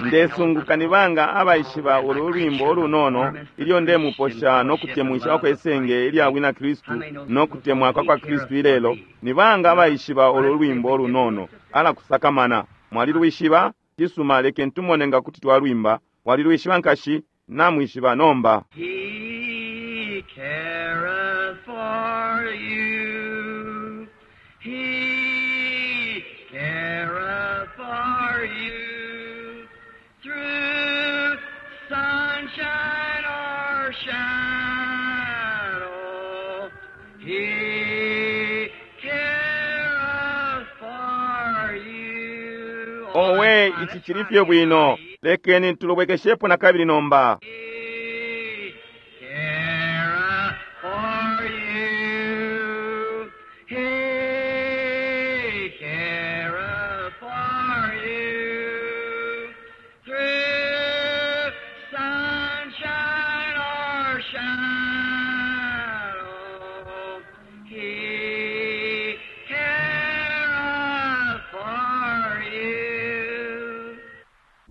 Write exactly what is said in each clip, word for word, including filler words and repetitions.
Ndesunguka ni banga abaishiba ulu lwimbo ulunono ilyo ndemuposha no kutemwisha kwesenge ilya bwina Kristu no kutemwa kwa kwa Kristu ilelo. Ni banga abaishiba ulu lwimbo ulunono alakusakamana. Mwalilwishiba? Cisuma, lekeni tumone nga kuti twalwimba. Walilwishiba nkashi? Namwishiba nomba. He careth for you. He careth for you. Through sunshine or shadow, He careth for you. Owe, ichi chili fye bwino. Lekeni tulubwekeshepo na kabili nomba. He careth for you. He careth for you. Through sunshine or shadow, He careth for you.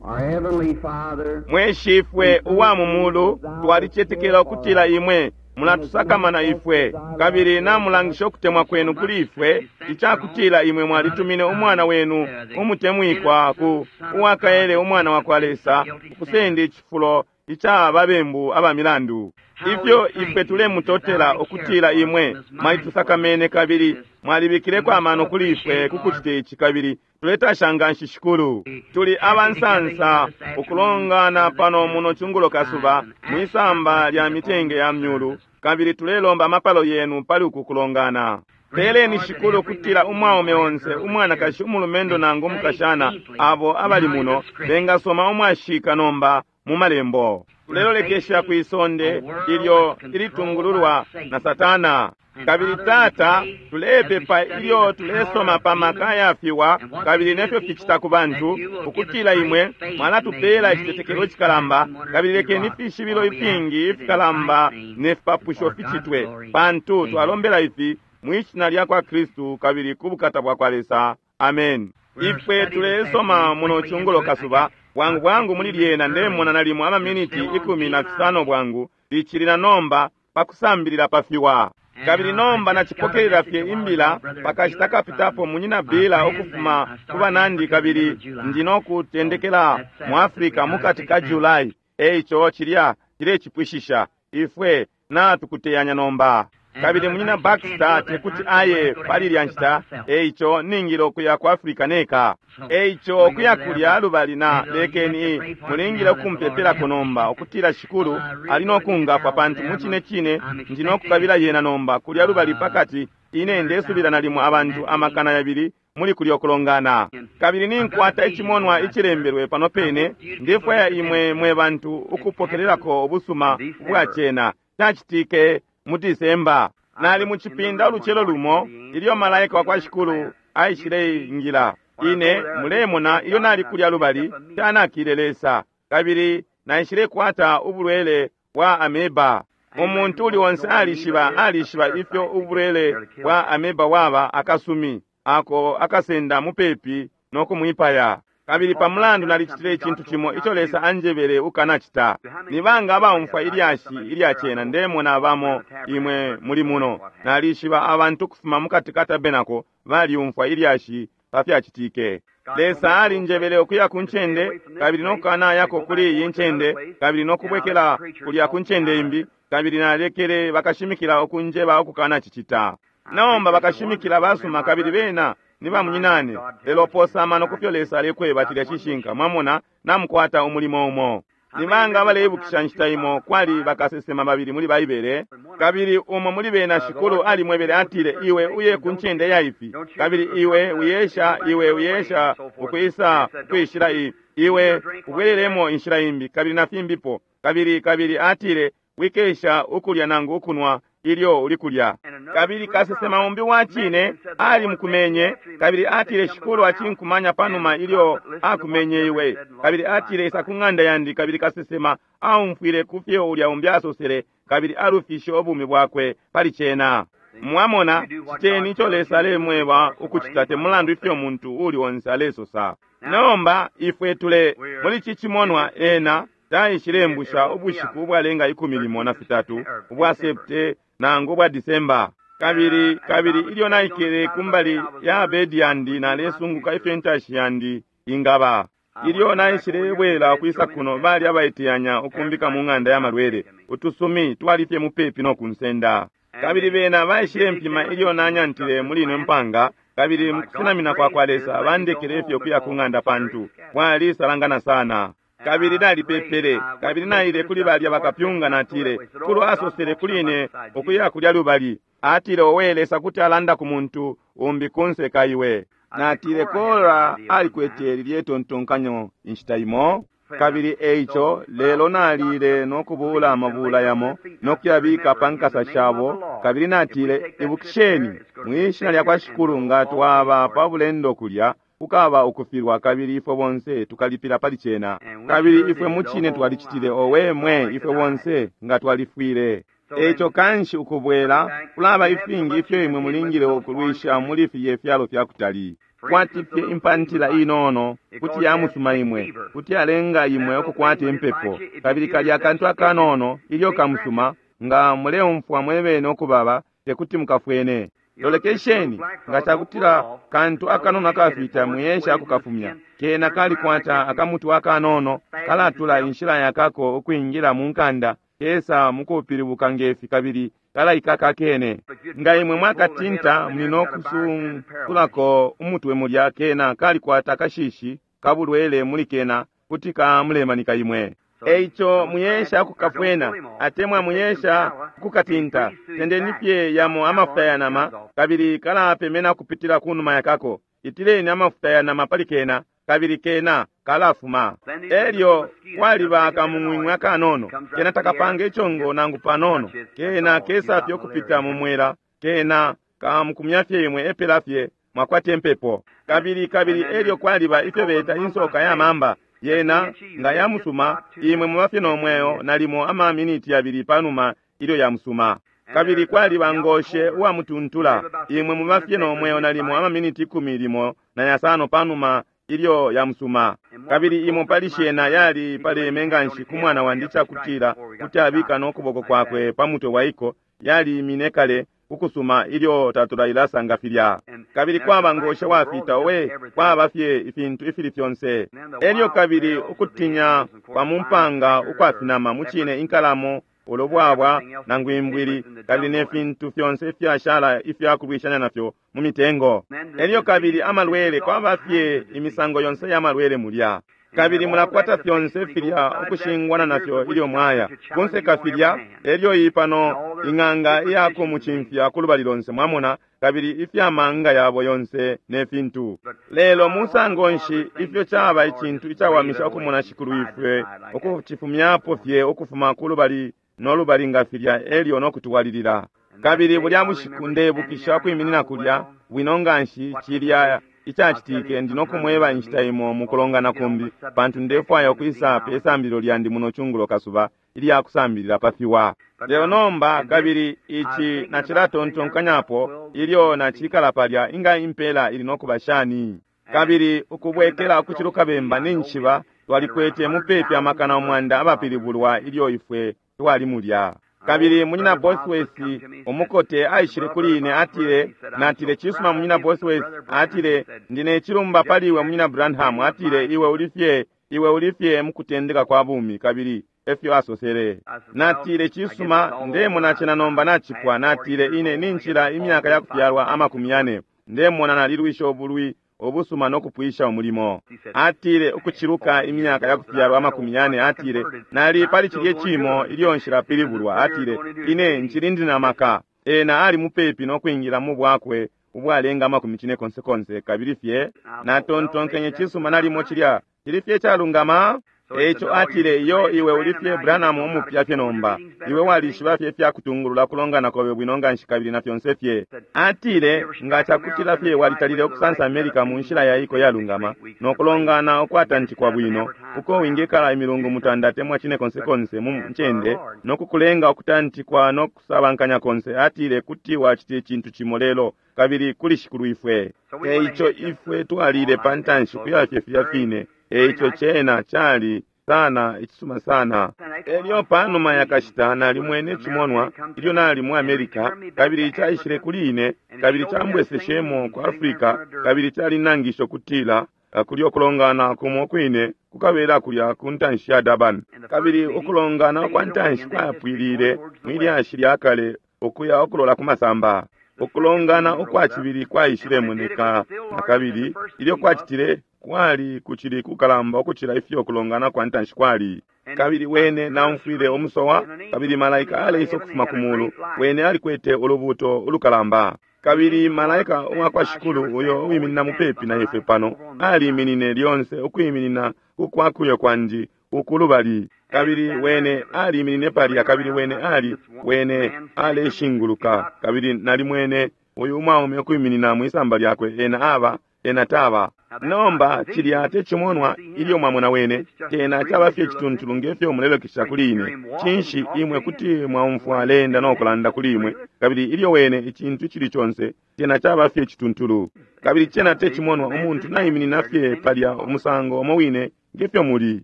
Our Heavenly Father, Mweshifwe uwa mumulu, twalichetekela ukutila imwe mulatusakamana ifwe, kabili namulangisha ukutemwa kwenu kuli ifwe, ichakutila imwe mwalitumine umwana wenu umutemwikwa ku uwakaele umwana wa kwa Lesa ukusenda ichifulo icha babembu abamilandu. Ifyo ifwe tulemutotela ukutila imwe mwalitusakamene kabili mwalibikileko amano kuli ifwe kukucita ichi, kabili tuletasha nganshi Shikulu. Tuli abansansa ukulongana pano muno chungulo kasuba mwisamba lya mitenge ya myulu, kabili tulelomba amapalo yenu pali uku kulongana. Peleni Shikulu kutila umwaume onse, umwanakashi, umulumendo nangu umukashana, abo abali muno bengasoma umwashika nomba mu malembo. Tulelolekesha kwisonde ilyo ilitungululwa na Satana. Kabili Tata, tulepepa ilyo tulesoma pa maka yafiwa kabili nefyo fichita ku bantu, ukutila imwe mwalatupela icitetekelo cikalamba, kabili lekeni ifishibilo ifingi ifikalamba ne fipapusho fichitwe, pantu twalombela ifi mwishina lya kwa Kristu kabili ku bukata bwa kwa Lesa. Amen. Ifwe tulesoma muno chungulo kasuba bwangu bwangu muli lyena ndemona nalimo amaminiti ikumi na fisano bwangu lichili na nomba pakusambilila pafiwa. Kabili nomba nachipokelela fye imbila pakashita kapitapo munyina Bila ukufuma ku banandi, kabili ndi nokutendekela mu Afrika mukati ka Julai. Eicho chilya chilecipwishisha ifwe natukuteyanya nomba. Kabili munyina Baxter tekuti aye pali lya nshita, eicho ningile ukuya ku Afrika neka. Eicho ukuya kulya lubali na lekeni mulingile ukumpepelako nomba ukutila Shikulu ali nokungafwa, pantu mucine cine ndi nokukabila yena nomba kulya lubali pakati ine ndesubila nalimo abantu amakana yabili muli kulya okulongana. Kabili ninkwata ichimonwa ichilembelwe pano pene, ndifwaya imwe mwe bantu ukupokelelako ubusuma ubwachena. Chachitike mu Disemba nali muchipinda uluchelo lumo ilyo malaika wa kwa Shikulu aishile ingila. Ine mulemona ilyo nali kulya lubali chanakile Lesa, kabili naishile kwata ubulwele bwa ameba. Umuntu uli onse alishiba alishiba ifyo ubulwele bwa ameba waba akasumi ako akasenda mupepi no kumwipaya. Kabili pamulandu nalicitile icintu cimo ico Lesa anjebele ukanacita. Ni banga abaumfwa ilyashi ilyachena ndemona bamo imwe muli muno. Nalishiba abantu kufuma mukati ka tabenako baliumfwa ilyashi pafyacitike. Lesa alinjebele ukuya ku ncende kabili nokukanayako kuli iyi ncende kabili nokubwekela kulya ku ncende imbi, kabili nalekele bakashimikila ukunjeba ukukanacicita. Nomba bakashimikila basuma kabili bena ni bamunyinane, lelo posa amano kufyo Lesa alekweba chilya cishinka. Mwamona namukwata umulimo umo. Ni banga abaleibukisha nshita imo kwali bakasesema babili muli Baibele, kabili umo muli bena Shikulu alimwebele atile, iwe uye ku ncende ya ifi, kabili iwe uyesha iwe uyesha ukwisa kwishila iyi, iwe ubwelelemo inshila imbi, kabili na fimbipo. Kabili kabili atile, wikesha ukulya nangu ukunwa ilyo uli kulya. Kabili kasesema umbi wa chine ali mukumenye, kabili atile Shikulu achinkumanya panuma ilyo akumenye iwe. Kabili atile isa ku ng'anda yandi. Kabili kasesema aumfwile kufyo ulya umbi asosele, kabili alufishe ubumi bwakwe pali chena. Mwamona, citeni ico Lesa alemweba ukucita, te mulandu ifyo muntu uli onse alesosa. Nomba ifwe tule muli ici cimonwa, ena taishilembusha ubushiku ubwalenga ikumi limo na fitatu ubwa septe nangu ubwa Disemba. Kabili kabili ilyo naikele kumbali ya bedi yandi, nalesunguka ifyo intashi yandi ingaba. Ilyo naishilebwela ukwisa kuno, bali abaiteyanya ukumbika mu ng'anda ya malwele. Utusumi twali fye mupepi no kunsenda. Kabili bena baishile mpima ilyo nanyantile muli ino mpanga, kabili mukusenamina kwa kwa Lesa bandekele fye ukuya ku ng'anda pantu bwalisalangana sana. Kabili nalipepele, kabili naile kuli balya bakapyunga, natile, Kulu asosele kuli ine ukuya kulya lubali. Atile, owe Lesa kuti alanda ku muntu umbi kunse ka iwe. Natile, Kora alikwete lilye tontonkanyo inshita imo. Kabili eico lelo nalile no kubula amabula yamo no kuyabika pa nkasa shabo. Kabili natile, ibukisheni mwishina lya kwa Shikulu, nga twaba pa bulendo kulya kukaba ukufilwa, kabili ifwe bonse tukalipila pali cena. Kabili ifwe mucine twalicitile, owe mwe, ifwe bonse nga twalifwile. Eico kanshi ukubwela kulaba ifingi ifyo imwe mulingile ukulwisha muli filye fyalo fya kutali. Kwati fye impantila inono kuti yamusuma imwe, kuti yalenga imwe ukukwata impepo. Kabili kalya akantu akanono ilyo kamusuma, nga muleumfwa mwebene ukubaba, tekuti mukafwene. Lolekesheni, nga cakutila kantu akanono akafita muyesha akukafumya, kena kalikwata akamutu akanono kalatula inshila yakako ukwingila mu nkanda, kesa mukupilibuka ngefi kabili kalaikaka kene. Nga imwe mwakatinta muli no kusunkulako umutwe mulya, kena kalikwata akashishi kabulwele muli kena kuti kamulemanika imwe. Eico muyesha kukafwena atemwa muyesha kukatinta, tendeni fye yamo amafuta ya nama, kabili kalapemena kupitila kunuma yakako. Itileni amafuta ya nama pali kena, kabili kena kalafuma. Elyo kwaliba akamung'wing'wi akanono, kena takapanga ichongo nangu panono, kena kesafye ukupita mu mwela, kena kamukumya fye imwe epela fye mwakwata impepo. Kabili kabili elyo kwaliba ifyo beta insoka ya mamba, yena nga yamusuma imwe mubafye nomweo nalimo ama miniti yabili panuma ilyo yamusuma. Kabili kwaliba ngoshe uwamutuntula, imwe mubafye nomweo nalimo ama miniti ikumi limo na yasano panuma ilyo yamusuma. Kabili imo pali shena yali paleme nganshi ku mwana wandi cakutila kuti abika no kuboko kwakwe pa mutwe waiko, yali imine kale ukusuma ilyo tatulailasa filya. Kabili kwaba ngoshe wafita, owe, kwaba fye ifintu ifili fyonse. Elyo kabili ukutinya kwa mumpanga ukwafinama mucine inkalamo, ulubwabwa nangu imbwili, kabili ne fintu fyonse ifyashala ifyakulwishanya nafyo mu mitengo. Elyo kabili amalwele, kwaba fye imisango yonse ya malwele mulya. Kabili mulakwata fyonse filya ukushingwana nafyo ilyo mwaya kunseka filya. Elyo iyi pano ing'anga iyakumucimfya kulubali lonse, mwamona, kabili ifyamanga yabo yonse ne fintu. Lelo musango nshi ifyo caba icintu icawamisha ukumona Shikulu ifwe ukucifumyapo fye ukufuma kulubali no lubali nga filya, elyo no kutuwalilila. Kabili bulya bushiku ndebukisha kwiminina kulya bwino nganshi cilya icacitike. Ndi nokumweba inshita imo mukulongana kumbi, pantu ndefwaya ukwisa pe sambililo lyandi muno chungulo kasuba ilya kusambilila pa fiwa. Lelo nomba kabili ici nacilatontonkanyapo ilyo nacikala palya, inga impela ili nokuba shani. Kabili ukubwekela ukuciluka bemba ninshiba twalikwete mupepi amakana umwanda abapilibulwa ilyo ifwe twali mulya. Kabili munyina Bosworth umukote aishile kuli ine, atile, natile, cisuma munyina Bosworth, atile, ndine chilumba pali iwe munyina Branham, atile, iwe ulifye, iwe ulifye mukutendeka kwa bumi, kabili efyo asosele. Natile, cisuma, ndemona cena nomba nacipwa. Natile, ine ninshila imyaka ya kufyalwa amakumi yane, ndemona nalilwisha ubulwi obusuma no kupwisha umulimo. Atile, ukuchiluka imyaka ya kufyalwa amakumi yane, atile, nali pali chilye chimo ilyo nshilapilibulwa. Atile, ine nchili na maka. Ena ali mupepi no kwingila mu bwakwe ubwalenga amakumi chine konse konse. Kabili fye natontonkenye, cisuma nalimo chilya chili fye chalungama. Eico atile, iyo iwe ulifye Branham umupya fye nomba, iwe walishiba fye fyakutungulula kulongana kobe bwino nganshi kabili na fyonse fye. Atile, nga cakutila fye walitalile ukusansa America mu nshila yaiko yalungama no kulongana ukwatantikwa bwino, uko wingekala imilungu mutanda atemwa cine konse konse mu ncende no kukulenga ukutantikwa no kusabankanya konse, atile kuti wacita icintu cimo lelo kabili kuli Shikulu ifwe. Eico ifwe twalile pa ntanshi kuyafye filya fine. Eico cena cali sana icisuma sana. Elyo panuma yakashita nalimwene icimonwa ilyo nali mu America, kabili caishile kuli ine kabili cambweseshemo ku Africa, kabili calinangisha ukutila kuli ukulongana kumo kwine kukabela kulya ku ntanshi ya Durban. Kabili ukulongana kwa ntanshi kwapwilile mwilyashi lya kale ukuya ukulola ku masamba. Ukulongana ukwa cibili kwaishilemoneka na kabili ilyo kwacitile kwali kucili kukalamba ukucila ifyo kulongana kwa ntanshi kwali. Kabili wene naumfwile umusowa, kabili malaika aleisa ukufuma ku mulu, wene alikwete ulubuuto ulukalamba. Kabili malaika uwa kwa Shikulu uyo uwiminina mupepi na ifwe pano aliminine lyonse ukwiminina kukwakuyo kwandi ukulubali. Kabili wene aliminine palya, kabili wene ali wene aleshinguluka, kabili nalimwene uyu umwaume ukwiminina mwisamba lyakwe, ena aba ena taba. Nomba cilya tecimonwa ilyo mwamona wene, tena caba fye cituntulu ngefyo mulelokesha kuli ine. Cinshi imwe kuti mwaumfwa alenda no kulanda kuli imwe, kabili ilyo wene icintu icili conse tena caba fye cituntulu. Kabili cena tecimonwa umuntu naiminina fye palya umusango umo wine ngefyo muli.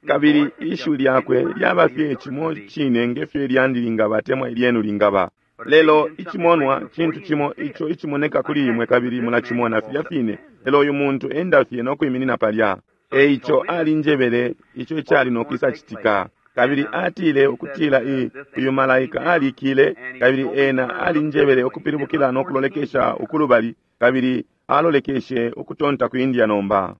Kabili ishiwi lyakwe lyaba fye cimo cine ngefyo ilyandi lingaba atemwa ilyenu lingaba. Lelo icimonwa cintu cimo ico icimoneka kuli imwe kabili mulacimona filya fine, lelo uyu muntu enda fye no kwiminina palya. Eico alinjebele ico icali no kwisacitika. Kabili atile ukutila i uyu malaika alikile, kabili ena alinjebele ukupilibukila no kulolekesha ukulubali, kabili alolekeshe ukutonta ku India. Nomba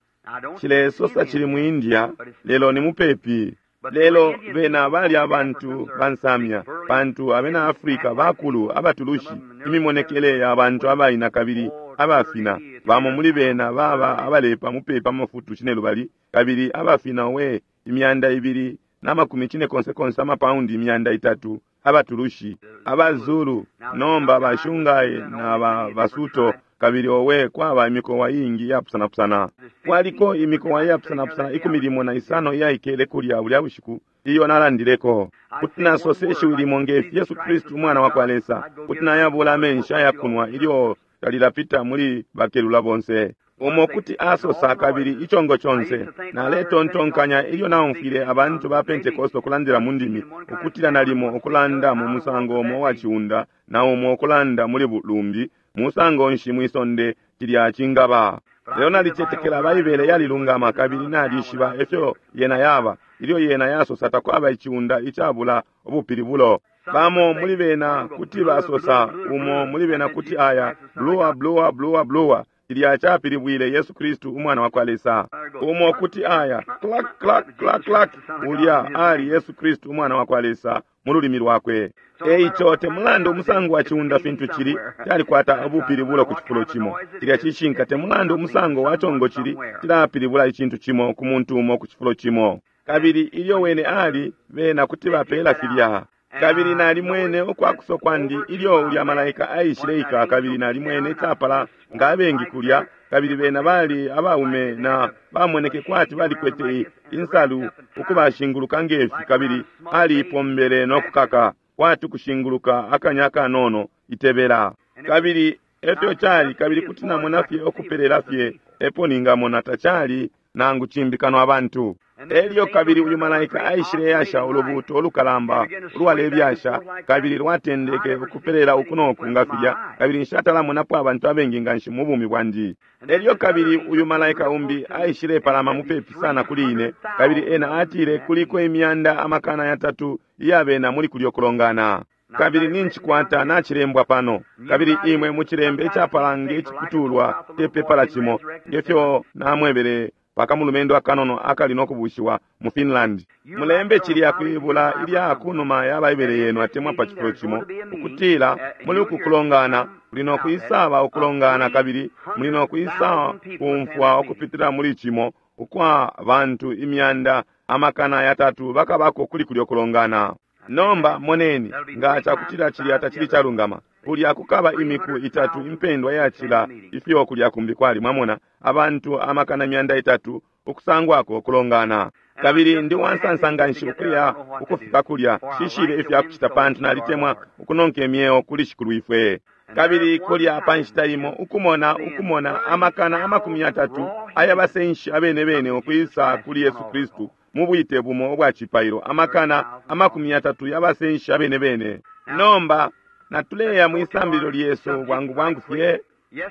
cilesosa cili mu India, lelo ni mupepi. Lelo bena bali abantu bansamya, pantu abena Afrika bakulu abatulushi, imimonekele ya bantu abaina kabili abafina. Bamo muli bena baba abalepa mupepi amafutu cinelubali, kabili abafina we imyanda ibili na makumi cine konse konse amapaundi imyanda itatu abatulushi. Abazulu nomba bashungaye na ba basuto, kabili owe kwaba imikowa iingi iyapusanapusana. Kwaliko imikowa iyapusanapusana ikumi limo na isano iyaikele kulya bulya bushiku iyo nalandileko. Kuti nasose ishiwi limo ngefi Yesu Kristu umwana wa kwa Lesa, kuti nayabula amenshi ayakunwa ilyo talilapita muli bakelula bonse. Umo kuti asosa kabili ichongo chonse. Naletontonkanya ilyo naumfwile abantu ba Pentekoste kulandila mu ndimi, ukutila nalimo ukulanda mu musango umo wa chiunda na umo ukulanda muli lumbi, musango nshi mwisonde cilya cingaba. Lelo nalicetekela Baibele yalilungama kabili nalishiba efyo yena yaba. Ilyo yena yasosa takwaba ichiunda icabula ubupilibulo. Bamo muli bena kuti basosa, umo muli bena kuti aya blua blua blua blua, cilya chapilibwile Yesu Kristu umwana wa kwa Lesa. Umo kuti aya clack clack clack clack, ulya ali Yesu Kristu umwana wa kwa Lesa mu lulimi lwakwe. Eico temulandu umusango wa chiunda fintu cili, calikwata ubupilibulo ku cifulo cimo. Cilya cishinka temulandu umusango wa chongo cili, cilapilibula icintu cimo ku muntu umo ku cifulo cimo. Kabili ilyo wene ali, bena kuti bapela filya. Kabili nalimwene ukwakuso kwandi ilyo ulya malaika aishileika, kabili nalimwene capala nga abengi kulya, kabili bena bali abaume na bamoneke kwati balikwete insalu ukubashinguluka ngefi, kabili aliipombele no kukaka kwati kushinguluka akanya kanono itebela. Kabili efyo cali, kabili kuti namona fye okupelela fye epo ningamona tacali nangu cimbi kano abantu. Elyo kabili uyu malaika aishile yasha ulubuuto ulukalamba ulwalebyasha, kabili lwatendeke ukupelela uku noku nga filya, kabili nshatalamonapo abantu abengi nganshi mu bumi bwandi. Elyo kabili uyu malaika umbi aishile palama mupepi sana kuli ine, kabili ena atile kuliko imyanda amakana yatatu iyabena muli kulyo kulongana. Kabili ninchikwata nachilembwa pano, kabili imwe muchilembe ichapalange ichiputulwa tepepala chimo ngefyo namwebele pakamulumendo akanono akali nokubushiwa mu Finland. Mulembe chilya kwibula ilya kunuma ya Baibele yenu atemwa pa chifulo chimo, ukutila muli uku kulongana muli nokwisaba ukulongana, kabili muli nokwisa kumfwa ukupitila muli chimo ukwa bantu imyanda amakana yatatu bakabako kuli kulyo kulongana. Nomba moneni nga chakutila chilya tachili chalungama. Kulya kukaba imiku itatu impendwa yachila ifyo kulya kumbi kwali, mwamona abantu amakana myanda itatu ukusangwako kulongana. Kabili ndi wansansa nganshi ukuya ukufika kulya, shishibe ifyakucita pantu nalitemwa ukunonka imyeo kuli Shikulwifwe. Kabili kulya pa nshita imo ukumona ukumona amakana amakumi yatatu ayabasenshi abene bene ukwisa kuli Yesu Kristu mu bwite bumo ubwa cipailo, amakana amakumi yatatu yabasenshi abene bene. Nomba natuleya mwisambililo lyesu bwangu bwangu fye.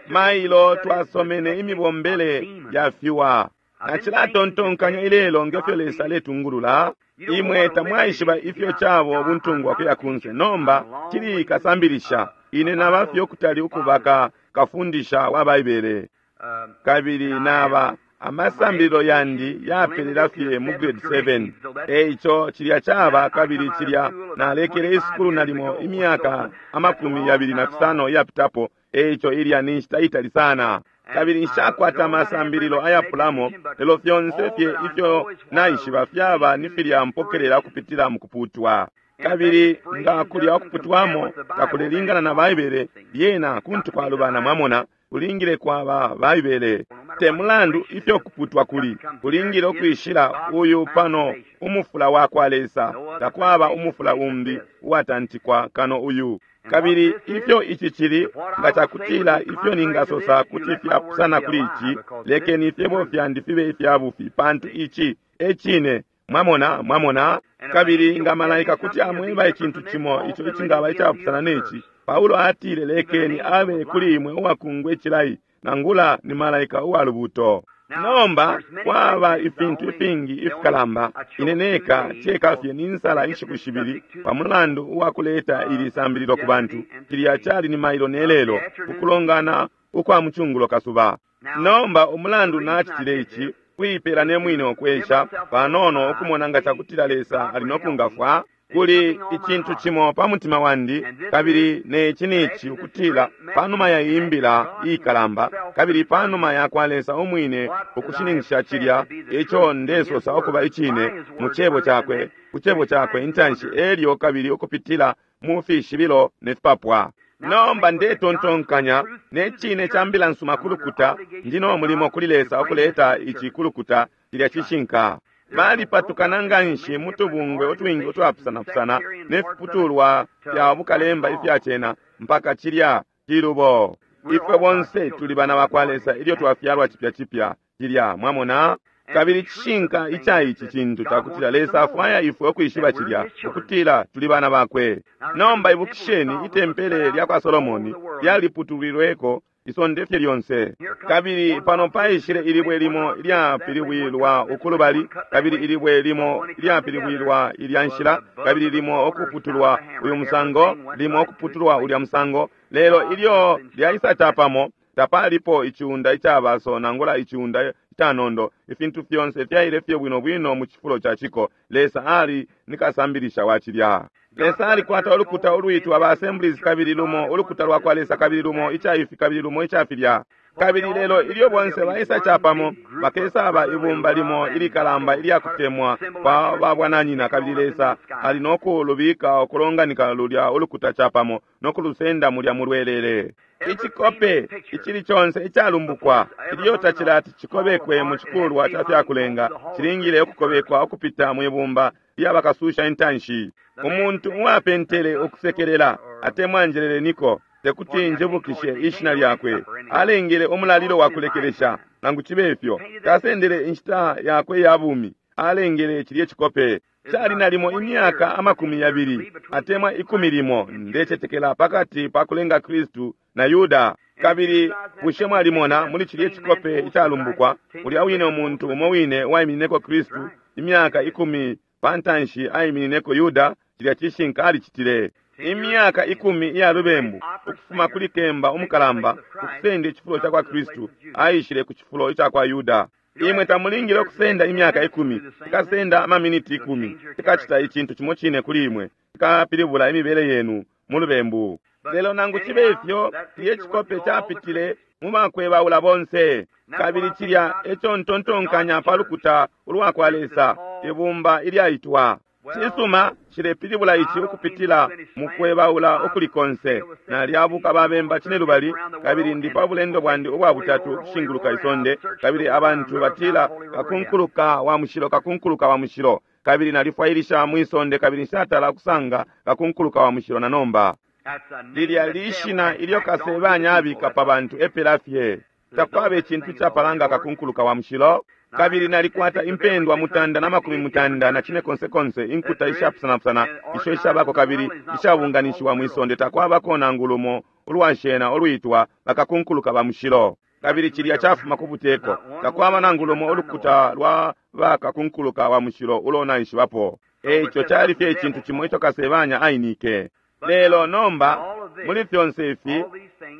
Mailo twasomene imibombele ya fiwa. Nacilatontonkanya ilelo ngefyo Lesa aletungulula. Imwe tamwaishiba ifyo cabo buntungwa kuya kunse. Nomba cili kasambilisha ine nabafye ukutali ukubaka kafundisha wa Baibele, kabili naba amasambililo yandi yapelela fye mu grade seven. Eico cilya caba, kabili cilya nalekele isukulu nalimo imyaka amakumi yabili na fisano iyapitapo. Eico ilya ni nshita itali sana, kabili nshakwata amasambililo ayapulamo, lelo fyonse fye ifyo naishiba fyaba ni filya mpokelela ukupitila mu kuputwa. Kabili nga kulya ukuputwamo takulelingana na Baibele, lyena kuntu kwalubana. Mwamona, kulingile kwaba Baibele. Te mulandu ifyo kuputwa kuli, kulingile ukwishila uyu pano umufula wa kwa Lesa. Takwaba umufula umbi uwatantikwa kano uyu. Kabili ifyo ici cili, nga cakutila ifyo ningasosa kuti fyapusana kuli ici, lekeni ifyebo fyandi fibe ifya bufi, pantu ici e cine. Mwamona, mwamona. Kabili nga malaika kuti amweba icintu cimo ico icingaba icapusana neci, Paulo atile, lekeni abe kuli imwe uwakungwe icilayi, nangula ni malaika uwa lubuto. Nomba kwaba ifintu ifingi ifikalamba. Ine neka ceka fye ninsala inshiku shibili pa mulandu uwakuleta ili sambililo ku bantu. Cilya cali ni mailo nelelo, ukulongana ukwa mucungulo kasuba. Nomba umulandu nacitile ici, kuipela ne mwine ukwesha panono ukumona nga cakutila Lesa ali no kungafwa. Kuli icintu cimo pa mutima wandi, kabili neci nici ukutila panuma ya imbila ikalamba, kabili panuma ya kwa Lesa umwine ukushininkisha cilya ico ndesosa ukuba icine mu cebo cakwe, ku cebo cakwe intanshi, elyo kabili ukupitila mu fishibilo ne fipapwa. Nomba ndetontonkanya ne cine ca mbila nsuma kulukuta, ndi no mulimo kuli Lesa ukuleta ici kulukuta cilya cishinka. Balipatukana nganshi mu tubungwe utwingi utwapusanapusana ne fiputulwa fya bukalemba ifya cena mpaka cilya cilubo. Ifwe bonse tuli bana bakwa Lesa ilyo twafyalwa cipya cipya cilya, mwamona. Kabili cishinka ica ici cintu cakutila Lesa afwaya ifwe ukwishiba cilya, ukutila tuli bana bakwe. Nomba ibukisheni, itempele lya kwa Solomoni lyaliputulilweko isonde fye lyonse. Kabili pano paishile ilibwe limo ilyapilibwilwa ukulubali, kabili ilibwe limo ilyapilibwilwa ilya nshila, kabili limo ukuputulwa uyu musango, limo ukuputulwa ulya musango. Lelo ilyo lyaisa capamo, tapalipo iciunda icabaso nangula iciunda icanondo. Ifintu fyonse fyaile fye bwino bwino mu cifulo ca ciko. Lesa ali ni kasambilisha wa cilya. Lesa alikwata ulukuta ulwitwa ba Assemblies, kabili lumo ulukuta lwa kwa Lesa, kabili lumo icaifi, kabili lumo icafilya. Kabili lelo ilyo bonse baisa capamo, bakesaba ibumba limo ilikalamba ilyakutemwa kwa babwananyina, kabili Lesa ali no kulubika ukulonganika lulya ulukuta capamo no kulusenda mulya mulwelele. Icikope icili conse icalumbukwa ilyo tacilati cikobekwe mu cikulwa ca fyakulenga, cilingile ukukobekwa ukupita mwibumba lyabakasusha intanshi. Umuntu uwapentele ukusekelela atemwa njeleleniko, tekuti njibukishe ishina lyakwe, alengele umulalilo wa kulekelesha. Nangu cibe ifyo, tasendele inshita yakwe ya bumi, alengele cilye cikope. Cali nalimo imyaka amakumi yabili atemwa ikumi limo, ndecetekela, pakati pa kulenga Kristu na Yuda. Kabili bushe mwalimona muli cilye cikope icalumbukwa ulya wine umuntu umo wine waiminineko Kristu imyaka ikumi pantanshi aiminineko Yuda? Cilya cishinka alicitile. Imyaka ikumi iya lubembu ukufuma kuli kemba umukalamba ukusenda icifulo ca kwa Kristu aishile ku cifulo ica kwa Yuda. Imwe tamulingile ukusenda imyaka ikumi, tikasenda amaminiti ikumi, tikacita icintu cimo cine kuli imwe, tikapilibula imibele yenu mu lubembu. Lelo nangu cibe ifyo, cilye cikope capitile mu bakwebaula bonse. Kabili cilya eco ntontonkanya pa lukuta ulwa kwa Lesa, ibumba ilyaitwa. Cisuma, nshilepilibula ici ukupitila mukwebaula ukuli konse. Nalyabuka babemba cinelubali, kabili ndi pa bulendo bwandi ubwa butatu ukushinguluka isonde, kabili abantu batila kakunkuluka wa mushilo, kakunkuluka wa mushilo. Kabili nalifwailisha mwisonde kabili nshatala kusanga kakunkuluka wa mushilo na nomba. Lilya lishina ilyo kasebanya abika pa bantu epela fye. Takwaba icintu capalanga kakunkuluka wa mushilo. Kabili nalikwata impendwa mutanda na makumi mutanda na cine konse konse inkuta ishapusanapusana isho ishabako kabili ishabunganishiwa mwisonde. Takwabako nangu lumo ulwashena olwitwa bakakunkuluka ba mushilo. Kabili cilya cafuma ku buteko. Takwaba nangu lumo ulukuta lwa bakakunkuluka wa mushilo ulo naishibapo. Eico cali fye icintu cimo ico kasebanya ainike. Lelo nomba muli fyonse ifi,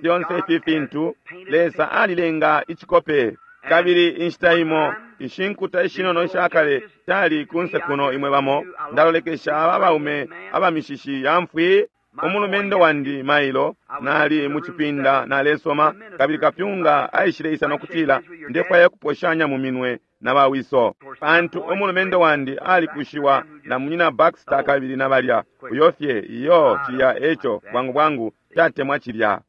fyonse ifi fintu, Lesa alilenga icikope. Kabili inshita imo ishinkuta ishinono ishakale cali kunse kuno imwe bamo ndalolekesha aba baume abamishishi ya mfwi. Umulumendo wandi mailo nali mucipinda nalesoma, kabili kapyunga aishile isa nokutila ndefwaya kuposhanya mu minwe na bawiso, pantu umulumendo wandi alikushiwa na munyina Baxter kabili na balya uyo fye iyo cilya eco bwangu bwangu tatemwa cilya.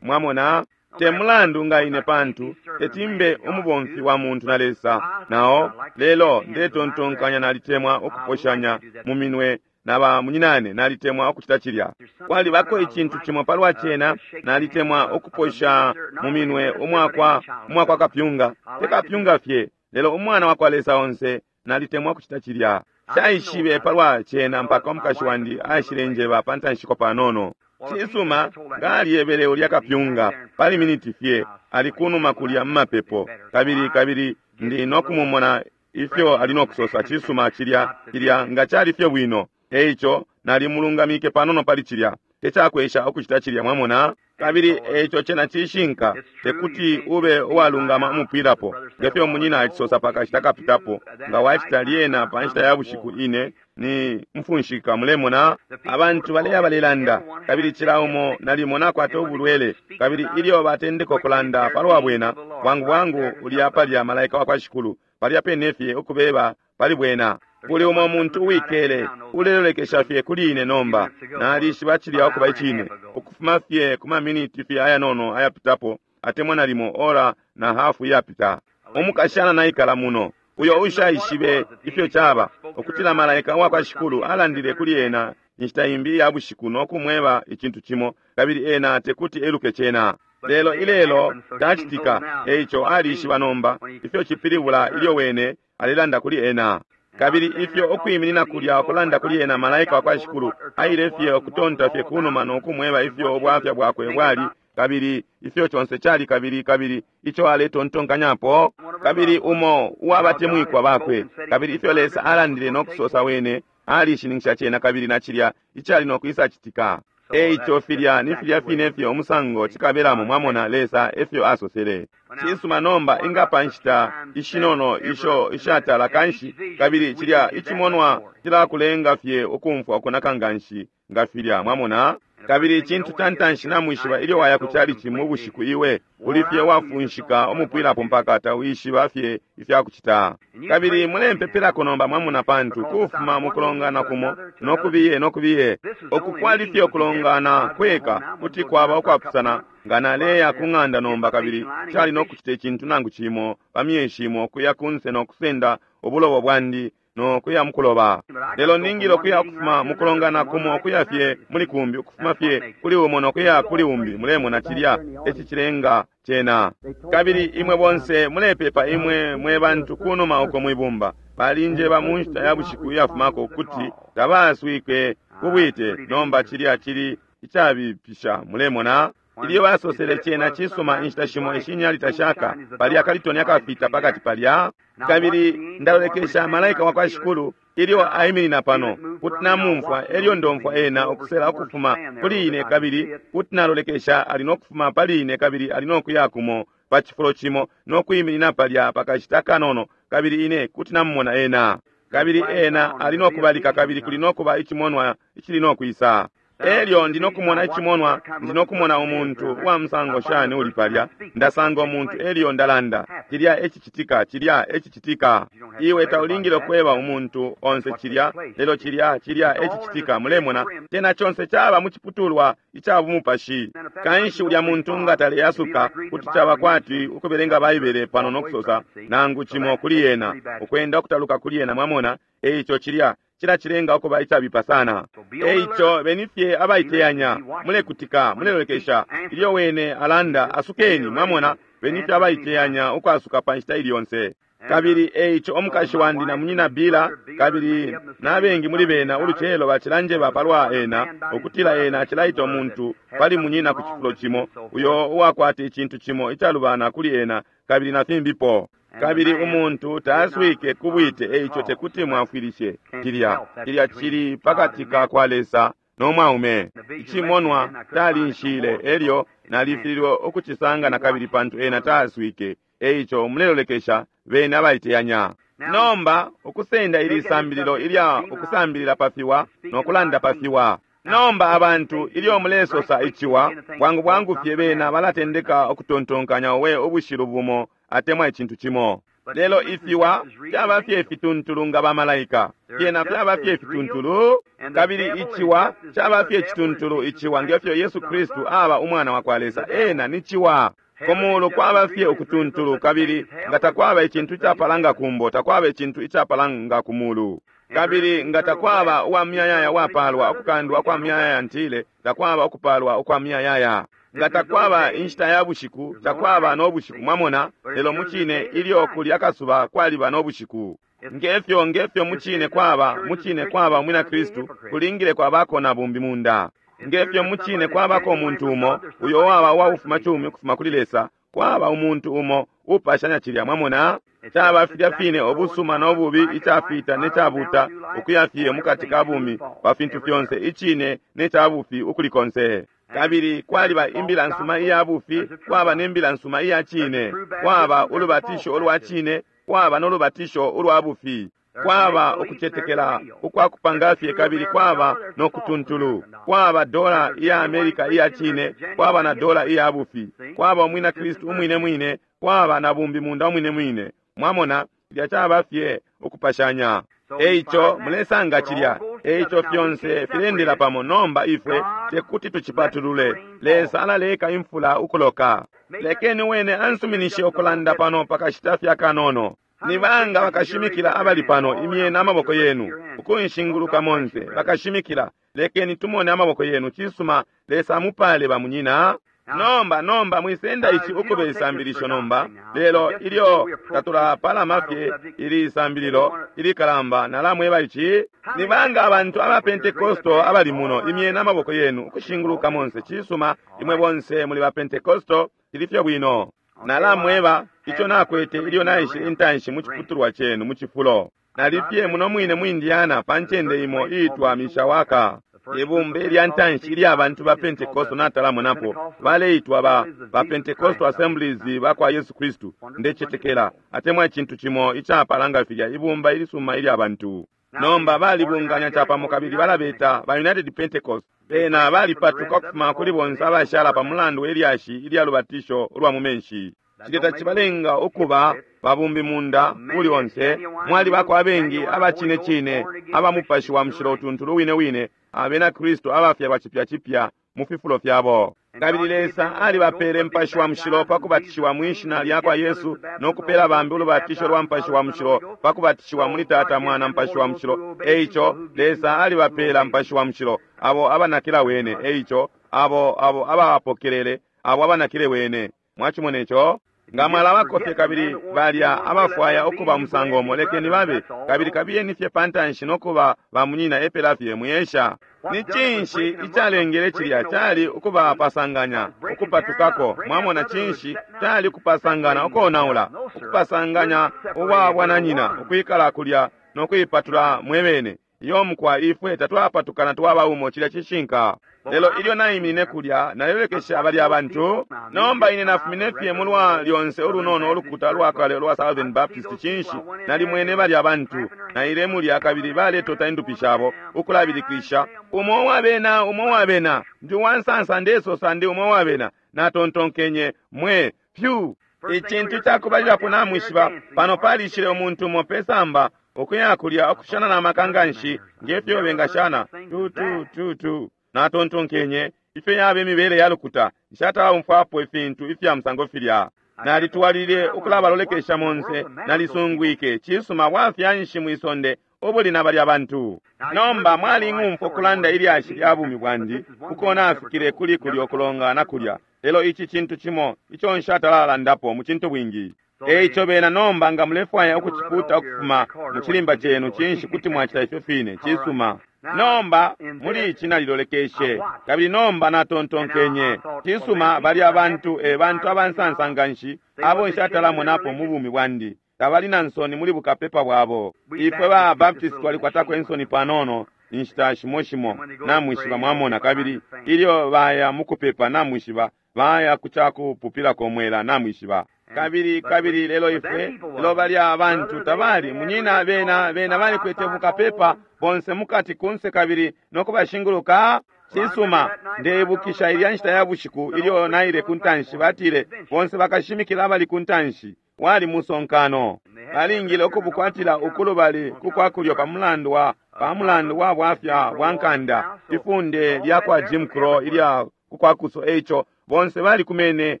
Mwamona, te mulandu nga ine pantu tetimbe umubomfi wa muntu na Lesa nao, lelo ndetontonkanya nalitemwa ukuposhanya mu minwe na ba munyinane, nalitemwa ukucita cilya. Kwalibako icintu cimo palwa cena, nalitemwa ukuposha mu minwe umwakwa umwakwa kapyunga, te kapyunga fye, lelo umwana wakwa Lesa onse, nalitemwa ukucita cilya. Shaishibe palwa cena mpaka umukashi wandi aishile njeba pa ntanshiko panono. Cisuma, ngaliyebele ulya kapyunga pali miniti fye, ali kunuma kulya mumapepo, kabili kabili ndi nokumumona ifyo ali nokusosa. Cisuma, cilya cilya nga cali fye bwino. Eico nalimulungamike panono pali cilya, tecakwesha ukucita cilya, mwamona. Kabili eico cena cishinka, tekuti ube uwalungama umupwilapo, ngefyo munyina acisosa pakashita kapitapo, nga wacita lyena pa nshita ya bushiku ine ni mfunshika. Mulemona abantu baleya balelanda, kabili cila umo nalimo nakwata ubulwele, kabili ilyo batendeka ukulanda palwa bwena, bwangu bwangu ulya palya malaika wakwa Shikulu palya pene fye ukubeba pali bwena. Kuli umo muntu uwikele ulelolekesha fye kuli ine nomba, nalishiba cilya ukuba icine, ukufuma fye ku maminiti fye ayanono ayapitapo, atemwa nalimo ora na hafu iyapita. Umukashana naikala muno uyo ushaishibe ifyo caba, ukutila malaika wakwa Shikulu alandile kuli ena inshita imbi ya bushiku no kumweba icintu cimo, kabili ena tekuti eluke cena. Lelo ilelo tacitika, eico alishiba nomba ifyo cipilibula ilyo wene alelanda kuli ena. Kabili ifyo ukwiminina kulya ukulanda kuli ena malaika wakwa Shikulu aile fye ukutonta fye kunuma no kumweba ifyo ubwafya bwakwe bwali, kabili ifyo conse cali, kabili kabili ico aletontonkanyapo, kabili umo uwabatemwikwa bakwe, kabili ifyo Lesa alandile no kusosa wene alishininkisha cena, kabili na cilya icali no kwisa citika. Eico filya ni filya fine fye umusango cikabelamo, mwamona, Lesa efyo asosele. Cisuma, nomba ingapa nshita ishinono isho ishatala kanshi, kabili cilya icimonwa cilakulenga fye ukumfwa ukunaka nganshi nga filya, mwamona. Kabili icintu ca ntanshi namwishiba, ilyo waya ku chalichi mu bushiku iwe uli fye wafunshika umupwilapo mpaka tawishiba fye ifyakucita. Kabili mulempepelako nomba, mwamona, pantu kufuma mukulongana kumo nokubiye nokubiye, uku kwali fye ukulongana kweka kuti kwaba ukwapusana nga naleya ku ng'anda nomba, kabili cali nokucita icintu nangu cimo pa myeshi imo kuya kunse nokusenda ubulobo bwandi no kuya mukuloba. Lelo ningile ukuya ukufuma mukulongana kumo ukuya fye muli kumbi, ukufuma fye kuli umo nokuya kuli umbi. Mulemona cilya eci cilenga cena. Kabili imwe bonse mulepepa, imwe mwe bantu kunuma uko mwibumba, balinjeba mu nshita ya bushiku iyafumako ukuti tabaaswike kubwite. Nomba cilya cili icabipisha, mulemona. Ilyo basosele cena cisuma, inshita shimo ishinyali tashaka palya kalitoni akafita pakati palya. Kabili ndalolekesha malaika wakwa Shikulu ilyo aiminina pano, kuti namumfwa elyo ndomfwa ena ukusela ukufuma kuli ine, kabili kuti nalolekesha ali nokufuma pali ine, kabili ali nokuya kumo pa cifulo cimo nokwiminina palya pakashita kanono, kabili ine kuti namumona ena. Kabili ena ali nokubalika, kabili kuli nokuba icimonwa icili nokwisa. Elyo ndi nokumona icimonwa, ndi nokumona umuntu uwa musango shani uli palya, ndasanga umuntu elyo ndalanda, cilya ecicitika, cilya ecicitika. Iwe taulingile kweba umuntu onse cilya, lelo cilya, cilya ecicitika, mulemona, tena conse caba muciputulwa ica bumupashi. Kanshi ulya muntu nga taleyasuka, kuti caba kwati ukubelenga Baibele pano nokusosa nangu cimo kuli yena, ukwenda ukutaluka kuli yena, mwamona, eico cilya cilacilenga ukuba icabipa sana. Eico benifye abaiteyanya, mulekutika, mulelolekesha ilyo wene alanda, asukeni, mwamona, benifye abaiteyanya ukwasuka pa nshita ili yonse. Kabili eico omukashi wandi na munyina Bila, kabili nabengi muli bena ulucelo bacilanjeba palwa ena, ukutila ena acilaita umuntu pali munyina ku cifulo cimo, uyo uwakwata icintu cimo icalubana kuli ena, kabili na fimbipo. Kabili umuntu taaswike kubwite, eico tekuti mwafwilishe cilya. Cilya cili pakati ka kwa Lesa no mwaume. Icimonwa talinshile, elyo nalifililwe ukucisanga na kabili pantu ena taaswike. Eico mulelolekesha bene abaiteyanya. Nomba ukusenda ili sambililo ilya ukusambilila pa fiwa no kulanda pa fiwa. Nomba abantu ilyo mulesosa iciwa, bwangu bwangu fye bena balatendeka ukutontonkanya we ubushilu bumo atemwa icintu cimo. Lelo ifiwa fyaba fye fituntulu nga bamalaika, fyena fyaba fye fituntulu, kabili iciwa caba fye cituntulu iciwa ngefyo Yesu Kristu aba umwana wa kwa Lesa, ena ni ciwa. Kumulu kwaba fye ukutuntulu, kabili nga takwaba icintu icapalanga kumbo, takwaba icintu icapalanga kumulu. Kabili nga takwaba uwa muyayaya wapalwa ukukandwa kwa muyayaya, ntile takwaba ukupalwa ukwa muyayaya. Nga takwaba inshita ya bushiku, takwaba no bushiku, mwamona, lelo mucine ilyo kuli akasuba kwaliba no bushiku. Ngefyo ngefyo mucine kwaba, mucine kwaba umwina Kristu, kulingile kwabako na bumbi munda. Ngefyo mucine kwabako umuntu umo, uyo waba uwa cumi ukufuma kuli Lesa, kwaba umuntu umo upashanya cilya, mwamona. Caba filya fine ubusuma no bubi, icafita ne cabuta, ukuya fye mukati ka bumi pa fintu fyonse, icine ne cabufi ukuli konse. Kabili kwaliba imbila nsuma iya bufi, kwaba ne mbila nsuma iya cine, kwaba ulubatisho ulwa cine, kwaba no lubatisho ulwa bufi, kwaba ukucetekela ukwa kupanga fye, kabili kwaba no kutuntulu, kwaba dola iya Amerika iya cine, kwaba na dola iya bufi, kwaba umwina Kristu umwine mwine, kwaba na bumbi munda umwine mwine. Mwamona, ilya caba fye ukupashanya. Eico mulesanga cilya, eico fyonse filendela pamo. Nomba ifwe tekuti tucipatulule. Lesa alaleka imfula ukuloka. Lekeni wene ansuminishe ukulanda pano pakashita fya kanono. Ni banga bakashimikila abali pano, imyena amaboko yenu ukunshinguluka monse bakashimikila. Lekeni tumone amaboko yenu. Cisuma, Lesa amupale bamunyina. Nomba nomba mwisenda ici ukube isambilisho nomba, lelo ilyo tatulapalama fye ili isambililo ilikalamba, nalamweba ici. Ni banga abantu aba Pentekosto abali muno, imyena amaboko yenu ukushinguluka monse. Cisuma, imwe bonse muli ba Pentekosto, ilifyo bwino. Nalamweba ico nakwete ilyo naishile intanshi mu ciputulwa cenu mu cifulo. Nalifye muno mwine mu Indiana pa ncende imo iitwa Mishawaka. Ibumba lya ntanshi ilya bantu ba Pentekosto natalamonapo, baleitwa ba ba Pentecostal Assemblies ba kwa Yesu Kristu, ndecetekela atemwa icintu cimo icapalanga filya, ibumba ilisuma ilya bantu. Nomba balibunganya capamo kabili balabeta ba United Pentecost. Bena balipatuka ukufuma kuli bonse abashala pa mulandu welyashi ilya lubatisho ulwa mu menshi. Cilya tacibalenga ukuba babumbi munda uli onse. Mwalibako abengi abacine cine aba mupashi wa mushilo utuntulu wine wine, abena Kristu abafyalwa cipya cipya mu fifulo fyabo. Kabili Lesa alibapele mpashi wa mushilo pa kubatishiwa mwishina lya kwa Yesu, no kupela bambi ulubatisho lwa mpashi wa mushilo pa kubatishiwa muli Tata, Mwana, mpashi wa mushilo. Eico Lesa alibapela mpashi wa mushilo abo abanakila wene. Eico abo abo abapokelele, abo abanakile wene. Mwachimone ico? Nga mwalabako fye kabili balya abafwaya ukuba musango umo, lekeni babe, kabili kabiyeni fye pantanshi no kuba bamunyina epela fye muyesha. Ni cinshi icalengele cilya? Cali ukubapasanganya, ukupatukako. Mwamona, cinshi cali kupasangana, ukonaula, ukupasanganya ubwa bwananyina, ukwikala kulya no kuipatula mwebene. Iyo mukwa ifwe tatwapatukana twaba umo, cilya cishinka. Lelo ilyo naiminine kulya nalelekesha abali abantu. Nomba ine nafumine fye mulwa lyonse ulunono ulukuta lwakale lwa Southern Baptist. Cinshi, nalimwene bali abantu naile mulya kabili baletota indupi shabo ukulabilikisha, umo wabena, umo wabena, ndi wansansa, ndesosa ndi umo wabena. Natontonkenye, mwe pyu. Icintu cakubalilapo namwishiba, pano palishile umuntu umo pesamba ukuya kulya okushana n'amaka nga nshi ngefyo bengashana tu tu tu tu. Natontonkenye, ifyo yaba imibele ya lukuta, nshatala ifintu ifya musango filya. Nalitwalile ukulabalolekesha monse, nalisungwike cisuma bwafya nshi mwisonde ubuli na balya bantu. Nomba mwali ng'umfwa okulanda ilyashi lya bumi bwandi uko nafikile kuli kulya okulongana kulya, lelo ici cintu cimo ico nshatalalandapo mu cintu bwingi. Eico bena nomba nga mulefwaya ukuciputa ukufuma mu chilimba chenu, cinshi kuti mwacita ifyo fine. Cisuma. Nomba muli ici nalilolekeshe kabili nomba natontonkenye, cisuma bali abantu e bantu abansansa nga nshi abo nshatalamonapo mu bumi bwandi. Tabali na nsoni muli bukapepa bwabo. Ifwe ba Baptist twalikwatako insoni panono inshita shimo shimo, namwishiba, mwamona. Kabili ilyo baya mukupepa, namwishiba, baya kucakupupilako mwela, namwishiba. Kabili kabili lelo ifwe lelo bali abantu tabali munyina, bena bena balikwete bukapepa bonse mukati kunse kabili nokubashinguluka. Cisuma, ndeibukisha ilya nshita ya bushiku ilyo naile kuntanshi, batile bonse bakashimikila abali kuntanshi wali musonkano. Balingile ukubukwatila ukulubali kukwakulyo pamulandu wa pamulandu wa bwafya bwa nkanda, ifunde lya kwa Jim Crow ilya kukwakuso. Eico bonse balikumene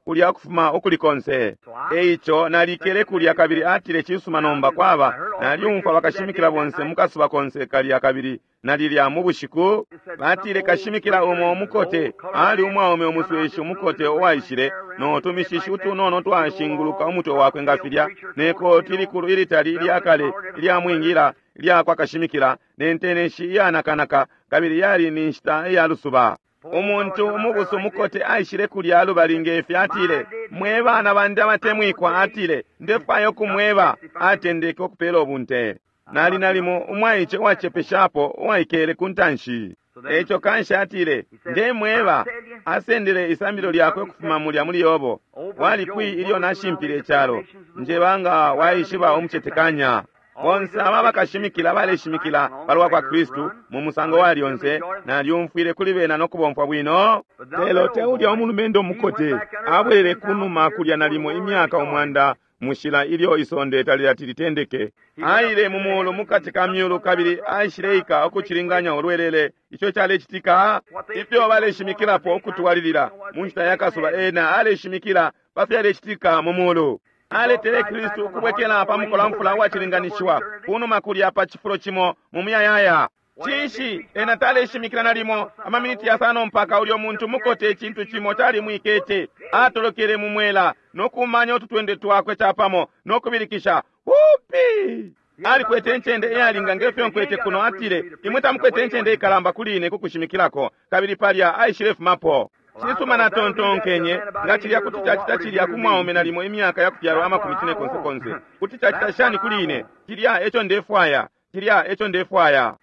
kulya kufuma ukulikonse. Eico nalikele kulya kabili atile, cisuma nomba kwaba naliumfwa bakashimikila bonse mukasuba konse kalya kabili nalilya mu bushiku. Batile kashimikila umo umukote ali umwaume umusweshi umukote uwaishile no tumishishi utunono twashinguluka umutwe wakwe nga filya, nekoti likulu ilitali ilyakale ilyamwingila ilyakwa kashimikila nenteneshi iyanakanaka, kabili yali ni nshita iya lusuba. Umuntu umubusu umukote aishile kulya lubali ngefi, atile, mwe bana bandi abatemwikwa, atile, ndefwaya ukumweba. Atendeke okupela ubunte. Nali nalimo umwaice uwacepeshapo uwaikele ku ntanshi. Eico kanshi atile, ndemweba. Asendele isambilo lyakwe ukufuma mulya muli Yobo. Wali kwi ilyo nashimpile icalo? Njeba nga waishiba umucetekanya. Bonse aba bakashimikila baleshimikila palwa kwa Kristu mu musango wa lyonse, nalyumfwile kuli bena nokubomfwa bwino. Lelo teulya umulumendo mukote abwelele kunuma kulya nalimo imyaka umwanda mushila ilyo isonde talilati litendeke. Aile mu muulu mukati ka myulu kabili aishileika ukucilinganya ulwelele ico calecitika. Ifyo baleshimikilapo ukutwalilila mu nshita ya kasuba, ena aleshimikila pa fyalecitika mu muulu. Aletele Kristu ukubwekela pa mukolamfula uwacilinganishiwa kunuma kulya pa cifulo cimo mu muyayaya. Cinshi ena taleshimikila nalimo amaminiti yasano mpaka ulyo muntu mukote icintu cimo calimwikete. Atolokele mu mwela nokumanya ututwende twakwe capamo nokubilikisha hupi. Alikwete incende iyalinga ngefyo nkwete kuno. Atile, imwe tamukwete incende ikalamba kuli ine kukushimikilako. Kabili palya aishilefumapo. Cisuma, natontonkenye nga cilya kuti cacita cilya ku mwaume nalimo imyaka ya kufyalwa amakumi cine konse konse, kuti cacita shani kuli ine? Cilya eco ndefwaya, cilya eco ndefwaya.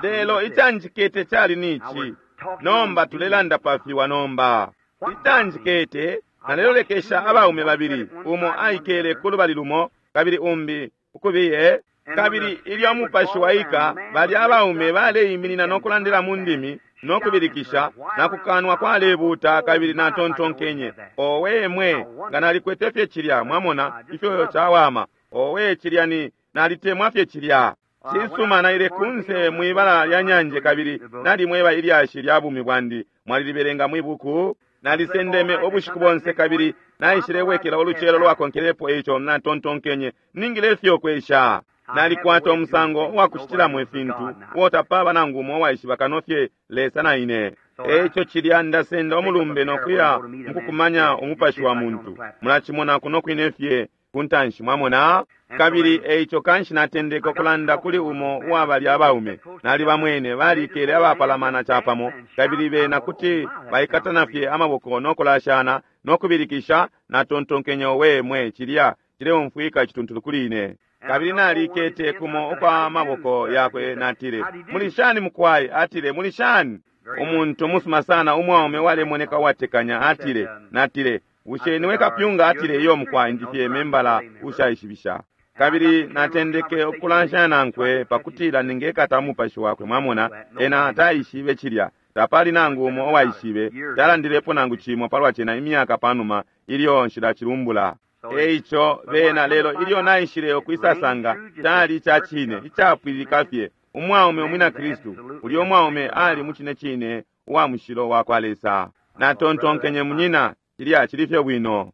Lelo icanjikete cali nici. Nomba tulelanda pafiwa nomba. Icanjikete, nalelolekesha abaume babili, umo aikele ku lubali lumo kabili umbi ukubiye. Kabili ilyo umupashi waika, bali abaume baleiminina nokulandila mu ndimi nokubilikisha nakukanwa kwalebuta. Kabili natontonkenye, owe mwe, nga nalikwete fye cilya. Mwamona ifyo cawama. Owe, cilya ni nalitemwa fye cilya. Cisuma, naile kunse mwibala lya nyanje kabili nalimweba ilyashi lya bumi bwandi, mwalilibelenga mwibuku. Nalisendeme ubushiku bonse kabili naishilebwekela ulucelo lwakonkelepo. Eico natontonkenye, ningile fye kwesha. Nalikwata umusango uwakucitilamo ifintu uo tapaba nangu umo uwaishiba kano fye Lesa na ine. Eico cilya ndasenda umulumbe nokuya mukukumanya umupashi wa muntu. Mulacimona kuno kwine fye kuntanshi, mwamona. Kabili eico kanshi natendeka okulanda kuli umo uwabali abaume. Nalibamwene balikele abapalamana capamo, kabili bena kuti baikatana fye amaboko nokulashana nokubilikisha. Natontonkenye, owe mwe, cilya cileumfwika icituntulu kuli ine. Kabili nalikete kumo ukwa maboko yakwe, natile, muli shani mukwai? Atile, muli shani? Umuntu musuma sana, umwaume walemoneka uwatekanya. Atile, natile, bushe niwe kapyunga? Atile, iyo mukwai, ndifye membala ushaishibisha. Kabili natendeke ukulanshanya nankwe pakutila ningekata umupashi wakwe. Mwamona, ena taishibe cilya, tapali nangu umo uwaishibe, talandilepo nangu cimo palwa cena imyaka panuma ilyo nshilacilumbula. Eico bena lelo ilyo naishile ukwisasanga cali ica cine icapwililika fye umwaume umwina Kristu. Ulyo mwaume ali mucine cine uwa mushilo wa kwa Lesa. Natontonkenye, munyina, cilya cili fye bwino.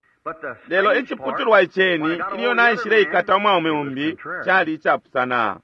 Lelo iciputulwa iceni ilyo naishile ikata umwaume umbi cali icapusana.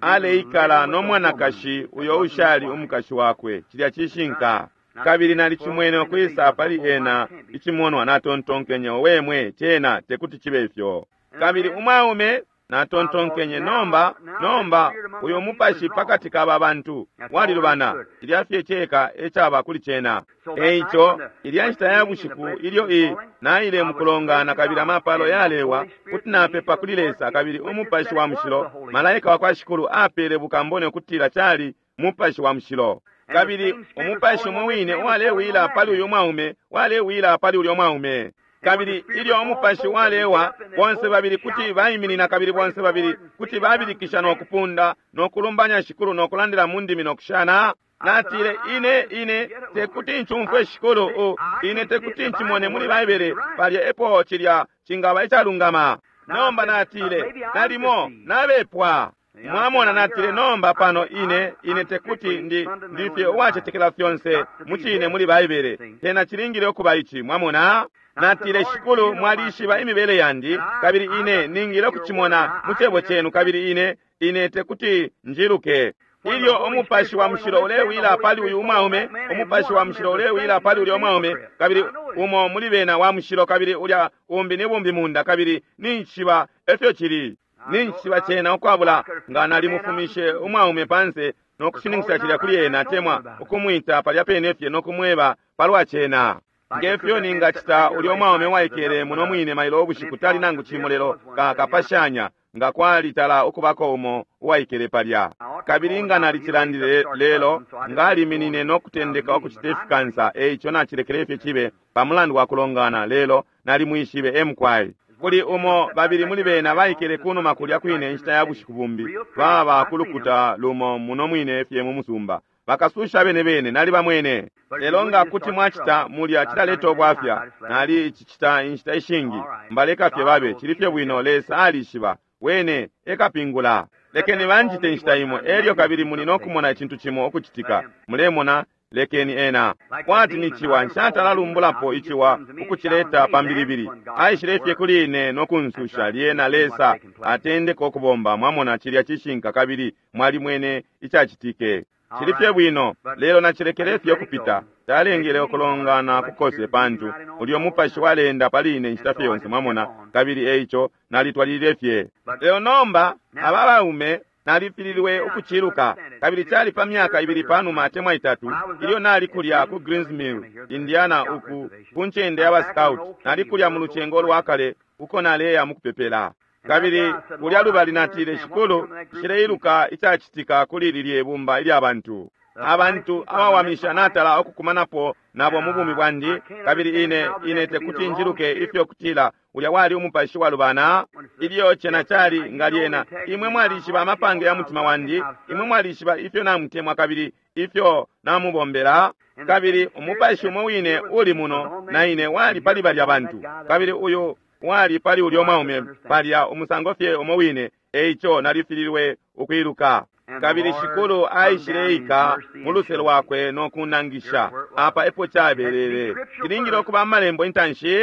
Aleikala no mwanakashi uyo ushali umukashi wakwe, cilya cishinka. Kabili nalicimwene ukwisa pali ena icimonwa. Natontonkenye, wemwe, cena tekuti chibe ifyo. Kabili umwaume, natontonkenye, nomba nomba uyo mupashi pakati ka bantu walilubana, cilya fye ceka ecaba kuli cena. Eico ilya nshita ya bushiku ilyo i naile mukulongana kabili amapalo yalewa, kuti napepa kuli Lesa, kabili umupashi wa mushilo, malaika wa kwa Shikulu, apele bukambone ukutila cali mupashi wa mushilo. Kabili umupashi umwe wine walewila pali uyu mwaume, walewila pali ulyo mwaume. Kabili ilyo umupashi walewa, bonse babili kuti baiminina, kabili bonse babili kuti babilikisha no kupunda no kulumbanya Shikulu no kulandila mu ndimi no kushana. Natile, ine ine tekuti ncumfwe Shikulu, u ine tekuti ncimone muli Baibele palya epo cilya cingaba icalungama. Nomba natile, nalimo nabepwa. Mwamona, natile, nomba pano ine ine tekuti ndi ndifye uwacetekela fyonse mucine muli Baibele, tena cilingile ukuba ici. Mwamona, natile, Shikulu, mwalishiba imibele yandi, kabili ine ningile ukucimona mu cebo cenu, kabili ine ine tekuti njiluke. Ilyo umupashi wa mushilo ulewila pali uyu umwaume, umupashi wa mushilo ulewila pali ulya umwaume, kabili umo muli bena wa mushilo, kabili ulya umbi ni bumbi munda, kabili ninchiba efyo cili. Ninchiba cena ukwabula nga nalimufumishe umwaume panse no kushininkisha cilya kuli ena, temwa ukumwita palya pene fye no kumweba palwa cena. Ngefyo ningacita ulyo mwaume waikele muno mwine mailo ubushiku, tali nangu cimo lelo kakapashanya nga kwalitala ukubako umo uwaikele palya. Kabili nga nalicilandile lelo ngaliminine no kutendeka ukucita ifikansa, eico nacilekele fye cibe pamulandu wa kulongana, lelo nalimwishibe emukwai. Kuli umo babili muli bena baikele kunuma kulya kwine inshita ya bushiku bumbi, baba kulukuta lumo muno mwine fye mu musumba, bakasusha bene bene nali bamwene. Lelo nga kuti mwacita mulya cilaleta ubwafya, nali icicita inshita ishingi, mbaleka fye babe cili fye bwino. Lesa alishiba, wene ekapingula. Lekeni banjite inshita imo, elyo kabili muli no kumona icintu cimo ukucitika. Mulemona, lekeni ena kwati ni ciwa, nshatalalumbulapo iciwa ukucileta pambilibili. Aishile fye kuli ine no kunsusha, lyena Lesa atendeka ukubomba. Mwamona, cilya cishinka, kabili mwalimwene icacitike. Cili fye bwino, lelo nacilekele fye ukupita. Talengele ukulongana kukose, pantu ulyo mupashi walenda pali ine inshita fye yonse, mwamona, kabili eico nalitwalilile fye. Lelo nomba aba baume nalifililwe ukuciluka, kabili cali pa myaka ibili panuma atemwa itatu ilyo nali kulya ku Greens Mill, Indiana, uku ku ncende ya ba scout. Nali kulya mu lucengo lwa kale uko naleya mukupepela. Kabili kulya lubali natile, Shikulu, nshileiluka icacitika kuli lilye bumba ilya bantu. Abantu abawamisha natala okukumanapo nabo mu bumi bwandi, kabili ine ine tekuti njiluke ifyo kutila ulya wali umupashi walubana. Ilyo cena cali nga lyena, imwe mwalishiba amapange ya mutima wandi, imwe mwalishiba ifyo namutemwa kabili ifyo namubombela. Kabili umupashi umwe wine uli muno na ine wali pali balya bantu, kabili uyu wali pali ulyo mwaume palya umusango fye umwe wine, eico nalifililwe ukwiluka. Kabili Shikulu aishileika mu luse lwakwe no kunangisha apa epo cabelele. Cilingile ukuba amalembo intanshi.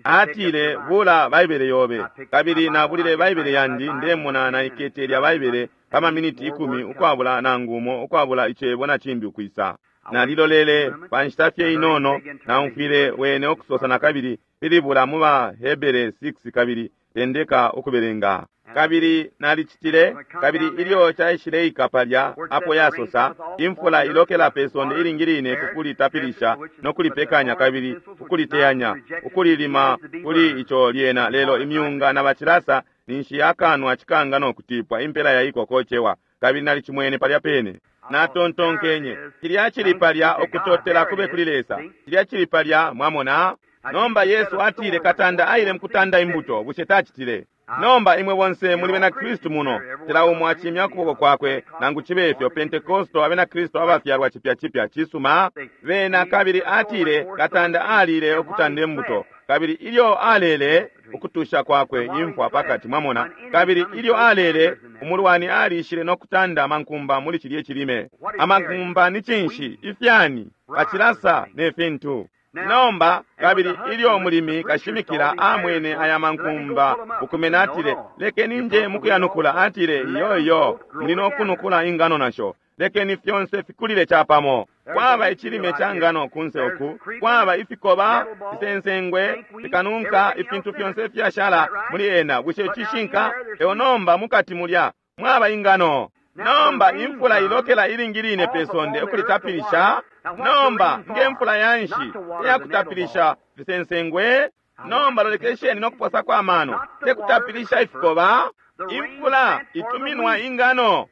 Atile, bula Baibele yobe. Kabili nabulile Baibele yandi, ndemona naikete lya Baibele pa maminiti ikumi ukwabula nangu umo, ukwabula icebo na cimbi ukwisa. Nalilolele pa nshita fye inono, naumfwile wene ukusosa na kabili, pilibula mu ba Hebere six kabili tendeka ukubelenga. Kabili nalicitile, kabili ilyo caishileika palya apo yasosa, imfula ilokela pe sonde ilingi line kukulitapilisha no kulipekanya kabili ukuliteyanya ukulilima kuli ico lyena, lelo imyunga na bacilasa Ninshi yakanwa cikanga no kutipwa impela ya iko kocewa. Kabili nalicimwene palya pene. Natontonkenye cilya cili palya, ukutotela kube kuli Lesa, cilya cili palya. Mwamona? Nomba Yesu atile katanda aile mukutanda imbuto. Bushe tacitile? Nomba imwe bonse muli bena Kristu muno, cila umo acimya ukuboko kwakwe, nangu cibe ifyo Pentekosto abena Kristu abafyalwa cipya cipya. Cisuma bena. Kabili atile katanda alile ukutanda imbuto, kabili ilyo alele ukutusha kwakwe imfwa pakati. Mwamona? Kabili ilyo alele, umulwani alishile no kutanda amankumba muli cilye cilime. Amankumba ni cinshi? Ifyani, bacilasa ne fintu. Nomba kabili ilyo mulimi kashimikila amwene aya mankumba ukumena, atile, lekeni nje mukuyanukula. Atile, iyo iyo, muli no kunukula ingano nasho. Lekeni fyonse fikulile chapamo. Kwaba icilime cha ngano kunse uku, kwaba ifikoba, fisensengwe, fikanunka, ifintu fyonse ifyashala muli ena. Bushe cishinka? Eo nomba mukati mulya mwaba ingano. Nomba imfula ilokela ilingi line pe sonde ukulitapilisha. Nomba nge mfula yanshi iyakutapilisha fisensengwe? Nomba lolekesheni no kuposa kwa mano, tekutapilisha ifikoba. Imfula ituminwa ingano,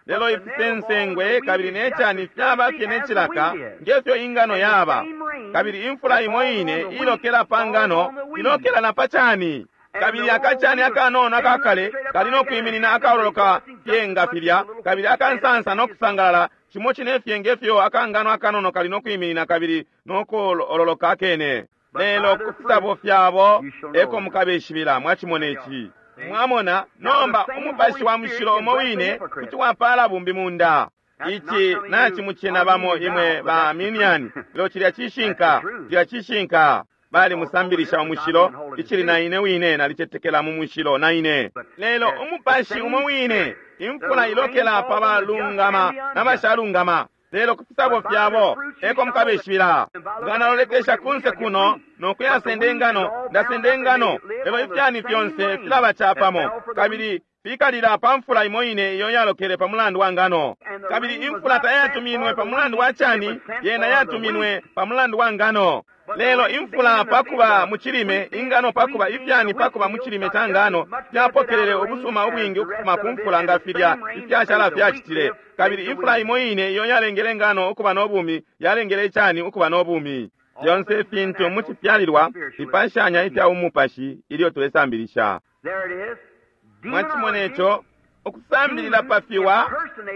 lelo ifisensengwe kabili necani fyaba fye necilaka ngefyo ingano yaba. Kabili imfula imo ine ilokela pa ngano ilokela na pa cani. Kabili akacani akanono akakale kali no kwiminina akaololoka fye nga filya, kabili akansansa no kusangalala cimo cine fye ngefyo akangano akanono kali no kwiminina kabili no kuololoka akene. Lelo ku fisabo fyabo eko mukabeshibila. Mwacimona ici? Mwamona? Nomba umupashi wa mushilo umo wine kuti wapala bumbi munda. Ici nacimucena bamo imwe ba Arminian, lelo cilya cishinka, cilya cishinka. Bali musambilisha umushilo, icili na ine wine nalicetekela mu mushilo na ine. Lelo umupashi umo wine, imfula ilokela pa balungama na bashalungama, lelo ku fisabo fyabo eko mukabeshibila. Nga nalolekesha kunse kuno no kuyasenda ingano, ndasenda ingano, lelo ifyani fyonse filaba capamo kabili fikalila pa mfula imo ine iyo yalokele pa mulandu wa ngano. Kabili imfula tayatuminwe pa mulandu wa cani, yena yatuminwe pa mulandu wa ngano. Lelo imfula pakuba mu cilime, ingano pakuba ifyani pakuba mu cilime ca ngano, fyapokelele ubusuma ubwingi ukufuma ku mfula nga filya ifyashala fyacitile. Kabili imfula imo ine iyo yalengele ngano ukuba no bumi yalengele icani ukuba no bumi. Fyonse ifintu mu cifyalilwa fipashanya ifya umupashi ilyo tulesambilisha. Mwacimona ico? Ukusambilila pa fiwa,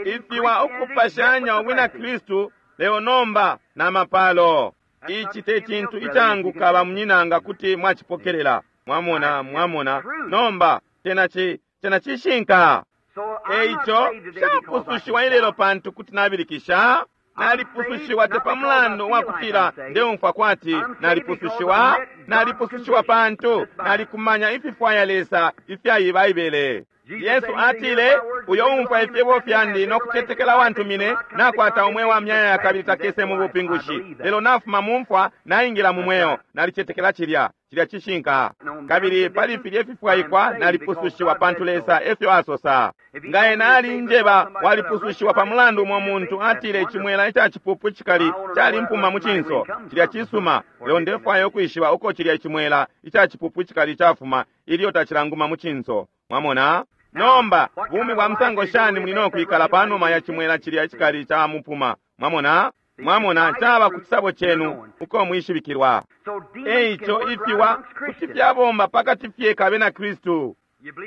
ifiwa ukupashanya ubwina Kristu leo nomba na mapalo. Ici te cintu icanguka bamunyinanga kuti mwacipokelela. Mwamona, mwamona. Nomba cena ci cena cishinka. Eico shapusushiwa ilelo pantu kuti nabilikisha. Nalipusushiwa te pa mulandu wa kutila ndeumfwa kwati nalipusushiwa. Nalipusushiwa pantu nalikumanya ififwaya Lesa ifya Baibele. Yesu atile, uyo umfwa ifyebo fyandi no kucetekela wantumine nakwata umweo wa myaya kabili takese mu bupingushi, lelo nafuma mu mfwa naingila mu mweo. Nalicetekela cilya, cilya cishinka. Kabili pali filye fifwaikwa nalipusushiwa pantu Lesa efyo asosa. Nga ena alinjeba walipusushiwa pa mulandu umo muntu atile icimwela ica cipupu cikali calimpuma mu cinso, cilya cisuma, lelo ndefwaya ukwishiba uko cilya icimwela ica cipupu cikali cafuma ilyo tacilanguma mu cinso. Mwamona? Nomba bumi bwa musango shani muli no kwikala panuma ya cimwela cilya cikali ca mupuma? Mwamona? Mwamona, caba ku cisabo cenu uko mwishibikilwa. Eico ifiwa kuti fyabomba pakati fye kabena Kristu.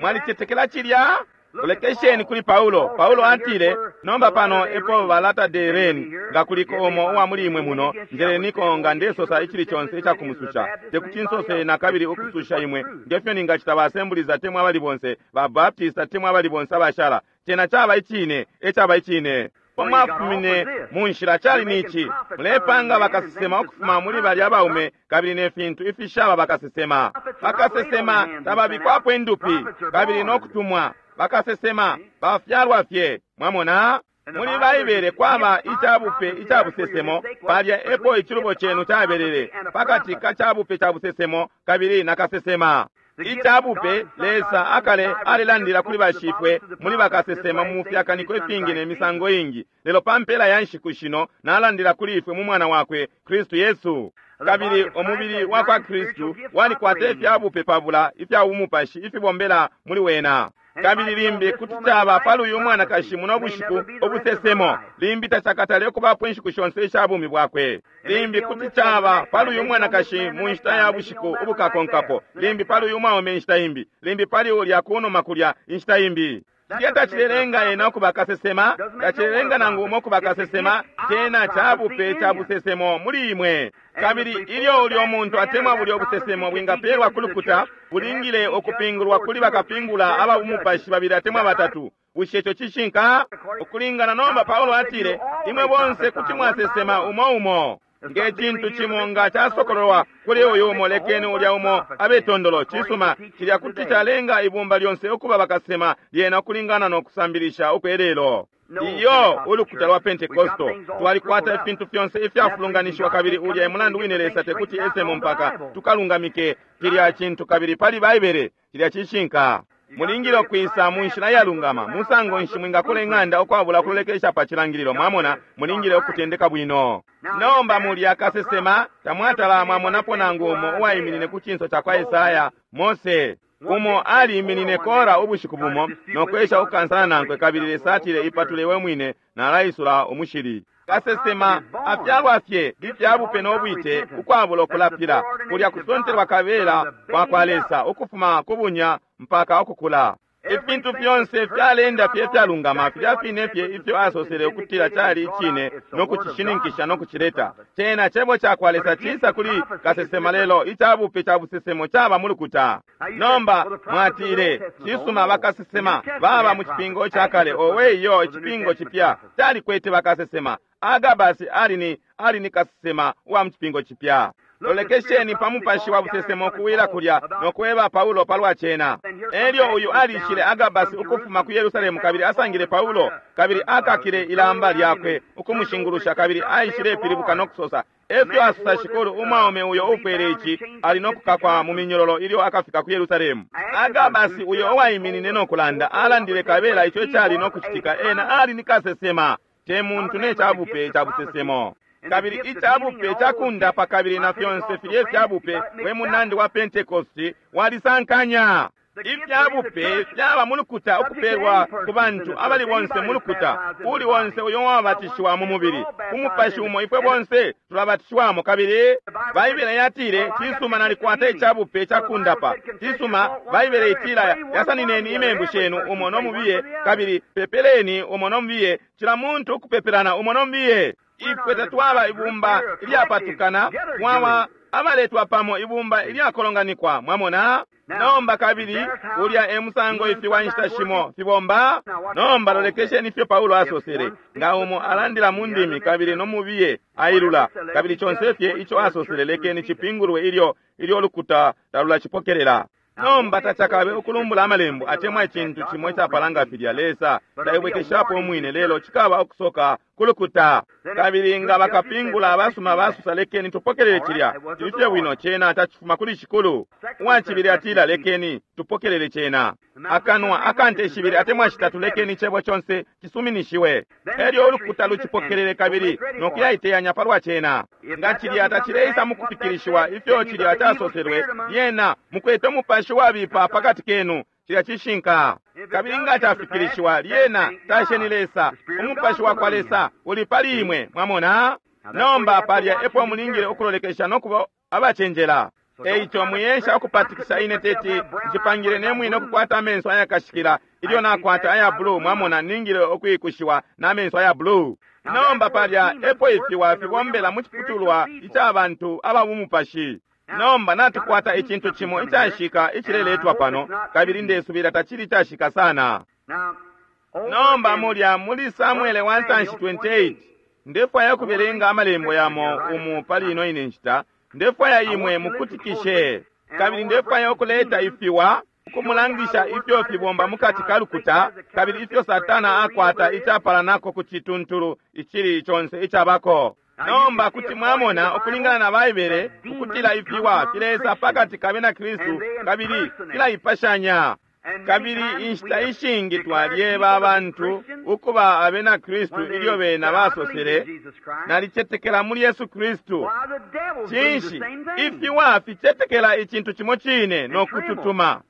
Mwalicetekela cilya? Lolekesheni kuli Paulo. Paulo atile, nomba pano epo balata de reni, nga kuliko omo uwa muli imwe muno, njeleniko nga ndesosa icili conse icakumususha. Tekuti nsose na kabili ukususha imwe, ngefyo ningacita ba Assemblies atemwa abali bonse, ba Baptist atemwa abali bonse abashala. Cena caba icine, ecaba icine. Pomwafumine mu nshila cali nici, mulepanga bakasesema ukufuma muli balya baume kabili ne fintu ifishaba bakasesema. Bakasesema tababikwapo indupi kabili no kutumwa. Bakasesema bafyalwa fye. Mwamona? Muli Baibele kwaba icabupe icabusesemo, palya epo icilubo cenu cabelele pakati ka cabupe ca busesemo kabili na kasesema. Icabupe Lesa akale alilandila kuli bashifwe muli bakasesema mu fyakaniko ifingi ne misango ingi, lelo pa mpela ya nshiku shino nalandila kuli ifwe mu mwana wakwe Kristu Yesu. Kabili umubili wa kwa Kristu walikwata ifyabupe pabula ifya umupashi ifibombela muli wena. Kabili limbi kuti caba pali uyu mwanakashi muno bushiku ubusesemo, limbi tacakatale ukubapo inshiku shonse isha bumi bwakwe. Limbi kuti caba pali uyu mwanakashi mu nshita ya bushiku ubukakonkapo, limbi pali uyu mwaume inshita imbi, limbi pali ulya kunuma kulya inshita imbi. Cilya tacilelenga ena ukuba kasesema, tacilelenga nangu umo ukuba kasesema, cena cabupe ca busesemo muli imwe. Kabili ilyo ulyo muntu atemwa bulyo busesemo bwingapelwa ku lukuta, bulingile ukupingulwa kuli bakapingula aba bumupashi babili atemwa batatu. Bushe ico cishinka? Ukulingana nomba Paulo atile, imwe bonse kuti mwasesema umo umo. Nge cintu cimo nga casokololwa kuli uyu umo, lekeni ulya umo abe tondolo. Cisuma, cilya kuti calenga ibumba lyonse ukuba bakasema lyena ukulingana no kusambilisha ukwelelo. Iyo ulukuta lwa Pentekosto twalikwata ifintu fyonse ifyafulunganishiwa, kabili ulya emulandu wine Lesa tekuti esemo mpaka tukalungamike cilya cintu kabili pali Baibele. Cilya cishinka. Mulingile ukwisa mu nshila iyalungama. Musango nshi mwingakula ing'anda ukwabula kulolekesha pa cilangililo? Mwamona, mulingile ukutendeka bwino. Nomba mulya kasesema tamwatala mwamonapo nangu umo uwaiminine ku cinso ca kwa Esaya, Mose. Umo aliiminine Kora ubushiku bumo nokwesha ukukansana nankwe, kabili Lesa atile, ipatule we mwine, nalaisula umushili. Kasesema afyalwa fye ifyabupe no bwite ukwabula ukulapila, kulya kusontelwa kabela kwa kwa Lesa ukufuma ku bunya mpaka ukukula. Ifintu fyonse fyalenda fye fyalungama, filya fine fye ifyo asosele ukutila cali icine no kucishininkisha no kucileta. Cena cebo ca kwa Lesa cisa kuli kasesema, lelo icabupe ca busesemo caba mu lukuta. Nomba mwatile, cisuma, bakasesema baba mu cipingo ca kale. Owe iyo, icipingo cipya calikwete bakasesema. Agabasi ali ni ali ni kasesema wa mu cipingo cipya. Lolekesheni pa mupashi wa busesemo kuwila kulya nokweba Paulo palwa cena. Elyo uyu alishile Agabasi ukufuma ku Yerusalemu, kabili asangile Paulo, kabili akakile ilamba lyakwe ukumushingulusha, kabili aishile pilibuka nokusosa, efyo asosa Shikulu, umwaume uyo ufwele ici ali nokukakwa mu minyololo ilyo akafika ku Yerusalemu. Agabasi uyo uwaiminine nokulanda alandile kabela ico cali nokucitika. Ena ali ni kasesema, te muntu ne cabupe ca busesemo. Kabili icabupe cakundapa kabili na fyonse filye ifyabupe we munandi wa Pentekosti walisankanya. Ifyabupe fyaba mu lukuta ukupelwa ku bantu abali bonse mu lukuta, uli onse uyo wabatishiwa mu mubili ku mupashi umo ifwe bonse tulabatishiwamo. Kabili Baibele yatile, cisuma, nalikwata icabupe cakundapa. Cisuma, Baibele itila, yasanineni imembu shenu umo no mubiye, kabili pepeleni umo no mubiye, cila muntu ukupepelana umo no mubiye. Ifwe tatwaba ibumba ilyapatukana, mwaba abaletwa pamo, ibumba ilyakolonganikwa. Mwamona? Nomba kabili ulya e musango ifiwa inshita shimo fibomba. Nomba lolekesheni ifyo Paulo asosele, nga umo alandila mu ndimi kabili no mubiye ailula, kabili conse fye ico asosele lekeni cipingulwe ilyo ilyo lukuta talulacipokelela. Nomba tacakabe ukulumbula amalembo atemwa icintu cimo icapalanga filya. Lesa taibwekeshapo umwine, lelo cikaba ukusoka kulukuta. Kabili nga bakapingula abasuma basusa, lekeni tupokelele cilya. Cili fye bwino, cena tacifuma kuli Shikulu. Uwacibili atila, lekeni tupokelele cena. Akanwa akante shibili atemwa shitatu, lekeni icebo conse cisuminishiwe. Elyo ulukuta lucipokelele kabili nokuyaiteyanya palwa cena. Nga cilya tacileisa mukufikilishiwa ifyo cilya casoselwe, lyena mukwete umupashi wabipa pakati kenu. Cilya cishinka. Kabili nga cafikilishiwa, lyena tasheni Lesa. Umupashi wa kwa Lesa uli pali imwe. Mwamona? Nomba palya epo mulingile ukulolekesha nokuba abacenjela. Eico mwiyesha ukupatikisha ine teti ncipangile ne mwine ukukwata amenso ayakashikila ilyo nakwata aya blue. Mwamona, ningile ukwikushiwa na menso aya blue. Nomba palya epo ifiwa fibombela mu ciputulwa ica bantu aba bumupashi. Nomba natukwata icintu cimo icashika icileletwa pano, kabili ndesubila tacili icashika sana. Nomba mulya muli Samuele wa ntanshi twenty-eight, ndefwaya ukubelenga amalembo yamo umu pali ino ine nshita. Ndefwaya imwe mukutikishe, kabili ndefwaya ukuleta ifiwa ukumulangisha ifyo fibomba mukati ka lukuta, kabili ifyo Satana akwata icapalanako ku cituntulu icili conse icabako. Nomba kuti mwamona ukulingana na Baibele ukutila ifiwa filesa pakati ka bena Kristu kabili filaipashanya. Kabili inshita ishingi twalyeba abantu ukuba abena Kristu ilyo bena basosele, nalicetekela muli Yesu Kristu. Cinshi ifiwa ficetekela icintu cimo cine no kututuma?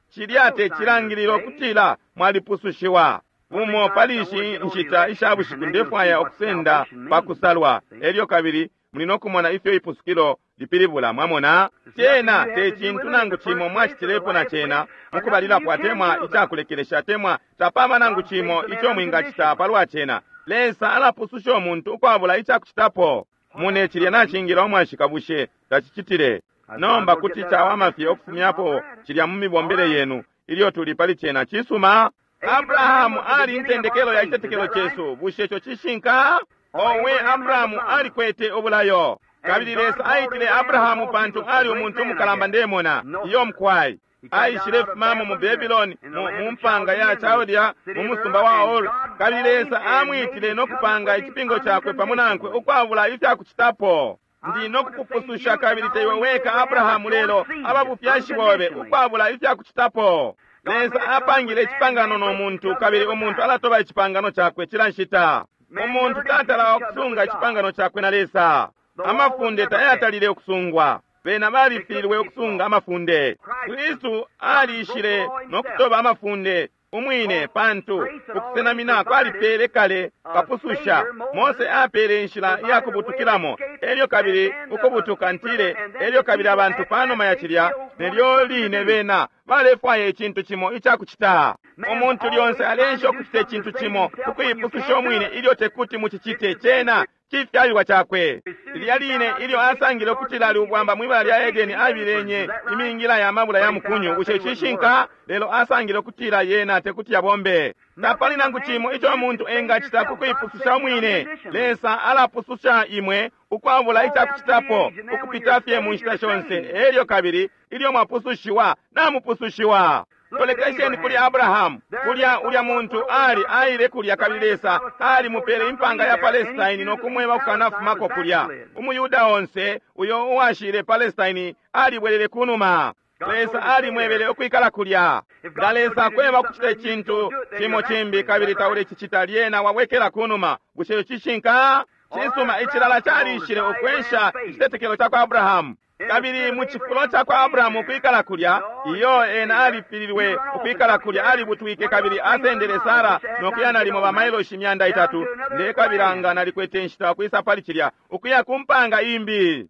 Cilya te cilangililo ukutila mwalipusushiwa. Bumo pali ishi nshita isha bushiku ndefwaya ukusenda pakusalwa, elyo kabili muli no kumona ifyo ipusukilo lipilibula. Mwamona, cena te cintu nangu cimo mwacitilepo na cena mukubalilapo atemwa icakulekelesha atemwa tapaba nangu cimo ico mwingacita palwa cena. Lesa alapususha umuntu ukwabula icakucitapo. Mune cilya nacingila umwashika, bushe tacicitile? Nomba kuti cawama fye ukufumyapo cilya mu mibombele yenu ilyo tuli pali cena. Cisuma. Abrahamu ali intendekelo ya citetekelo cesu. Bushe ico cishinka? Owe, Abrahamu alikwete ubulayo. Kabili Lesa aitile Abrahamu pantu ali umuntu umukalamba, ndemona. Iyo mkwai. Aishile fumamo mu Babylon, mu mpanga ya Chaldea, mu musumba wa Ur. Kabili Lesa amwitile no kupanga icipingo cakwe pamo nankwe ukwabula ifyakucitapo. Ndi no kukupususha kabili teiwe weka Abrahamu, lelo ababufyashi bobe, ukwabula ifyakucitapo. Lesa apangile icipangano no muntu, kabili umuntu alatoba icipangano cakwe cila nshita. Umuntu tatala ukusunga icipangano cakwe na Lesa. Amafunde tayatalile ukusungwa. Bena balifilwe ukusunga amafunde. Kristu aliishile no kutoba amafunde umwine, pantu ukusenamina kwalipele kale kapususha. Mose apele inshila iya kubutukilamo, elyo kabili ukubutuka ntile, elyo kabili abantu panuma ya cilya nelyo line bena balefwaya icintu cimo icakucita. Umuntu lyonse alensha ukucita icintu cimo ukuipususha umwine ilyo tekuti mucicite. Cena cifyalilwa cakwe. Lilya line ilyo asangile ukutila ali ubwamba mwibala lya Edeni, abilenye imingila ya mabula ya mukunyu. Bushe cishinka? Lelo asangile ukutila yena tekuti yabombe. Tapali nangu cimo ico umuntu engacita kukuipususha umwine. Lesa alapususha imwe ukwabula icakucitapo, ukupita fye mu nshita shonse. Elyo kabili ilyo mwapusushiwa, namupusushiwa. Tolekesheni kuli Abrahamu. Kulya ulya muntu ali aile kulya, kabili Lesa ali mupele impanga ya Palestine no kumweba kukanafumako kulya. Umuyuda onse uyo uwashile Palestine alibwelele kunuma. Lesa alimwebele ukwikala kulya. Nga Lesa akweba ukucita icintu cimo cimbi kabili taulecicita, lyena wabwekela kunuma. Bushe cishinka? Cisuma, icilala calishile ukwensha icitetekelo ca kwa Abrahamu. Kabili mu cifulo ca kwa Abrahamu ukwikala kulya, iyo ena alifililwe ukwikala kulya, alibutwike kabili asendele Sara nokuya nalimo ba mailoshi imyanda itatu. Ndekabila nga nalikwete inshita ukwisa pali cilya, ukuya ku mpanga imbi.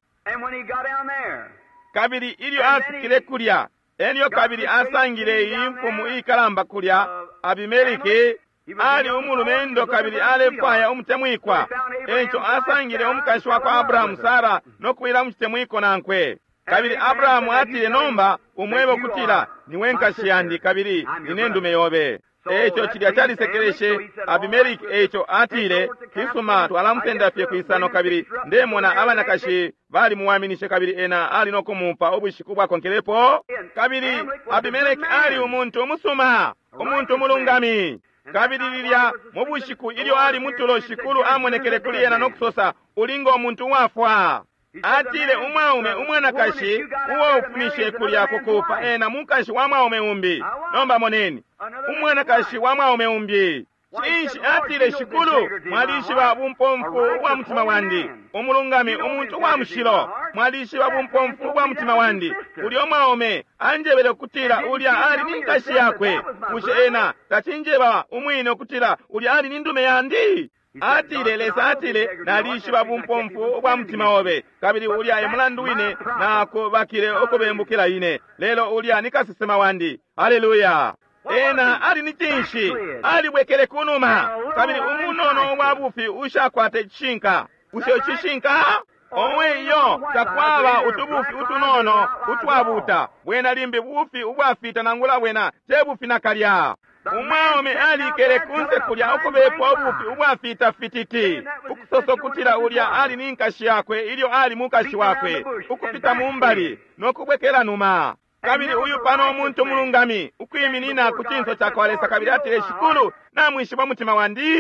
Kabili ilyo afikile kulya, elyo kabili asangile iyi mfumu iikalamba kulya, Abimeliki. Ali umulumendo kabili alefwaya umutemwikwa. Eco asangile umukashi wa kwa Abrahamu Sara no kuwila mu citemwiko nankwe. Kabili Abrahamu atile, nomba umwebe ukutila niwe nkashi yandi kabili nine ndume yobe. Eco cilya calisekeleshe Abimeliki. Eco atile, kisuma, twalamusenda fye kwisano kabili ndemona abanakashi balimuwaminishe kabili ena ali no kumupa ubushiku bwakonkelepo. Kabili Abimeleki ali umuntu umusuma, umuntu umulungami. Kabili lilya mu bushiku ilyo ali mutulo, shikulu amonekele kuli ena no kusosa, ulingo umuntu uwafwa. Atile, umwaume umwanakashi uo ufumishe kulya kukupa ena mukashi wa mwaume umbi. Nomba moneni, umwanakashi wa mwaume umbi. Cinshi? Atile, shikulu, mwalishiba bumpomfu ubwa mutima wandi, umulungami, umuntu uwa mushilo, mwalishiba bumpomfu ubwa mutima wandi. Ulya mwaume anjebele ukutila ulya ali ni nkashi yakwe. Bushe ena tacinjeba umwine ukutila ulya ali ni ndume yandi? Atile, Lesa atile, nalishiba bumpomfu ubwa mutima obe, kabili ulya e mulandu wine nakubakile ukubembukila ine. Lelo ulya ni kasesema wandi. Haleluya! Ena ali ni cinshi? Alibwekele kunuma. Kabili umunono wa bufi ushakwata icishinka. Bushe icishinka? Owe iyo, takwaba utubufi utunono utwabuta. Bwena limbi bufi ubwafita nangula bwena te bufi nakalya. Umwaume alikele kunse kulya ukubepwa ubufi ubwafita fititi, ukusosa ukutila ulya ali ni nkashi yakwe ilyo ali mukashi wakwe, ukupita mumbali no kubwekela numa. Kabili uyu pano umuntu umulungami ukwiminina ku cinso ca kwa Lesa, kabili atile, shikulu, namwishiba umutima wandi,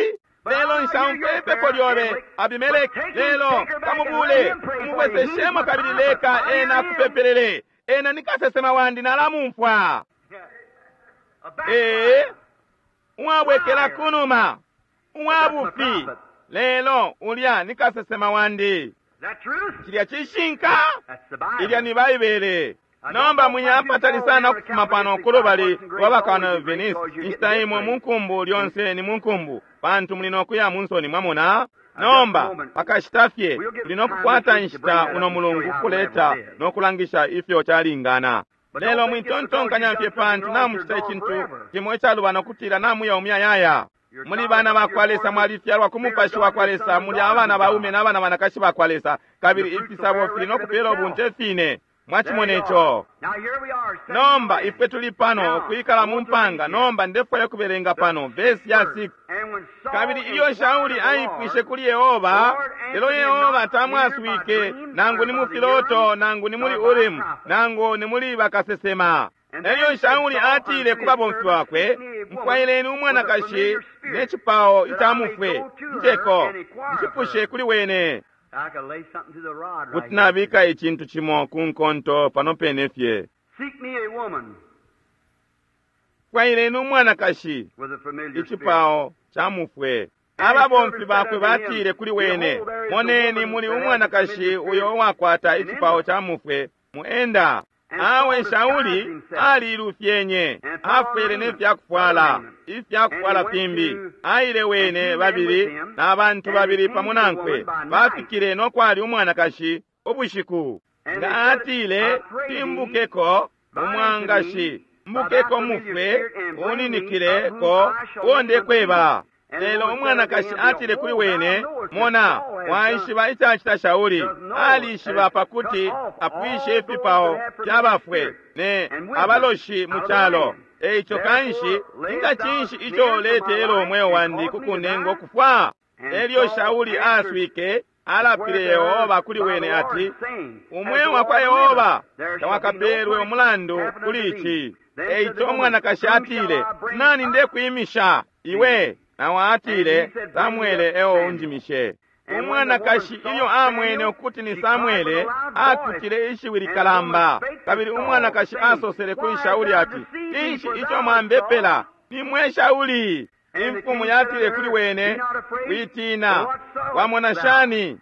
lelo nshaumfwe ipepo lyobe Abimeleki, lelo kamubule umubweseshemo kabili leka ena akupepelele. Ena ni kasesema wandi, nalamumfwa. Ee, uwabwekela kunuma, uwabufi, lelo ulya ni kasesema wandi. Cilya cishinka, ilya ni Baibele. Nomba mwiyapatali sana ukufuma pano kulubali lwa bakana Venice. Inshita imwe munkumbu lyonse ni munkumbu, pantu muli nokuya munsoni, mwamona. Nomba pakashita fye tuli nokukwata inshita uno mulungu kuleta nokulangisha ifyo calingana. Lelo mwitontonkanya fye pantu namucita icintu cimo icalubana ukutila namuya umuyayaya. Muli bana bakwa Lesa, mwalifyalwa ku mupashi wakwa Lesa, muli abana baume n'abana banakashi bakwa Lesa, kabili ifisabo fili nokupela ubunte fine. Mwachimona ico. Nomba ifwe tuli pano kwikala mu mpanga. Nomba ndefwaya kubelenga pano vesi ya six. Kabili ilyo Shauli aipwishe kuli Yehova, lelo Yehova tamwaswike, nangu ni mu filoto, nangu ni muli Urimu, nangu ni muli bakasesema. Elyo Shauli atile ku babomfi bakwe, mfwaileni umwanakashi ne cipao ica mufwe, njeko nchipushe kuli wene. Kuti nabika icintu cimo ku nkonto pano pene fye. Fwaileni umwanakashi icipao ca mufwe. Ababomfi bakwe batile kuli wene, moneni muli umwanakashi uyo uwakwata icipao ca mufwe muenda. Awe Shauli alilufyenye, afwele ne fyakufwala ifyakufwala fimbi. Aile wene babili n'abantu babili pamo nankwe, bafikile nokwali umwanakashi ubushiku. Nga atile, timbukeko umwangashi, mbukeko mufwe, uninikileko uo ndekweba. Lelo umwanakashi atile kuli wene, mona, waishiba icacita Shauli, alishiba pakuti apwishe ifipao fyabafwe ne abaloshi mu calo. Eico kanshi, inga cinshi ico letelo umweo wandi kukunenga ukufwa? Elyo Shauli aswike, alapile Yehova kuli wene ati, umweo wakwa Yehova tawakapelwe umulandu kuli ici. Eico umwanakashi atile, nani ndekwimisha iwe? Nawe atile, Samwele eo unjimishe. Umwanakashi ilyo amwene ukuti ni Samwele, akutile ishiwi likalamba. Kabili umwanakashi asosele kuli Shauli ati, cinshi ico mwambepela? Ni mwe Shauli. Imfumu yatile kuli wene, witina, wamona shani?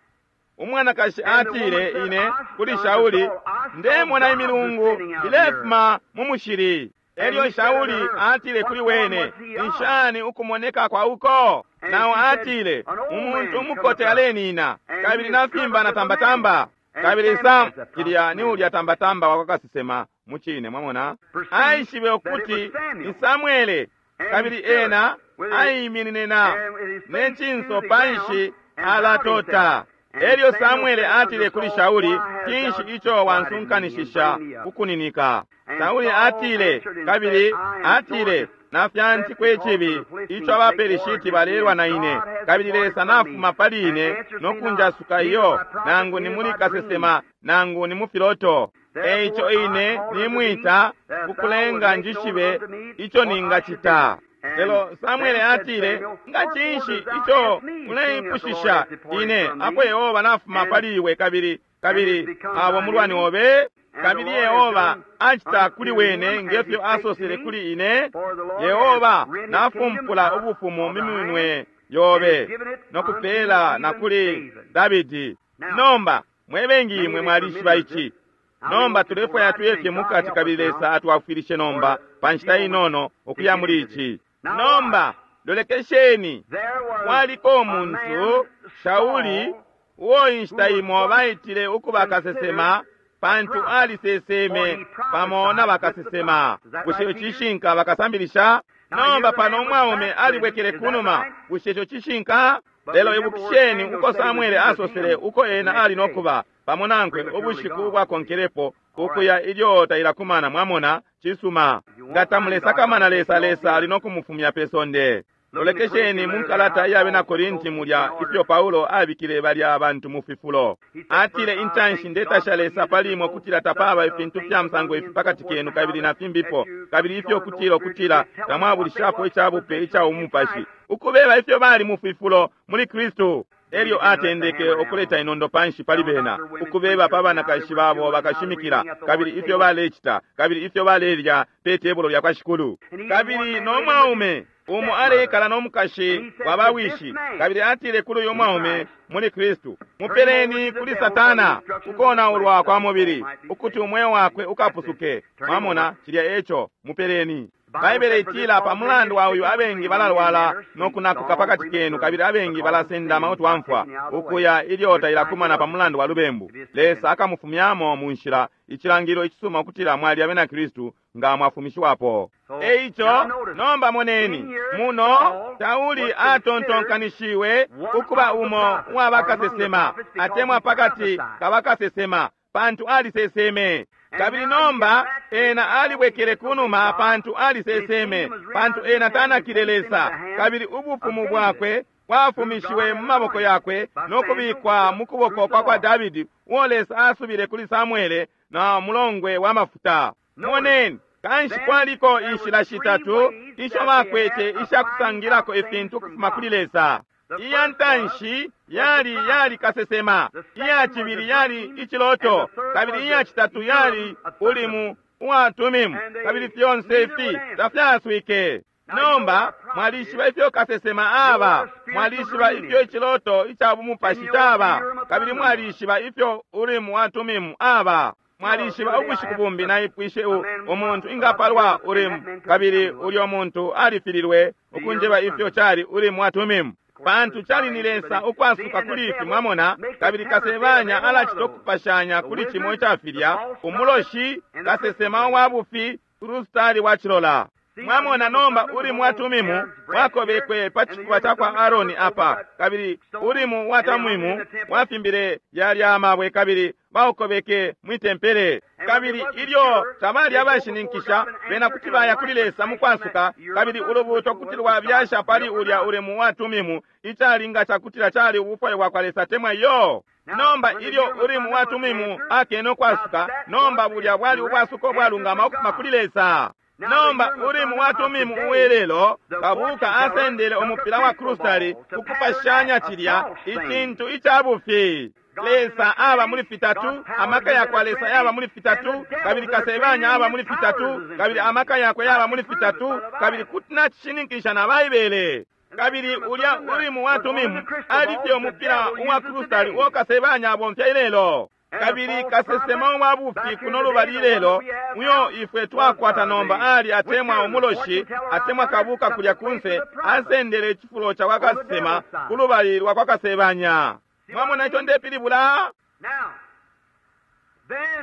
Umwanakashi atile ine kuli Shauli, ndemona imilungu ilefuma mu mushili. Elyo Shauli atile kuli wene, ni shani ukumoneka kwa uko? Nawe atile, umuntu umukote alenina, kabili nafimba na tambatamba. Kabili Sam kilya ni ulya tambatamba wakwa kasesema mucine, mwamona. Aishibe ukuti ni Samwele, kabili ena aiminine na ne cinso panshi alatota. Elyo Samwele atile kuli Shauli, cinshi ico wansunkanishisha kukuninika? Shauli atile, kabili atile, nafyantikwe icibi ico abaperishiti balelwa na ine, kabili Lesa nafuma pali ine nokunjasuka iyo, nangu ni muli kasesema, nangu ni mu filoto. Eico ine nimwita kukulenga njishibe ico ningacita. Lelo Samwele atile, nga cinshi ico uleipushisha ine, apo Yehova nafuma pali iwe kabili kabili abo mulwani obe? Kabili Yehova acita kuli wene ngefyo asosele kuli ine. Yehova nafumpula ubufumu mu minwe yobe nokupela na kuli Davidi. Nomba mwe bengi imwe mwalishiba ici. Nomba tulefwaya tuye fye mukati, kabili Lesa atwafwilishe nomba pa nshita inono ukuya muli ici. Nomba lolekesheni, kwaliko umuntu Shauli uo inshita imo baitile ukuba kasesema, pantu aliseseme pamo na bakasesema. Bushe ico cishinka bakasambilisha? Nomba pano umwaume alibwekele kunuma. Bushe ico cishinka? Lelo ibukisheni uko Samwele asosele uko ena ali nokuba pamo nankwe ubushiku bwakonkelepo ukuya ilyo tailakumana. Mwamona, cisuma. Nga tamulesakamana Lesa, Lesa ali nokumufumya pe sonde. Lolekesheni mu nkalata iya bena Korinti mulya ifyo Paulo abikile balya abantu mu fifulo. Atile, intanshi ndetasha Lesa pali imwe kutila tapaba ifintu fya musango ifi pakati kenu, kabili na fimbipo, kabili ifyo kutila ukutila tamwabulishapo icabupe ica umupashi, ukubeba ifyo bali mu fifulo muli Kristu. Elyo atendeke ukuleta inondo panshi pali bena, ukubeba pa banakashi babo bakashimikila, kabili ifyo balecita, kabili ifyo balelya pe tebulo lya kwa Shikulu. Kabili no mwaume umo aleikala no mukashi wa bawishi, kabili atile kuli uyu mwaume muli Kristu, mupeleni kuli Satana ukonaulwa kwa mubili, ukuti umweo wakwe ukapusuke. Mwamona, cilya eco, mupeleni. Baibele itila pa mulandu wa uyu abengi balalwala no kunakuka pakati kenu, kabili abengi balasendama utwamfwa ukuya ilyo tailakumana pa mulandu wa lubembu. Lesa akamufumyamo mu nshila, icilangilo icisuma ukutila mwali abena Kristu nga mwafumishiwapo. Eico nomba moneni muno Sauli atontonkanishiwe ukuba umo uwa bakasesema, atemwa pakati ka bakasesema, pantu aliseseme. Kabili nomba ena alibwekele kunuma pantu aliseseme, pantu ena tanakile Lesa, kabili ubufumu bwakwe bwafumishiwe mu maboko yakwe no kubikwa mu kuboko kwa kwa Davidi, uo Lesa asubile kuli Samuele na mulongwe wa mafuta. Moneni, kanshi kwaliko inshila shitatu isho bakwete ishakusangilako ifintu kufuma kuli Lesa. Iya ntanshi yali yali kasesema, iya cibili yali iciloto, kabili iya citatu yali ulimu uwa Tumimu, kabili fyonse ifi tafyaswike. Nomba mwalishiba ifyo kasesema aba, mwalishiba ifyo iciloto ica bumupashi caba, kabili mwalishiba ifyo ulimu wa Tumimu aba. Mwalishiba ubushiku bumbi naipwishe umuntu ingapalwa ulimu, kabili ulyo muntu alifililwe ukunjeba ifyo cali ulimu wa Tumimu, pantu cali ni Lesa ukwasuka kuli ifi, mwamona. Kabili kasebanya alacita ukupashanya kuli cimo icafilya, umuloshi, kasesema wa bufi, krustali wa cilola. Mwamona nomba ulimu wa Tumimu wakobekwe pa cifuba ca kwa Aroni apa, kabili ulimu wa Tamimu wafimbile yalya amabwe, kabili baukobeke mwitempele. Kabili ilyo tabali abashininkisha, bena kuti baya kuli Lesa mukwasuka, kabili ulubuto kuti lwabyasha pali ulya ulimu wa Tumimu, icalinga cakutila cali ubufwayo bwa kwa Lesa temwa yo. Nomba ilyo ulimu wa Tumimu akene ukwasuka, nomba bulya bwali ubwasuko bwalungama ukufuma kuli Lesa. Nomba ulimu wa Tumimu uwelelo, kabuka asendele umupila wa krustali ukupashanya cilya icintu icabufi. Lesa aba muli fitatu, amaka yakwa Lesa yaba muli fitatu, kabili kasebanya aba muli fitatu, kabili amaka yakwe yaba muli fitatu, kabili kuti nacishininkisha na Baibele. Kabili ulya ulimu wa Tumimu alifye umupila uwa krustali uo kasebanya abomfya ilelo. Kabili kasesema wa bufi kuno lubali ilelo, uyo ifwe twakwata nomba ali atemwa umuloshi, atemwa kabuka kulya kunse, asendele icifulo ca kwa kasesema ku lubali lwa kwa kasebanya. Mwamona ico ndepilibula?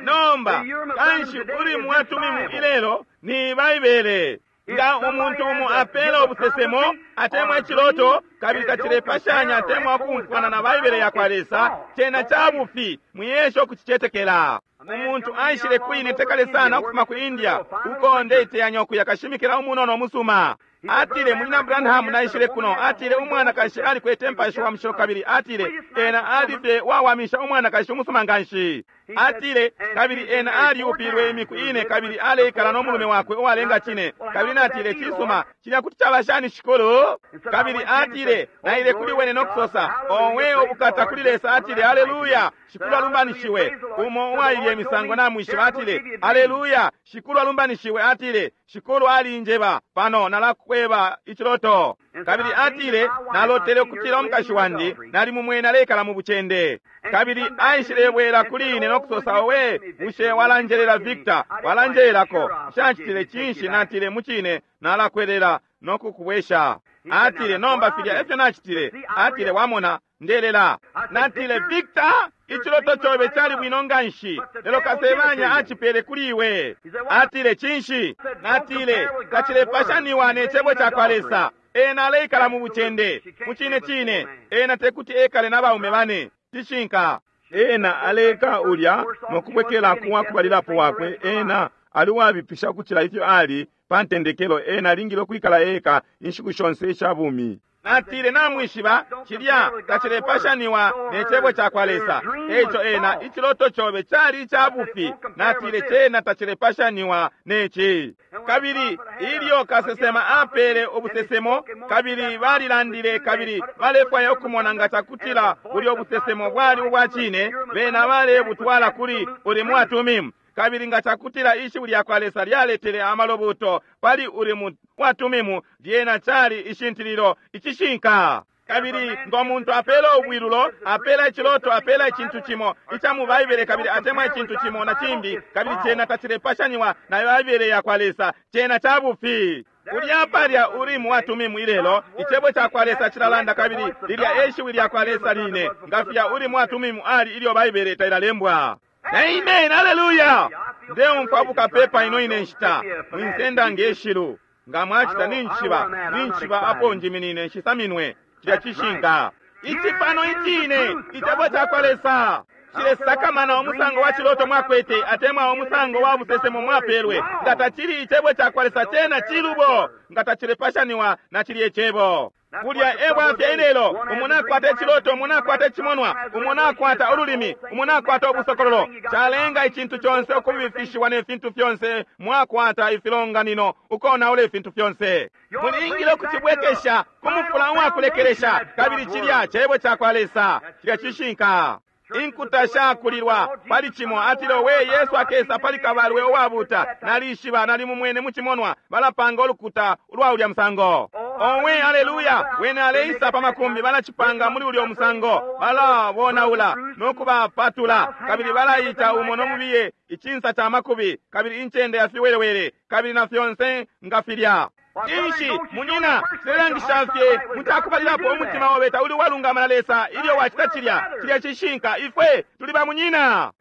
Nomba kanshi ulimu wa Tumimu ilelo ni Baibele. Nga umuntu umo apela ubusesemo atemwa iciloto, kabili tacilepashanya atemwa ukumfwana na Baibele ya kwa Lesa, cena cabufi, mwiyesha ukucicetekela. Umuntu aishile kwine tekale sana ukufuma ku India, uko ndeiteyanya ukuya kashimikila umunono umusuma. Atile, Munyina Branham naishile kuno, atile umwanakashi alikwete mpashi wa mushilo, kabili atile ena alifye wawamisha umwanakashi umusuma nganshi. Atile kabili ena aliupilwe imiku ine, kabili aleikala no mulume wakwe uwalenga cine. Kabili natile, cisuma, cilya kuti caba shani Shikulu? Kabili atile naile kuli wene no kusosa, owe ubukata kuli Lesa. Atile, haleluya, Shikulu alumbanishiwe. Umo uwailye imisango namwishiba atile, haleluya, Shikulu alumbanishiwe. Atile, Shikulu alinjeba pano nalakweba iciloto. Kabili atile nalotele ukutila umukashi wandi nali mumwene aleikala mu bucende. Kabili aishilebwela kuli ine no kusosa, owe, bushe walanjelela Victor, walanjelelako, nshacitile cinshi? Natile, mucine nalakwelela no kukubwesha. Atile, nomba filya efyo nacitile. Atile, wamona, ndelela. Natile, Victor, iciloto cobe cali bwino nganshi, lelo kasebanya acipele kuli iwe. Atile, cinshi? Natile, tacilepashaniwa ne cebo ca kwa Lesa. Ena aleikala mu bucende. Mucine cine, ena tekuti ekale n'abaume bane. Cishinka. Ena aleka ulya no kubwekela kuwa kubalilapo wakwe. Ena ali wabipisha ukucila ifyo ali pa ntendekelo. Ena alingile ukwikala eka inshiku shonse isha bumi. Natile, namwishiba cilya tacilepashaniwa ne cebo cakwa Lesa. Eico ena iciloto cobe cali ica bufi. Natile, cena tacilepashaniwa neci. Kabili ilyo kasesema apele ubusesemo, kabili balilandile kabili balefwaya ukumona nga cakutila bulyo busesemo bwali ubwa cine, bena balebutwala kuli Urimu wa Tumimu. Kabili nga cakutila ishiwi lyakwa Lesa lyaletele amalobuto pali Urimu wa Tumimu, lyena cali ishintililo icishinka. Kabili ngo muntu apela ubwilulo, apela iciloto, apela icintu cimo ica mu Baibele, kabili atemwa icintu cimo na cimbi, kabili cena tacilepashaniwa na Baibele yakwa Lesa, cena ca bufi. Ulya palya Urimu wa Tumimu ilelo, icebo cakwa Lesa cilalanda, kabili lilya eshiwi lyakwa Lesa line, nga filya Urimu wa Tumimu ali ilyo Baibele tailalembwa. Amen, haleluya. Ndeumfwa bukapepa ino ine nshita, mwinsenda ngeshilu. Nga mwacita ninchiba, ninchiba apo njiminine nshisaminwe. Cilya cishinka. Ici pano icine, icebo cakwa Lesa. Cilesakamana umusango wa ciloto mwakwete, atemwa umusango wa busesemo mwapelwe. Nga tacili icebo cakwa Lesa, cena cilubo. Nga tacilepashaniwa na cilye cebo. Kulya ebwafya ilelo, umuntu akwata iciloto, umuntu akwata icimonwa, umuntu akwata ululimi, umuntu akwata ubusokololo. Calenga icintu conse ukubifishiwa ne fintu fyonse, mwakwata ifilonganino, ukonaula ifintu fyonse. Mulingile ukucibwekesha kumufula uwakulekelesha, kabili cilya cebo cakwa Lesa, cilya cishinka. Inkuta shakulilwa pali cimo, atile we Yesu akesa pali kabalwe uwabuta. Nalishiba, nalimumwene mucimonwa, balapanga ulukuta ulwa ulya musango. Owe, haleluya! Wene aleisa pa makumbi, balacipanga muli ulya musango, balabonaula nokubapatula, kabili balaita umo nomubiye icinsa ca makubi, kabili incende ya fiwelewele, kabili na fyonse nga filya. Inshi munyina, cilelangisha fye mucakubalilapo umutima obe tauli uwalungama na Lesa ilyo wacita cilya. Cilya cishinka. Ifwe tuli ba munyina,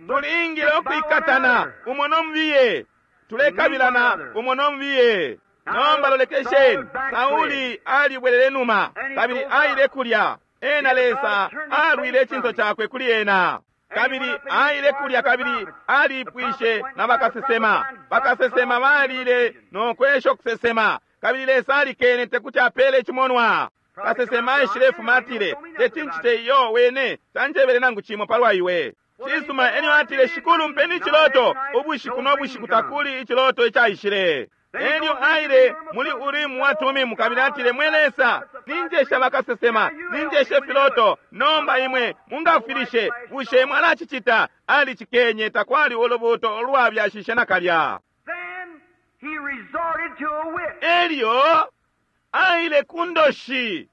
tulingile ukwikatana umo nomubiye, tulekabilana umo nomubiye. Nomba lolekesheni, Sauli alibwelele numa kabili aile kulya. Ena Lesa alwile icinso cakwe kuli ena, kabili aile kulya kabili alipwishe na bakasesema. Bakasesema balile nokwesha kusesema, kabili Lesa alikene tekuti apele icimonwa. Kasesema aishile fuma atile, teti ncite iyo, wene tanjebele nangu cimo palwa iwe. Cisuma, elyo atile, Shikulu mpeni iciloto. Ubushiku no bushiku takuli iciloto icaishile. Elyo aile muli Urimu wa Tumimu kabili atile, mwe Lesa, ninjesha bakasesema, ninjeshe filoto, nomba imwe mungafilishe, bushe mwalacicita? Alicikenye, takwali ulubuto ulwabyashishe nakalya. Elyo aile kundoshi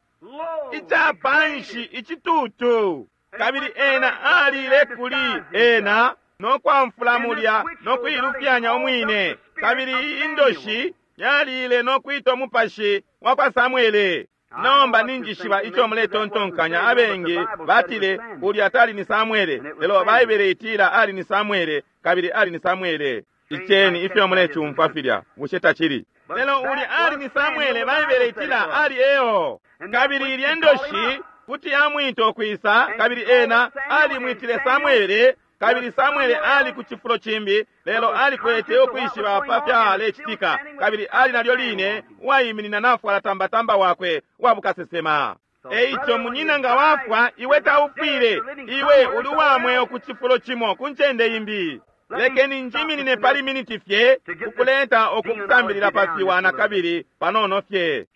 icapanshi icitutu, kabili ena alile kuli ena nokwamfula mulya nokuilufyanya umwine. Kabili indoshi yalile nokwita umupashi wa kwa Samwele. Nomba ninjishiba ico muletontonkanya. Abengi batile ulya tali ni Samwele, lelo Baibele itila ali ni Samwele, kabili ali ni Samwele. Iceni ifyo mulecumfwa filya, bushe tacili? Lelo ulya ali ni Samwele, Baibele itila ali eo. Kabili ilye ndoshi kuti yamwita ukwisa, kabili ena alimwitile Samwele, kabili Samwele ali ku cifulo cimbi, lelo alikwete ukwishiba pa fyalecitika, kabili ali nalyo line uwaiminina nafwala tambatamba wakwe wa bukasesema. Eico munyina nga wafwa, iwe taufwile, iwe uli uwa ku cifulo cimo ku ncende imbi. Lekeni njiminine pali miniti fye kukuleta okukusambilila pa fiwa na kabili panono fye.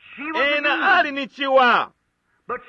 Ena ali ni ciwa,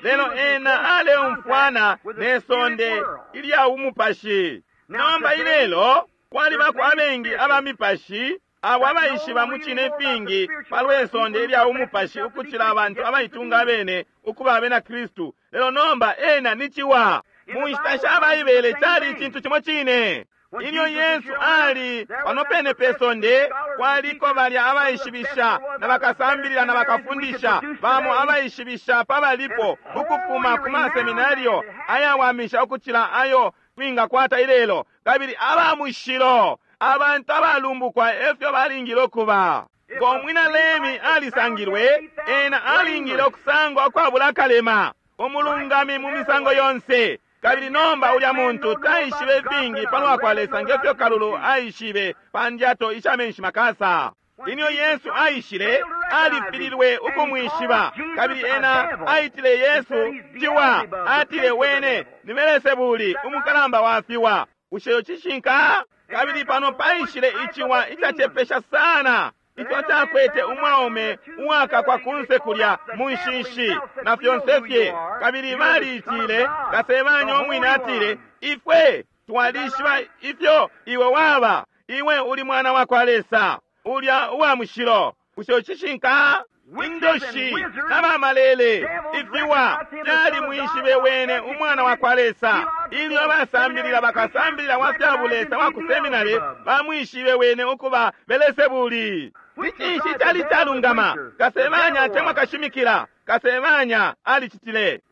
lelo ena aleumfwana ne sonde ilya umupashi. Nomba ilelo kwalibako abengi aba mipashi abo abaishiba mu cine ifingi palwe sonde ilya umupashi ukucila abantu abaitunga abene ukuba abena Kristu. Lelo nomba ena ni ciwa. Mu nshita sha Baibele cali icintu cimo cine. Ilyo Yesu ali pano pene pe sonde, kwaliko balya abaishibisha na bakasambilila na bakafundisha bamo abaishibisha pabalipo ukufuma ku maseminario ayawamisha ukucila ayo twingakwata ilelo, kabili aba mushilo, abantu abalumbukwa efyo balingile ukuba. Ngo mwina Levi alisangilwe, ena alingile ukusangwa ukwabula akalema, umulungami mu misango yonse. Kabili nomba ulya muntu taishibe ifingi palwa kwa Lesa ngefyo kalulu aishibe pa ndyato isha menshi makasa. Ilyo Yesu aishile, Alifililwe ukumwishiba, kabili ena aitile Yesu ciwa. Atile wene ni Belesebuli, umukalamba wa fiwa. Bushe cishinka? Kabili pano paishile iciwa icacepesha sana ico cakwete umwaume uwakakwa kunse kulya mu nshishi na fyonse fye. Kabili baliitile kasebanya umwine, atile, ifwe twalishiba ifyo iwe waba, iwe uli mwana wa kwa Lesa, ulya uwa mushilo. Bushe cishinka? Indoshi n'abamalele ifiwa fyali mwishibe wene umwana wa kwa Lesa. Ilyo abasambilila bakasambilila wa fya bulesa wa ku seminari bamwishibe wene ukuba Belesebuli. Ni cinshi cali calungama? Kasebanya atemwa kashimikila, kasebanya alicitile.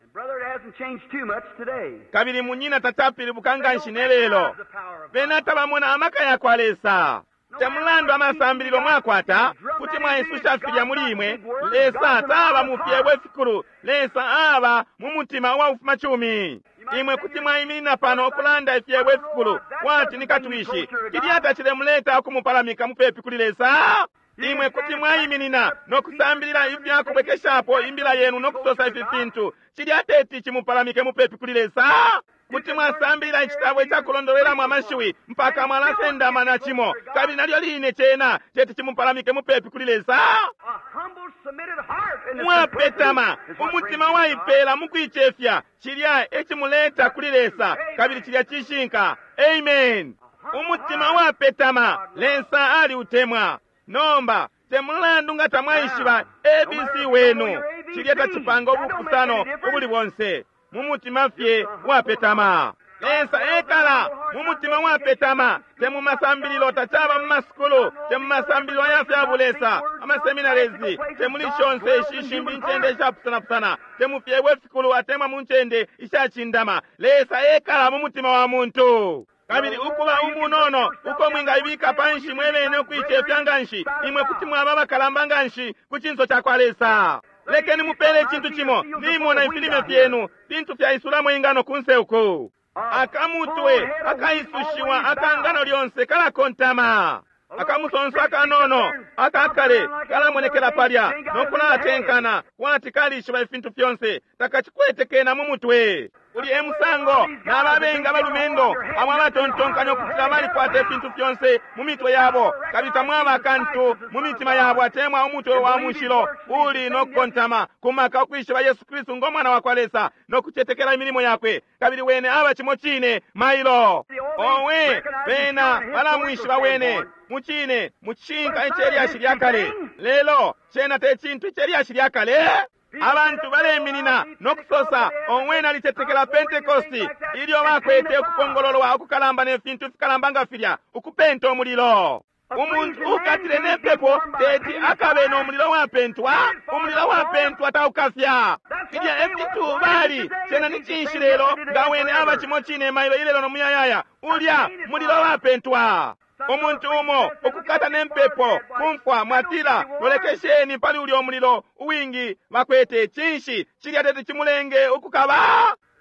Kabili munyina tacapilibuka nganshi ne lelo. Bena tabamona amaka ya kwa Lesa. Temulandu amasambililo mwakwata, kuti mwaisusha filya muli imwe, Lesa taba mu fyebo ifikulu, Lesa aba mu mutima uwa bufumacumi. Imwe kuti mwaiminina pano ukulanda ifyebo ifikulu kwati ni katwishi, kilya tacilemuleta ukumupalamika mupepi kuli Lesa. Imwe kuti mwaiminina no kusambilila ifya kubwekeshapo imbila yenu no kusosa ifi fintu, cilya teti cimupalamike mupepi kuli Lesa. Kuti mwasambilila icitabo icakulondolelamo amashiwi mpaka mwalasendama na cimo, kabili nalyo line cena teti cimupalamike mupepi kuli Lesa. Mwapetama umutima waipela mukuicefya, cilya ecimuleta kuli Lesa, kabili cilya cishinka. Amen. Umutima wapetama Lesa aliutemwa. Nomba temulandu nga tamwaishiba A B C wenu, cilya tacipanga ubupusano ubuli bonse. Mu mutima fye wapetama, Lesa ekala mu mutima wapetama. Te mu masambililo, tacaba mu masukulu, te mu masambililo aya fya bulesa, amaseminarezi, te muli shonse ishi shimbi incende ishapusanapusana, te mu fyebo ifikulu atemwa mu ncende ishacindama. Lesa ekala mu mutima wa muntu. Kabili ukuba umunono uko mwingaibika panshi mwebene ukuicefya nganshi, imwe kuti mwaba abakalamba nganshi ku cinso ca kwa Lesa. Lekeni mupele icintu cimo, nimona ifilime fyenu fintu fyaisulamo ingano kunse uku. Akamutwe akaisushiwa akangano lyonse kalakontama. Akamusonso akanono akakale kalamonekela palya nokulatenkana kwati kalishiba ifintu fyonse, takacikwete kena mu mutwe. Uli emusango n'ababenga balumendo abo abatontonkanya okutila balikwata ifintu fyonse mu mitwe yabo, kabili tamwaba akantu mu mitima yabo atemwa umutwe wa mushilo uli nokukontama kumaka ukwishiba Yesu Kristu ng'omwana wa kwa Lesa nokucetekela imilimo yakwe, kabili wene aba cimo cine mailo. Owe bena balamwishiba wene mucine mucishinka icelyashi lya kale, lelo cena te cintu icelyashi lya kale. Abantu baleminina nokusosa omwe nalicetekela Pentekosti ilyo bakwete ukupongololwa ukukalamba ne fintu fikalamba nga filya, ukupenta umulilo. Umuntu ukatile ne mpepo teti akabe no mulilo wapentwa, umulilo wapentwa taukafya. Filya efintu bali cena ni cinshi lelo nga wene aba cimo cine mailo ilelo no muyayaya, ulya mulilo wapentwa. Umuntu umo ukukata ne mpepo kumfwa mwatila lolekesheni pali ulya umulilo uwingi bakwete, cinshi cilya teti chimulenge ukukaba.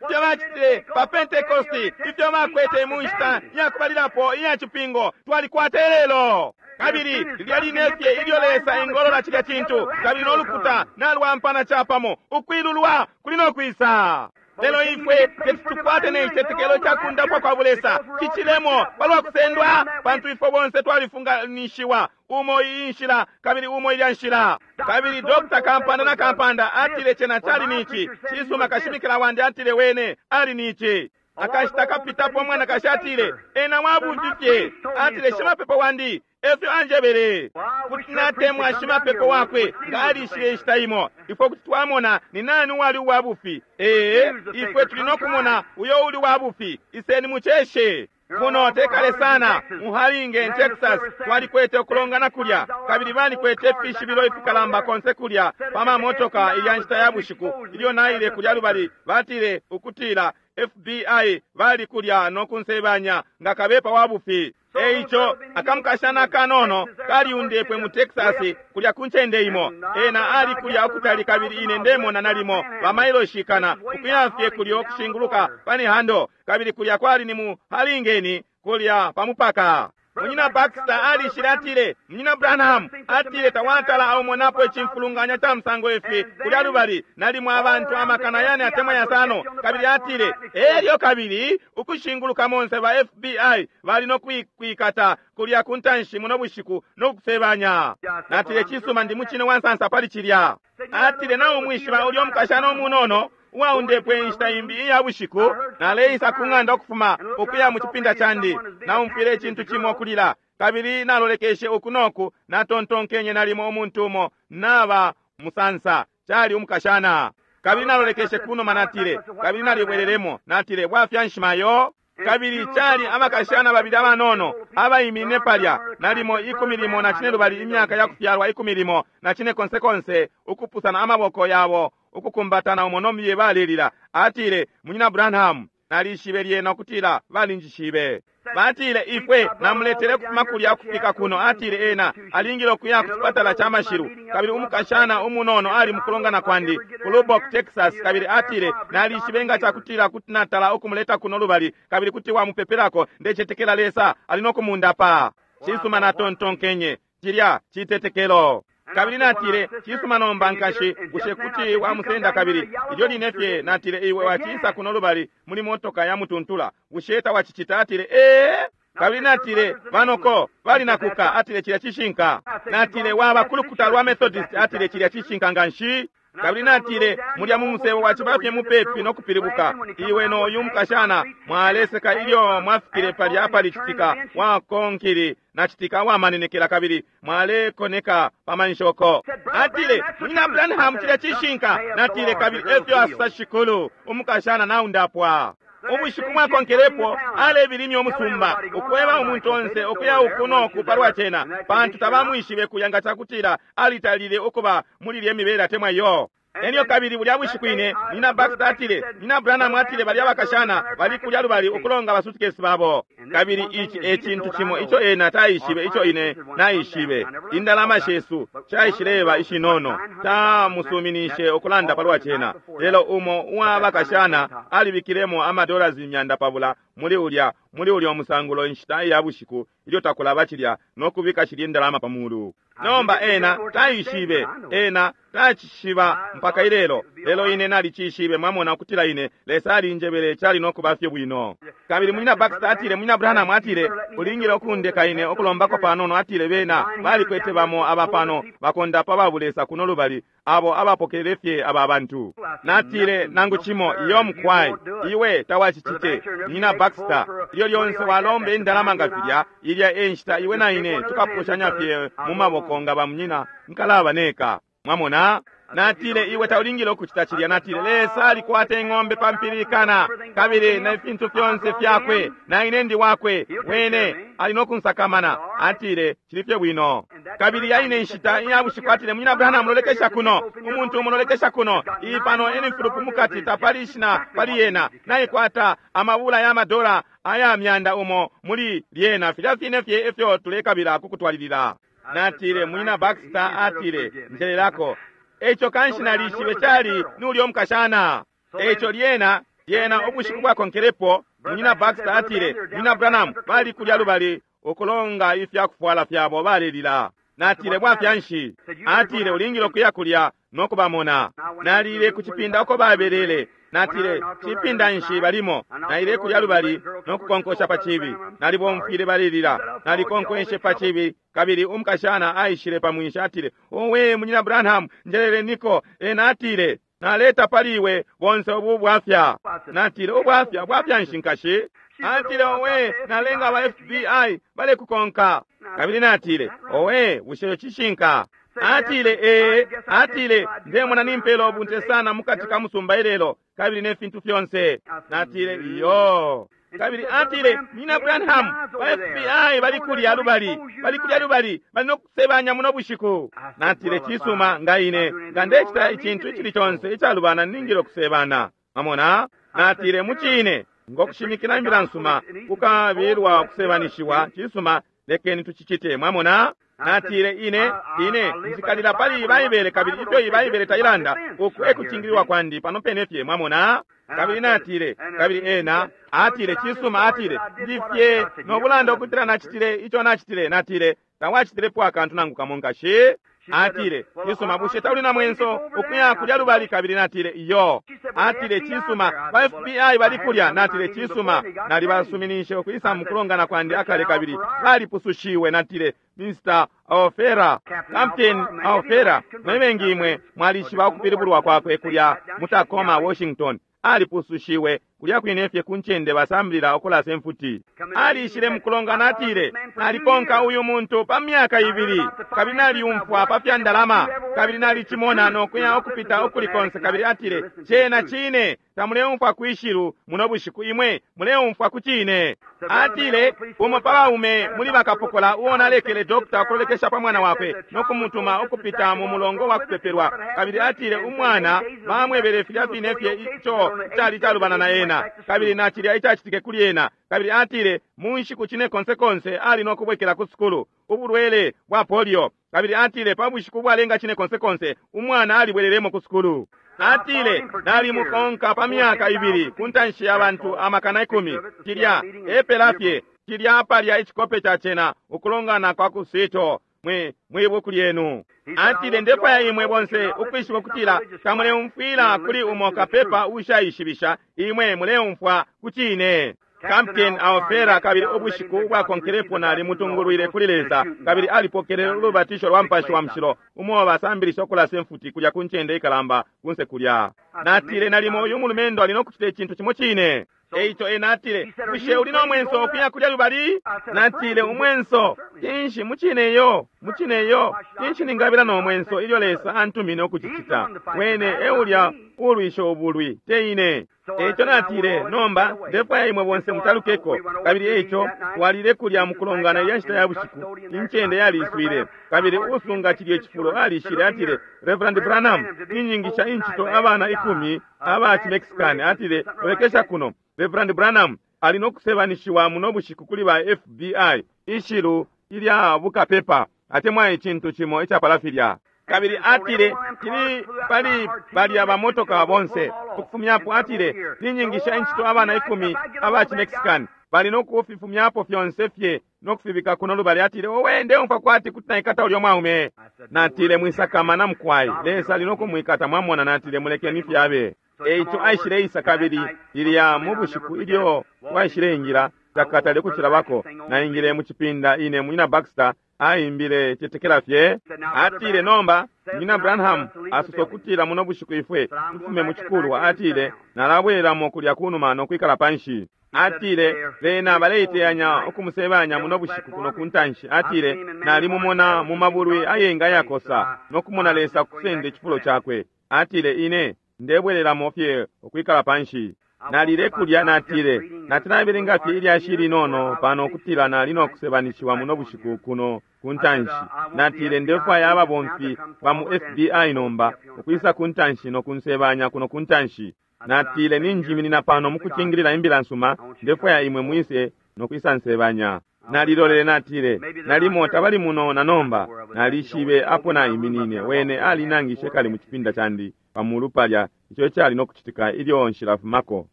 Ifyo bacitile pa Pentekosti, ifyo bakwete mu nshita yakubalilapo iya cipingo, twalikwata lelo. Kabili lilya line fye ilyo Lesa engolola cilya cintu, kabili n'olukuta nalwampana capamo, ukwilulwa kuli no kwisa. Lelo ifwe teti tukwate ne citetekelo cakundapwa kwa bulesa cicilemo palwa kusendwa, pantu ifwe bonse twalifunganishiwa umo iyi nshila kabili umo ilya nshila. Kabili Doctor Kampanda na Kampanda atile cena cali nici cisuma, kashimikila wandi atile wene ali nici. Akashita kapitapo mwanakashi atile ena wabufi fye, atile shimapepo wandi efyo anjebele. Kuti natemwa shimapepo wakwe nga alishile inshita imo, ifwe kuti twamona ni nani uwali uwabufi. Ee, ifwe tuli nokumona uyo uli wabufi, iseni muceshe. Kuno tekale sana mu Harlingen, Texas, twalikwete ukulongana kulya, kabili balikwete ifishibilo ifikalamba konse kulya pamamotoka ilya nshita ya bushiku. Ilyo naile kulya lubali, batile ukutila F B I bali kulya no kunsebanya nga kabepa wa bufi. Eico akamukashana kanono kaliundepwe mu Texas kulya ku ncende imo. Ena ali kulya ukutali, kabili ine ndemona nalimo bamailoshikana ukuya fye kulya okushinguluka panihando, kabili kulya kwali ni mu Harlingen kulya pamupaka. Munyina Baxter alishile, atile, Munyina Branham, atile, tawatala aumonapo icimfulunganya ca musango ifi kulya lubali, nalimo abantu amakana yane atemwa yasano. Kabili atile, elyo kabili ukushinguluka monse ba F B I bali no kwikata kulya kuntanshi muno bushiku no kusebanya. Natile, cisuma, ndi mucine wa nsansa pali cilya. Atile, na umwishiba ulyo mukashana umunono uwaundepwe inshita imbi iya bushiku, naleisa ku ng'anda ukufuma ukuya mu cipinda candi, naumfwile icintu cimo kulila, kabili nalolekeshe uku noku, natontonkenye nalimo umuntu umo naba musansa, cali umukashana. Kabili nalolekeshe kunuma, natile, kabili nalibwelelemo, natile, bwafya nshimayo. Kabili cali abakashana babili abanono abaiminine palya, nalimo ikumi limo na cine lubali imyaka ya kufyalwa ikumi limo na cine konse konse, ukupusana amaboko yabo, ukukumbatana umo nomiye balelila. Atile, Munyina Branham, nalishibe lyena ukutila balinjishibe. Batile, ifwe namuletele kufuma kulya kufika kuno. Atile, ena alingile ukuya ku chipatala cha mashilu. Kabili umukashana umunono ali mukulongana kwandi ku Lubbock, Texas. Kabili atile, nalishibe nga chakutila kuti natala ukumuleta kuno lubali, kabili kuti wamupepelako, ndecetekela Lesa ali no kumundapa. Cisuma, natontonkenye cilya citetekelo. Kabili natile, cisuma nomba nkashi, bushe kuti wamusenda? Kabili ilyo line fye natile, iwe wacisa kuno lubali muli motoka ya mutuntula, bushe tawacicita? Atile, ee. Kabili natile, banoko bali nakuka. Atile, cilya cishinka. Natile, waba kulukuta lwa Methodist. Atile, cilya cishinka nganshi. Kabili natile, mulya mu musebo waciba fye mupepi no kupilibuka, iwe no uyu mukashana mwaleseka ilyo mwafikile palya apali citika wa konkili na citika wa manenekela, kabili mwalekoneka pa manshoko. Atile, Munyina Branham, cilya cishinka. Natile, kabili efyo asa shikulu, umukashana naundapwa. Ubushiku mwakonkelepo alebilimya umusumba, ukweba umuntu onse ukuya uku noku palwa cena, pantu tabamwishibe kuya nga cakutila alitalile ukuba muli lye mibele atemwa iyo. Elyo kabili bulya bushiku ine Munyina Baxter atile, Munyina Branham atile balya bakashana bali kulya lubali ukulonga basutikesi babo. Kabili ici e cintu cimo ico ena taishibe ico ine naishibe. Indalama shesu shaishileba ishinono, tamusuminishe ukulanda palwa cena. Lelo umo uwa bakashana alibikilemo amadollars imyanda pabula muli ulya muli ulya umusangulo inshita iya bushiku ilyo takulaba cilya no kubika shilya indalama pa mulu. Nomba ena taishibe, ena tacishiba mpaka ilelo, lelo ine nalicishibe. Mwamona ukutila ine Lesa alinjebele cali no kuba fye bwino. Kabili Munyina Baxter atile, Munyina Branham atile, ulingile ukundeka ine ukulombako panono. Atile, bena balikwete bamo abapano bakondapa babulesa kuno lubali, abo abapokelele fye aba bantu. Natile, nangu cimo iyo mukwai, iwe tawacicite. Munyina Baxter, ilyo lyonse walombe indalama nga filya, ilya enshita iwe na ine tukapushanya fye mu maboko nga bamunyina nkalaba neka. Mwamona? Natile, iwe taulingile ukucita cilya. Natile, Lesa alikwata ing'ombe pampilikana, kabili na fintu fyonse fyakwe, na ine ndi wakwe, wene ali no kunsakamana. Atile, cili fye bwino. Kabili yaine nshita iya bushiku atile, Munyina Branham, lolekesha kuno, umuntu umulolekesha kuno, iyi pano enifulupu mukati tapali ishina pali yena, naikwata amabula ya madola aya myanda umo muli lyena, filya fine fye efyo tulekabila kukutwalilila. Natile, Munyina Baxter atile, njelelako. Echo kanshi nalishibe cali nulyo mukashana. Echo lyena lyena ubushiku bwakonkelepo Munyina Baxter atile, Munyina Branham, bali kulya lubali ukulonga ifya kufwala fyabo balelila. Natile, bwafya nshi? Atile, ulingile ukuya kulya no kubamona. Nalile ku cipinda uko babelele. Natile, cipinda nshi balimo? Naile kulya lubali no kukonkosha pa chibi. Nalibomfwile balelila. Nalikonkwenshe pa chibi. Kabili umukashana aishile pa mwinshi atile, owe Munyina Branham, njelele niko. Ena atile, naleta pali iwe bonse ubu bwafya. Natile, ubwafya bwafya nshi nkashi? Atile, owe nalenga aba F B I balekukonka. Kabili natile, owe bushe cishinka? Atile, ee. Atile, ndemona nimpela ubunte sana mukati ka musumba ilelo, kabili ne fintu fyonse. Natile, iyo. Kabili atile, Munyina Branham, ba F B I bali kulya lubali, bali kulya lubali, bali no kusebanya muno bushiku. Natile, cisuma nga ine, nga ndecita icintu icili conse icalubana ningile kusebana. Mwamona? Natile, mucine, ngokushimikila imbila nsuma, kukabilwa kusebanishiwa, cisuma, Lekeni tucicite, mwamona. Natile ine ine nzikalila pali Baibele, kabili ifyo Ibaibele tailanda uku ekucingililwa kwandi pano pene fye, mwamona. Kabili natile, kabili ena atile, cisuma, atile ndifye nobulanda ukutila nacitile ico nacitile. Natile, tawacitilepo akantu nangu kamo nkashi. Atile, cisuma, bushe tauli na mwenso ukuya kulya lubali? Kabili natile, iyo. Atile, cisuma, ba F B I bali kulya. Natile, cisuma, nalibasuminishe ukwisa mukulongana kwandi akale kabili balipusushiwe. Natile, Mister Alfera, Captain Alfera, mwebengi imwe mwalishiba ukupilibulwa kwakwe kulya mu Tacoma, Washington. Alipusushiwe kulya kwine fye ku ncende basambilila ukulasa imfuti. Alishile mukulongana, atile, nalikonka uyu muntu pa myaka ibili, kabili naliumfwa pa fya ndalama, kabili nalicimona nokuya ukupita ukuli konse. Kabili atile, cena cine, tamuleumfwa kwishilu muno bushiku, imwe muleumfwa ku cine. Atile, umo pa baume muli bakapokola uo nalekele dokta ukulolekesha pa mwana wakwe nokumutuma ukupita mu mulongo wa kupepelwa. Kabili atile, umwana bamwebele filya fine fye ico cali calubana na ena, kabili nachilya icacitike kuli ena. Kabili atile, mu nshiku cine konse konse ali nokubwekela ku sukulu, ubulwele bwa polio. Kabili atile, pa bushiku bwalenga cine konse konse umwana alibwelelemo ku sukulu. Atile, nalimukonka pa myaka ibili ku ntanshi ya bantu amakana ikumi. Cilya epela fye, cilya palya icikope ca cena ukulongana kwa ku Seattle mwe mwibuku lyenu. Atile, ndefwaya imwe bonse ukwishiba ukutila tamuleumfwila kuli umo kapepa ushaishibisha, imwe muleumfwa ku cine. Captain Alfera, kabili ubushiku ubwakonkelepo nalimutungulwile kuli Lesa, kabili alipokelele ulubatisho lwa Mupashi wa Mushilo, umo basambilisha ukulasa imfuti kulya ku ncende ikalamba kunse kulya. Natile, nalimo uyu mulumendo ali nokucita icintu cimo cine. Eico ena atile, bushe uli no mwenso ukuya kulya lubali? Natile, umwenso kinshi? Mucine yo, mucine yo, kinshi ningabila no mwenso ilyo Lesa antumine ukucicita? Wene eulya ulwisha ubulwi, te ine. Eico natile, nomba ndefwaya imwe bonse mutalukeko. Kabili eico twalile kulya mukulongana ilya nshita ya bushiku, incende yaliswile. Kabili usunga cilye cifulo alishile, atile, Reverend Branham, ninyingisha incito abana ikumi aba ci-Mexican. Atile, lolekesha kuno, Reverend Branham ali nokusebanishiwa muno bushiku kuli ba F B I, ishilu ilya bukapepa atemwa icintu cimo icapala filya. Kabili atile, kili pali balya bamotoka bonse ukufumyapo. Atile, ninyingisha incito abana ikumi aba ci-Mexican, bali nokufifumyapo fyonse fye nokufibika kuno lubali. Atile, owe, ndeumfwa kwati kuti naikata ulyo mwaume. Natile, mwisakamana mukwai, Lesa ali nokumwikata, mwamona. Natile, mulekeni fyabe. Eico aishile isa, kabili lilya mu bushiku ilyo waishile ingira takatale kucilabako, naingile mu cipinda ine munyina Baxter aimbile cetekela fye. Atile, nomba munyina Branham asosa ukutila muno bushiku ifwe tufume mu cikulwa. Atile, nalabwelelamo kulya kunuma nokwikala panshi. Atile, bena baleiteyanya ukumusebanya muno bushiku kuno kuntanshi. Atile, nalimumona mu mabulwi ayenga yakosa nokumona Lesa kusenda icifulo cakwe. Atile, ine ndebwelelamo fye ukwikala panshi. Nalile kulya, natile, natinabelenga fye ilyashi linono pano ukutila nali nokusebanishiwa muno bushiku kuno kuntanshi. Natile, ndefwaya ababomfi ba mu F B I nomba ukwisa kuntanshi nokunsebanya kuno kuntanshi. Natile, ninjiminina pano mukucingilila imbila nsuma, ndefwaya imwe mwise nokwisa nsebanya. Nalilolele, natile, nalimo tabali muno na nomba. Nalishibe apo naiminine. Wene alinangishe kale mu cipinda candi pamulu palya ico cali nokucitika ilyo nshilafumako,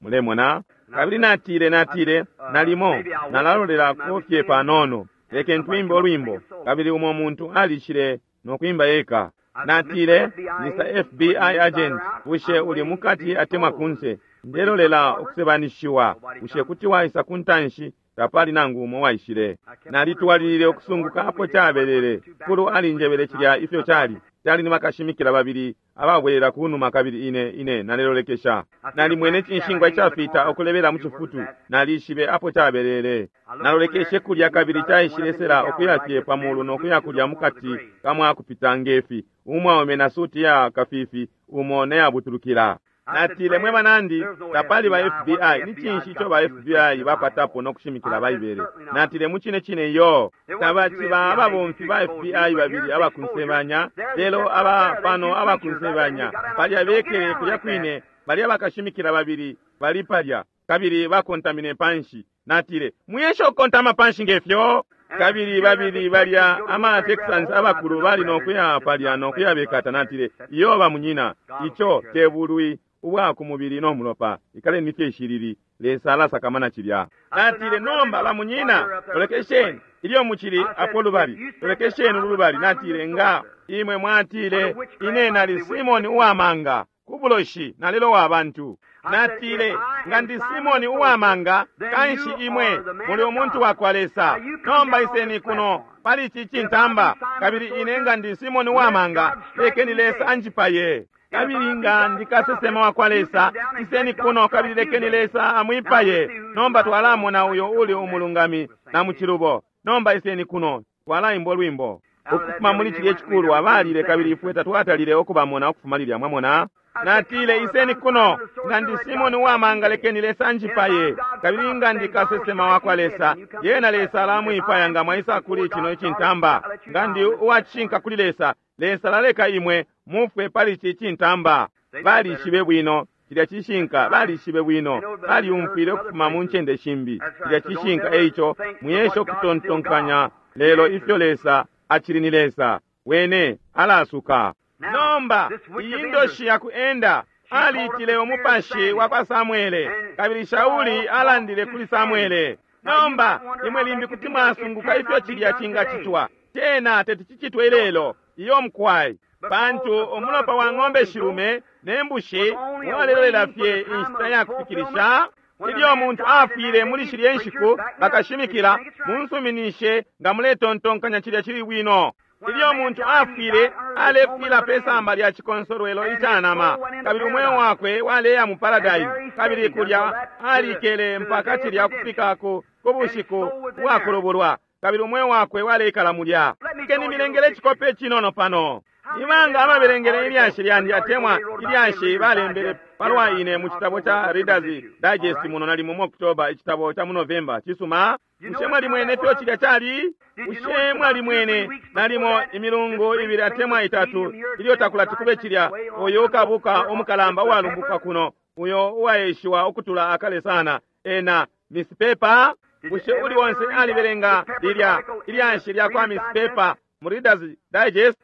mulemona. Kabili natile, natile, nalimo nalalolelako fye panono, leke ntwimbe olwimbo. Kabili umo muntu alishile nokwimba eka. Natile, Mister F B I agent, bushe uli mukati atemwa kunse? Ndelolela ukusebanishiwa. Bushe kuti waisa kuntanshi? Tapali nangu umo waishile. Nalitwalilile ukusunguka apo cabelele. Kulu alinjebele cilya ifyo cali. Cali ni bakashimikila babili ababwelela kunuma, kabili ine ine nalelolekesha. Nalimwene cinshingwa icafita ukulebela mu cifutu. Nalishibe apo cabelele. Nalolekeshe kulya, kabili caishilesela ukuya fye pamulu nokuya kulya mukati kamwakupita ngefi. Umwaume na suti ya kafifi, umo neyabutulukila. Natile, mwe banandi, tapali ba F B I. Ni cinshi ico ba F B I bakwatapo nokushimikila Baibele? Natile, mucine cine yo, tabaciba ababomfi ba F B I babili abakunsebanya, lelo aba pano abakunsebanya palya bekele kulya kwine, balya bakashimikila babili bali palya, kabili bakontamine panshi. Natile, muyesha ukukontama panshi ngefyo? Kabili babili balya ama Texans abakulu bali nokuya palya nokuya bekata. Natile, iyo ba munyina, ico tebulwi ubwa ku mubili no mulopa, ikaleni fye ishilili, Lesa alasakamana cilya. Natile, nomba ba munyina, lolekesheni ilyo mucili apo lubali, lolekesheni ulubali. Natile, nga imwe mwatile ine nali Simoni uwamanga kubuloshi nalelo wa bantu. Natile, nga ndi Simoni uwamanga, kanshi imwe muli umuntu wa kwa Lesa. Nomba iseni kuno pali ici cintamba, kabili ine nga ndi Simoni uwamanga, lekeni Lesa anjipaye. Kabili nga ndi kasesema wa kwa Lesa, iseni kuno kabili lekeni Lesa amwipaye. Nomba twalamona uyo uli umulungami na muchilubo. Nomba iseni kuno, twalaimbo lwimbo ukufuma muli cilye chikulu abalile, kabili ifwe tatwatalile okubamona ukufuma lilya. Mwamona? Natile, iseni kuno, nga ndi Simoni uwamanga, lekeni Lesa anjipaye. Kabili nga ndi kasesema wa kwa Lesa, yena Lesa alamwipaya nga mwaisa kuli chino icintamba. Nga ndi uwacishinka kuli Lesa, Lesa laleka imwe mufwe pali ici cintamba. Balishibe bwino cilya cishinka, balishibe bwino, balyumfwile ukufuma mu ncende shimbi cilya cishinka. Eico muyesho kutontonkanya lelo ifyo Lesa acili ni Lesa, wene alasuka. Nomba iyi ndoshi ya kuenda aliitile umupashi wa kwa Samuele, kabili Shauli alandile kuli Samuele. Nomba imwe limbi kuti mwasunguka ifyo cilya cingacitwa. Tena teti cicitwe ilelo, iyo mkwai, pantu umulopa wa ng'ombe shilume ne mbushi walelolela fye inshita ya kufikilisha. Ilyo muntu afwile muli shilye nshiku, bakashimikila munsuminishe nga muletontonkanya cilya cili bwino. Ilyo muntu afwile, alefwila pe samba lya chikonsolwelo icanama, kabili umweo wakwe waleya mu paradise, kabili kulya alikele mpaka cilya kufika ku bushiku bwakulubulwa, kabili umweo wakwe waleikala mulya. Keni milengele chikope chinono pano. Ibanga ababelengele ilyashi lyandi atemwa ilyashi balembele palwa ine mu citabo cha Reader's Digest muno nalimo mu October, icitabo cha mu November. Cisuma, bushe mwalimwene fyo cilya cali? Bushe mwalimwene nalimo imilungu ibili atemwa itatu ilyo takulati kube cilya, uyu kabuka umukalamba uwalumbuka kuno, uyo uwaeshiwa ukutula akale sana, ena Miss Pepper? Bushe uli wonse alibelenga lilya ilyashi lya kwa Miss Pepper mu Reader's Digest?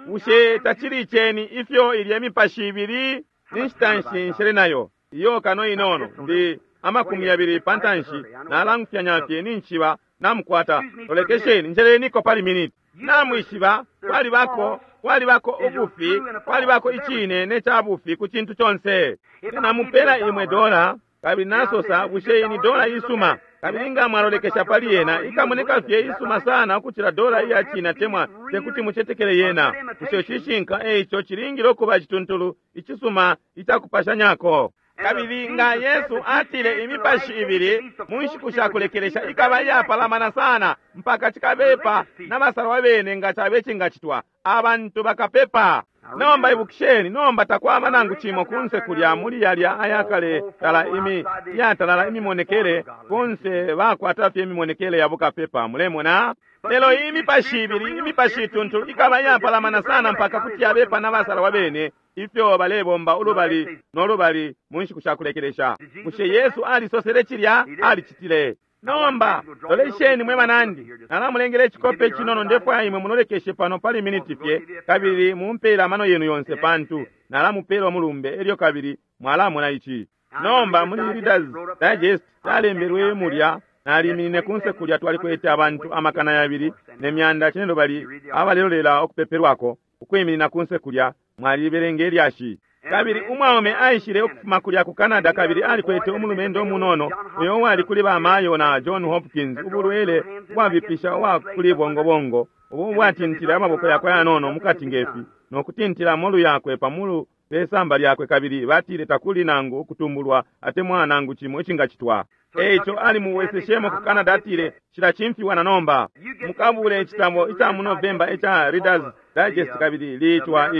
Bushe tacili cheni ifyo ilye mipashi ibili ninshita nshi nayo iyo kano inono ndi amakumi yabili pantanshi nalangufyanya fye ninchiba namukwata. Lolekesheni, njeleniko pali minute. Namwishiba kwalibako kwalibako ubufi, kwalibako icine ne chabufi ku cintu chonse. Namupela imwe dola, kabili nasosa bushe ini dola isuma, kabili nga mwalolekesha pali yena ikamoneka fye isuma sana ukuchila dola iya china temwa tekuti muchetekele yena. Bushe cishinka eicho chilingile okuba chituntulu icisuma ichakupashanyako. Kabili nga Yesu atile imipashi ibili mu nshiku shakulekelesha ikaba iyapalamana sana mpaka chikabepa n'abasalwa bene nga chabe chingachitwa, abantu bakapepa. Nomba ibukisheni, nomba takwaba nangu chimo kunse kulya muli yalya ayakale tala imi yatalala imimonekele kunse bakwata fye imimonekele ya bukapepa, mulemona. Lelo imipashi ibili imipashi ituntulu ikaba iyapalamana sana mpaka kuti yabepa n'abasalwa bene ifyo balebomba ulubali n'olubali mu nshiku shakulekelesha. Bushe Yesu alisosele cilya? Alicitile. Nomba lolesheni mwe banandi, nalamulengele icikope chinono ndefwaya imwe munolekeshe pano pali miniti fye, kabili mumpela amano yenu yonse pantu nalamupela omulumbe elyo kabili mwalamona ichi. Nomba muli Reader's Digest calembelwe mulya, naliminine kunse kulya twalikwete abantu amakana yabili ne myanda chinelubali abalelolela okupepelwako ukwiminina kunse kulya, mwalibelenga ilyashi. Kabili umwaume aishile ukufuma kulya ku Canada, kabili alikwete umulumendo munono uyo wali kuli bamayo na John Hopkins, ubulwele bwabipisha wa kuli bongobongo ubu bwatintile amaboko yakwe yanono mukati ngefi nokutintila molu yakwe pamulu pesamba lyakwe, kabili batile takuli nangu ukutumbulwa atemwa nangu chimo icingachitwa. Eicho ali muweseshemo ku Canada, atile chila chimfiwa na nomba mukabule icitabo icha mu November icha Reader's Digest, kabili liitwa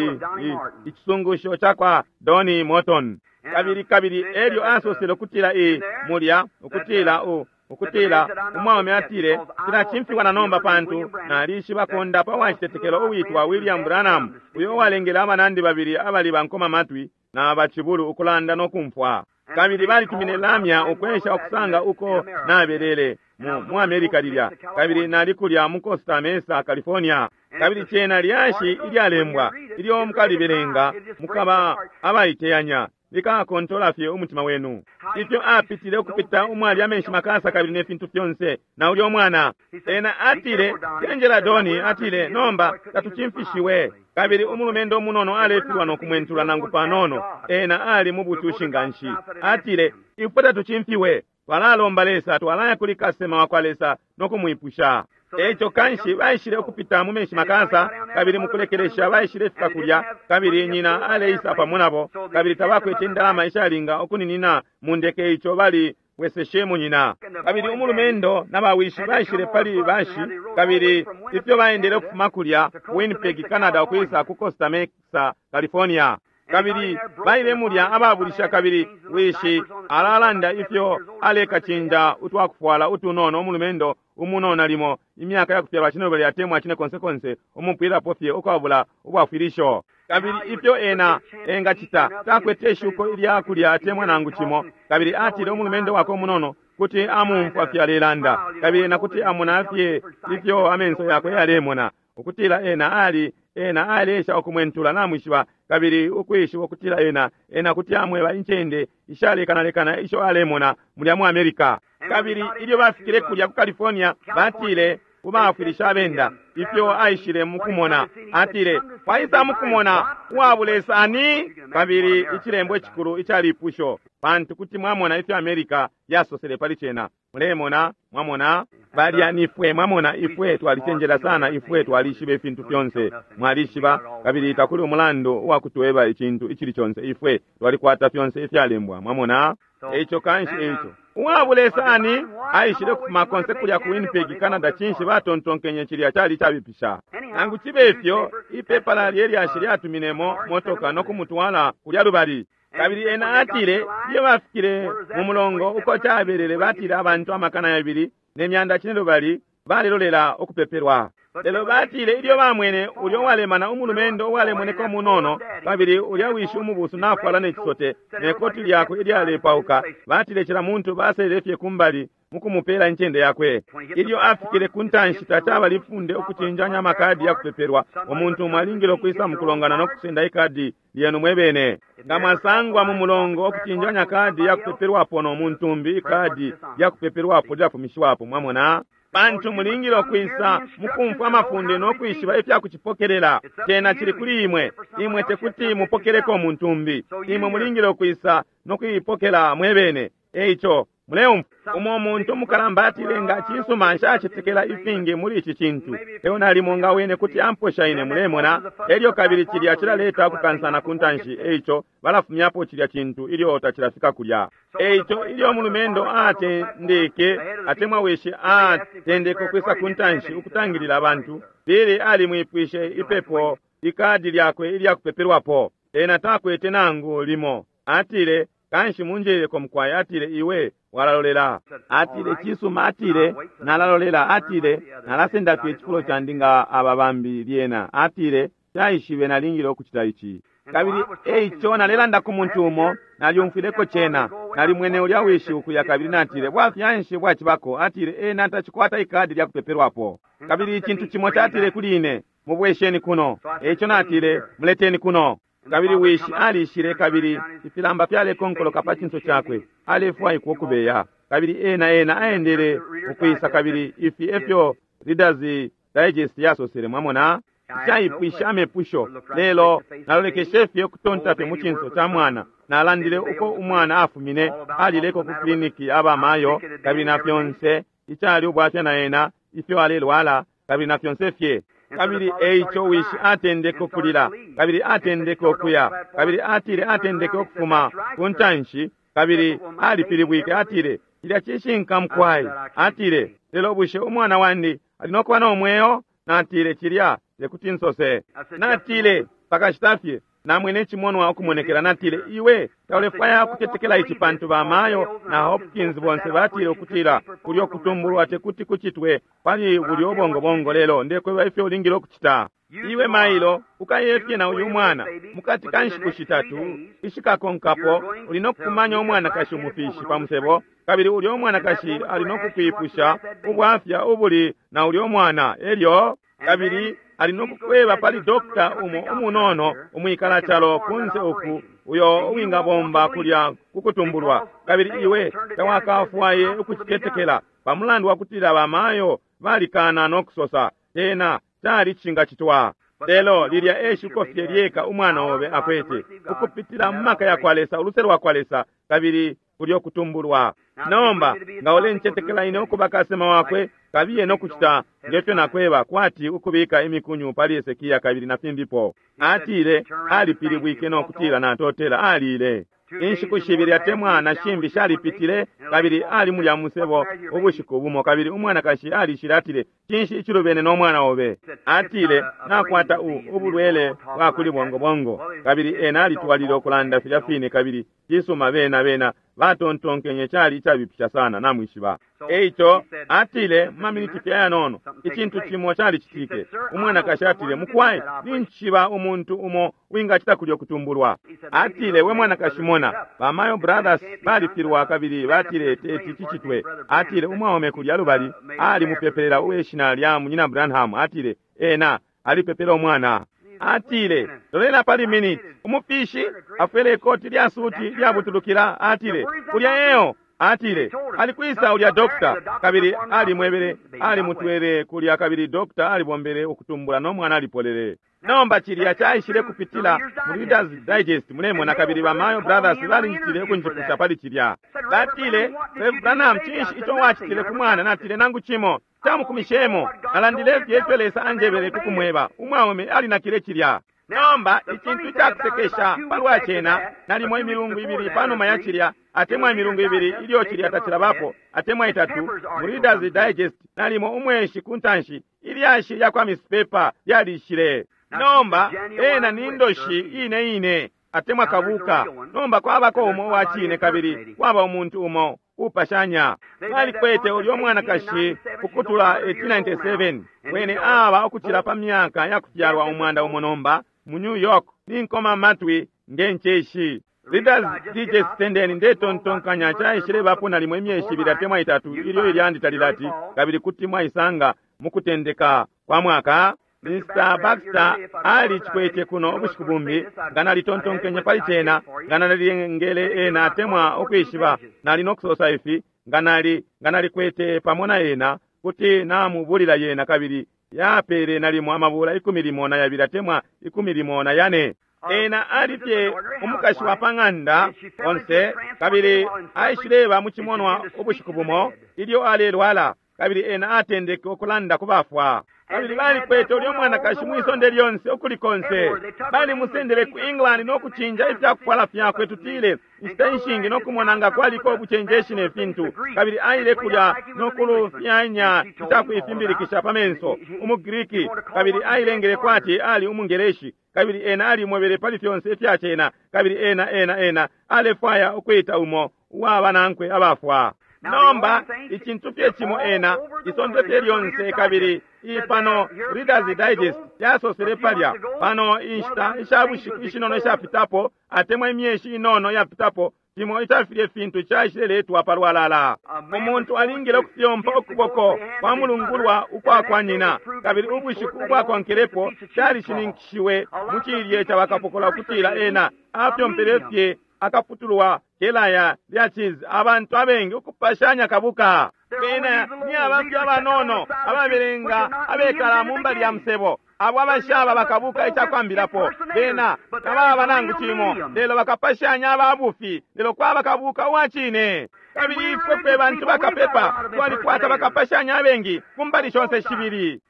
ichisungusho chakwa Donnie Morton. Kabili kabili elyo asosele ukutila i mulya ukutila u ukutila umwaume atile chila chimfiwa na nomba pantu nalishiba kondapa wa chitetekelo uwitwa William Branham, uyo walengele abanandi babili abali bankoma matwi na bachibulu ukulanda nokumfwa. Kabili balitumine lamya ukwesha okusanga uko nabelele, mu, mu America lilya, kabili nali kulya mu Costa Mesa, California. Kabili cena lyashi ilyalembwa ilyo mukalibelenga mukaba abaiteyanya, likakontola fye umutima wenu. Ifyo apitile ukupita umwali amenshi makasa kabili ne fintu fyonse, na ulyo mwana. Ena atile, Cenjela Doni, atile, nomba tatucimfishiwe. Kabili umulumendo umunono alefilwa no kumwentula nangu panono. Ena ali mu bucushi nganshi. Atile, ifwe tatucimfiwe. Twalalomba Lesa, twalaya kuli kasema wa kwa Lesa no kumwipusha. Eco kanshi baishile ukupita mu menshi makasa, kabili mukulekelesha baishile fika kulya, kabili nyina aleisa pamo nabo, kabili tabakwete indalama ishalinga ukuninina mu ndeke, ico bali bweseshemo nyina. Kabili umulumendo na bawishi baishile pali bashi, kabili ifyo baendele ukufuma kulya Winnipeg, Canada, ukwisa ku Costa Mesa, California. Kabili baile mulya ababulisha, kabili wishi alalanda ifyo alekacinja utwakufwala utunono umulumendo umunono limo imyaka yakufyalwa cinelubali atemwa cine konse konse umupwilapo fye ukwabula ubwafwilisho. Kabili ifyo ena engacita, takwete ishuko ilya kulya atemwa nangu cimo. Kabili atile umulumendo wakwe umunono kuti amumfwa fye alelanda, kabili ena kuti amona fye ifyo amenso yakwe yalemona, ukutila ena ali ena alesha ukumwentula namwishiba, kabili ukwishiba ukutila ena ena kuti amweba incende ishalekanalekana isho alemona mulya mu America. Kabili ilyo bafikile kulya ku California, batile kubafwilisha abenda ifyo aishile mukumona. Atile, waisa mukumona uwabulesa ani? Kabili icilembo icikulu icalipusho, pantu kuti mwamona ifyo America yasosele pali cena. Mulemona, mwamona balya nifwe, mwamona ifwe twalicenjela sana, ifwe twalishiba ifintu fyonse, mwalishiba, kabili takuli umulandu uwakutweba icintu icili conse, ifwe twalikwata fyonse ifyalembwa, mwamona. Eico kanshi eico uwabulesa ani aishile kufuma konse kulya ku Winnipeg, Canada. Cinshi batontonkenye cilya cali cabipisha? Nangu cibe ifyo, ipepala lyelyashi lyatuminemo motoka no kumutwala kulya lubali. Kabili ena atile iyo bafikile mu mulongo uko cabelele, batile abantu amakana yabili ne myanda cine lubali balelolela ukupepelwa. Lelo batile ilyo bamwene ulyo walemana umulumendo uwalemoneka umunono, kabili ulya wishi umubusu nafwala ne cisote ne koti lyakwe ilyalepauka, batile cila muntu baselele fye kumbali mukumupela incende yakwe. Ilyo afikile ku ntanshi, tacaba lifunde ukucinjanya amakadi ya kupepelwa. Umuntu umwe alingile ukwisa mukulongana no kusenda ikadi lyenu mwebene. Nga mwasangwa mu mulongo okucinjanya kadi ya kupepelwapo no muntu umbi, ikadi lya kupepelwapo lyafumishiwapo, mwamona. Pantu mulingile ukwisa mukumfwa amafunde no kwishiba ifya kucipokelela. Cena cili kuli imwe, imwe tekuti mupokeleko umuntu umbi. Imwe mulingile ukwisa no kuipokela mwebene. Eico muleumfwa umo umuntu umukalamba atile, nga cisuma nshacetekela ifingi muli ici cintu, lelo nalimo nga wene kuti amposha ine, mulemona. Elyo kabili cilya cilaleta ukukansana ku ntanshi, eico balafumyapo cilya cintu ilyo tacilafika kulya. Eico ilyo umulumendo atendeke, atemwa wishi atendeke ukwisa ku ntanshi ukutangilila abantu, Billy alimwipwishe ipepo ikadi lyakwe ilya kupepelwapo. Ena takwete nangu limo. Atile, kanshi munjeleko mukwai. Atile, iwe walalolela. Atile, cisuma. Atile, nalalolela. Atile, nalasenda fye icifulo candi nga aba bambi lyena. Atile, caishibe nalingile ukucita ici. Kabili eico nalelanda ku muntu umo, nalyumfwileko cena, nalimwene ulya wishi ukuya, kabili natile, bwafya nshi bwacibako? Atile, ena tacikwata ikadi lya kupepelwapo. Kabili icintu cimo catile kuli ine, mubwesheni kuno. Eico natile, muleteni kuno. Kabili wishi alishile, kabili ifilamba fyalekonkoloka pa cinso cakwe, alefwaikwa ukubeya. Kabili ena ena aendele ukwisa, kabili ifi efyo Reader's Digest yasosele, mwamona. Nshayipwishe amepusho, lelo nalolekeshe fye ukutonta fye mu cinso ca mwana. Nalandile uko umwana afumine, alileko ku kliniki abamayo, kabili na fyonse icali ubwafya na ena, ifyo alelwala, kabili na fyonse fye. Kabili eico wishi atendeke ukulila, kabili atendeke ukuya, kabili atile atendeke ukufuma ku ntanshi, kabili alipilibwike. Atile, cilya cishinka mukwai. Atile, lelo bushe umwana wandi ali nokuba no mweo? Natile, cilya tekuti nsose. Natile, pakashita fye namwene icimonwa ukumonekela. Natile, iwe taulefwaya kucetekela ici, pantu bamayo na Hopkins bonse batile ukutila kulyo kutumbulwa tekuti kucitwe pali bulyo bongobongo, lelo ndekweba ifyo ulingile ukucita. Iwe mailo ukayefye na uyu mwana mukati ka nshiku shitatu ishikakonkapo uli nokukumanya umwanakashi umufishi pa musebo, kabili ulya umwanakashi ali nokukwipusha ubwafya ubuli na ulya umwana. Elyo kabili ali nokukweba pali dokta umo umunono umwikala calo kunse uku uyo uwingabomba kulya kukutumbulwa, kabili iwe tawakafwaye ukucitetekela pamulandu wakutila bamayo balikana nokusosa tena cali cingacitwa. Lelo lilya eshuko fye lyeka umwana obe akwete ukupitila mu maka yakwa Lesa, uluse lwakwa Lesa, kabili kulyo kutumbulwa. Nomba nga ulencetekela ine ukuba kasema wakwe, kabiye nokucita ngefyo nakweba, kwati ukubika imikunyu pali Hesekia kabili na fimbipo. Atile alipilibwike nokutila natotela alile. Inshiku shibili atemwa na shimbi shalipitile, kabili ali mulya musebo ubushiku bumo, kabili umwanakashi alishile atile, cinshi icilubene no mwana obe? Atile nakwata u ubulwele bwa kuli bongobongo. Kabili ena alitwalile ukulanda filya fine, kabili cisuma bena bena batontonkenye cali icabipisha sana, namwishiba. Eico atile maminiti fye ayanono icintu cimo calicitike. Umwanakashi atile, mukwai, nincishiba umuntu umo wingacita kulyo kutumbulwa. Atile, we mwanakashi mona, ba Mayo Brothers balifilwa kabili batile teti cicitwe. Atile umwaume kulya lubali ali mupepelela uweshina lya munyina Branham. Atile ena alipepela umwana. Atile lolela pali minute, umufishi afwele ikoti lya suti lyabutulukila. Atile kulya eo. Atile alikwisa ulya dokta, kabili alimwebele alimutwele kulya, kabili dokta alibombele ukutumbula no mwana alipolele. Nomba cilya caishile kupitila mu Reader's Digest, mulemona, kabili ba Mayo Brothers balinjitile ukunjipusha pali cilya. Batile, Rev Branham, cinshi ico wacitile ku mwana? Natile nangu cimo camukumishemo, nalandile fye ifyo Lesa anjebele kukumweba. Umwaume alinakile cilya. Nomba icintu cakusekesha palwa cena, nalimo imilungu ibili panuma ya cilya, atemwa imilungu ibili ilyo cilya tacilabapo, atemwa itatu, mu Reader's Digest, nalimo umweshi kuntanshi, ilyashi lya kwa Miss Pepper lyalishile. Nomba ena ni ndoshi ine ine atemwa kabuka. Nomba kwabako umo wa cine, kabili kwaba umuntu umo upashanya. Balikwete ulyo mwanakashi ukutula eighteen ninety-seven, wene aba ukucila pa myaka ya kufyalwa umwanda umo nomba mu New York, ninkoma matwi ngencheshi. Reader's Digest tendeni ndetontonkanya caishile bapo nalimo imyeshi ibili atemwa itatu ilyo ilyandi talilati, kabili kuti mwaisanga mukutendeka kwa mwaka. Mister Baxter ali chikwete kuno ubushiku bumbi, nga nalitontonkenye pali cena, nga nalilengele ena atemwa ukwishiba nali nokusosa ifi, nga nali nga nalikwete pamo na ena kuti namubulila yena, kabili yapele nalimo amabula ikumi limo na yabili atemwa ikumi limo na yane. Ena alifye umukashi wa pang'anda onse, kabili aishileba mu cimonwa ubushiku bumo ilyo alelwala, kabili ena atendeke ukulanda kubafwa. Kabili balikwete ulyo mwanakashi mwisonde lyonse ukuli konse. Balimusendele ku England nokucinja ifyakufwala fyakwe, tutile inshita inshingi, nokumona nga kwaliko ubucenjeshi ne fintu. Kabili aile kulya nokulufyanya icakuifimbilikisha pa menso umuGriki, kabili ailengele kwati ali umungeleshi, kabili ena alimwebele pali fyonse ifyacena, kabili ena ena ena alefwaya ukwita umo uwaba nankwe abafwa. Nomba icintu fye cimo ena isonde fye lyonse, kabili ipano Reader's Digest yasosele palya pano inshita ishabushiku ishinono ishapitapo atemwa imyeshi inono yapitapo, cimo icafilye fintu caishileletwa palwalala. Umuntu alingile ukufyompa ukuboko kwa mulungulwa ukwa kwa nyina, kabili ubushiku ubwakonkelepo calishininkishiwe mu cilye ca bakapokola ukutila ena afyompele fye akaputulwa kelaya lya cheese. Abantu abengi ukupashanya kabuka bena ni abantu abanono ababelenga abekala mu mbali ya musebo, abo abashaba bakabuka icakwambilapo bena tababa nangu cimo, lelo bakapashanya ababufi, lelo kwaba kabuka uwacine. Kabili ifwe fwe bantu bakapepa twalikwata bakapashanya abengi ku mbali shonse shibili.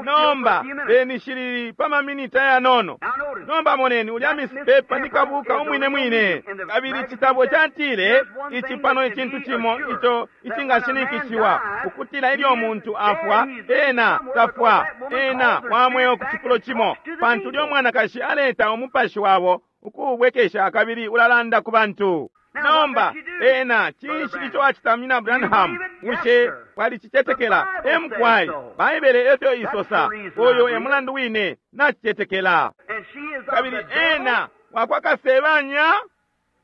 Nomba beni shilili pa maminita yanono. Nomba moneni ulya Miss Pepper ni kabuka umwine mwine, kabili citabo catile ici pano icintu cimo ico icingashininkishiwa ukutila ilyo umuntu afwa ena tafwa, ena wa mweo ku cifulo cimo, pantu ulyo mwanakashi aleta umupashi wabo ukuubwekesha kabili ulalanda ku bantu. Nomba ena cinshi ico acita, Munyina Branham? Bushe walicicetekela? Emukwai, Baibele efyo isosa. Uyo e mulandu wine nacicetekela. Kabili ena wakwa Kasebanya,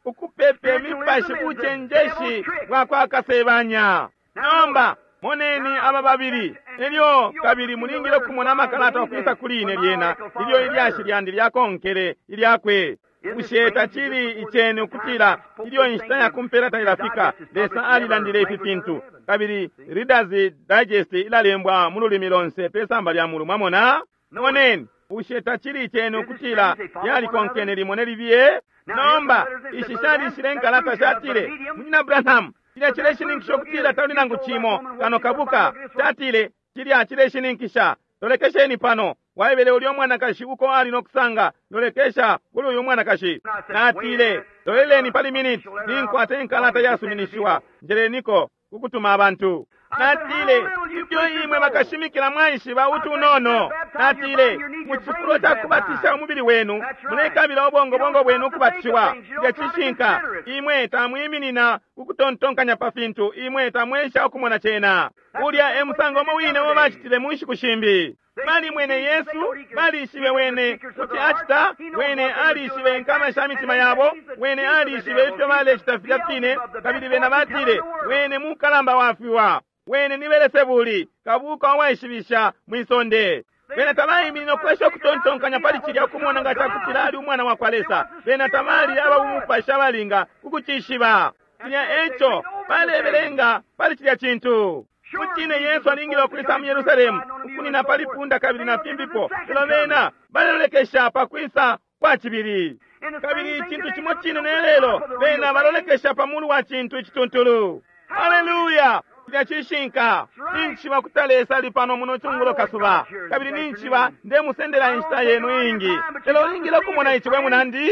ukupepe mipashi bucenjeshi bwakwa Kasebanya. Nomba moneni aba babili, elyo kabili mulingile kumona amakalata okwisa kuli ine lyena ilyo ilyashi lyandi lyakonkele ilyakwe. Bushe tacili iceni ukutila ilyo inshita ya kumpela tailafika, Lesa alilandile ifi fintu, kabili Reader's Digest ilalembwa mu lulimi lonse pe samba lya mulu. Mwamona? Moneni, bushe tacili iceni ukutila yalikonkene limo ne libiye? Nomba ishi shalishile nkalata shatile, Munyina Branham, cilya cileshininkisha ukutila tali nangu cimo kano kabuka. Tatile cilya cileshininkisha. Lolekesheni pano, waebele ulyo mwanakashi uko ali no kusanga. Lolekesha kuli uyu mwanakashi. Natile, loleleni pali minute, ninkwata inkalata yasuminishiwa, njeleniko kukutuma abantu. Natile, ifyo imwe bakashimikila mwaishiba utunono. Natile, mu cifulo ca kubatisha umubili wenu, mulekabila ubongobongo bwenu ukubatishiwa. Cilya cishinka. Imwe tamwiminina ukutontonkanya pa fintu, imwe tamwesha ukumona cena. Ulya e musango umo wine uo bacitile mu nshiku shimbi. Balimwene Yesu, balishibe wene kuti acita, wene alishibe inkama sha mitima yabo, wene alishibe ifyo balecita filya fine, kabili bena batile, wene mukalamba wafiwa, wene ni Belesebuli, kabuka uwaishibisha mwisonde. Bena tabaiminina ukwesha ukutontonkanya pali cilya ukumona nga cakutila ali umwana wa kwa Lesa. Bena tabali ababumupashi abalinga kukucishiba. Cilya eco balebelenga pali cilya cintu. Mucine Yesu alingile ukwisa mu Yerusalemu ukunina pali punda kabili na fimbipo, lelo bena balelolekesha pa kwisa kwa cibili. Kabili icintu cimo cine ne lelo, bena balolekesha pa mulu wa cintu icituntulu. Haleluya! Cilya cishinka. Ninjiba kuti Lesa ali pano muno cungulo kasuba, kabili ninjiba ndemusendela inshita yenu iingi, lelo ulingile ukumona ici, we munandi.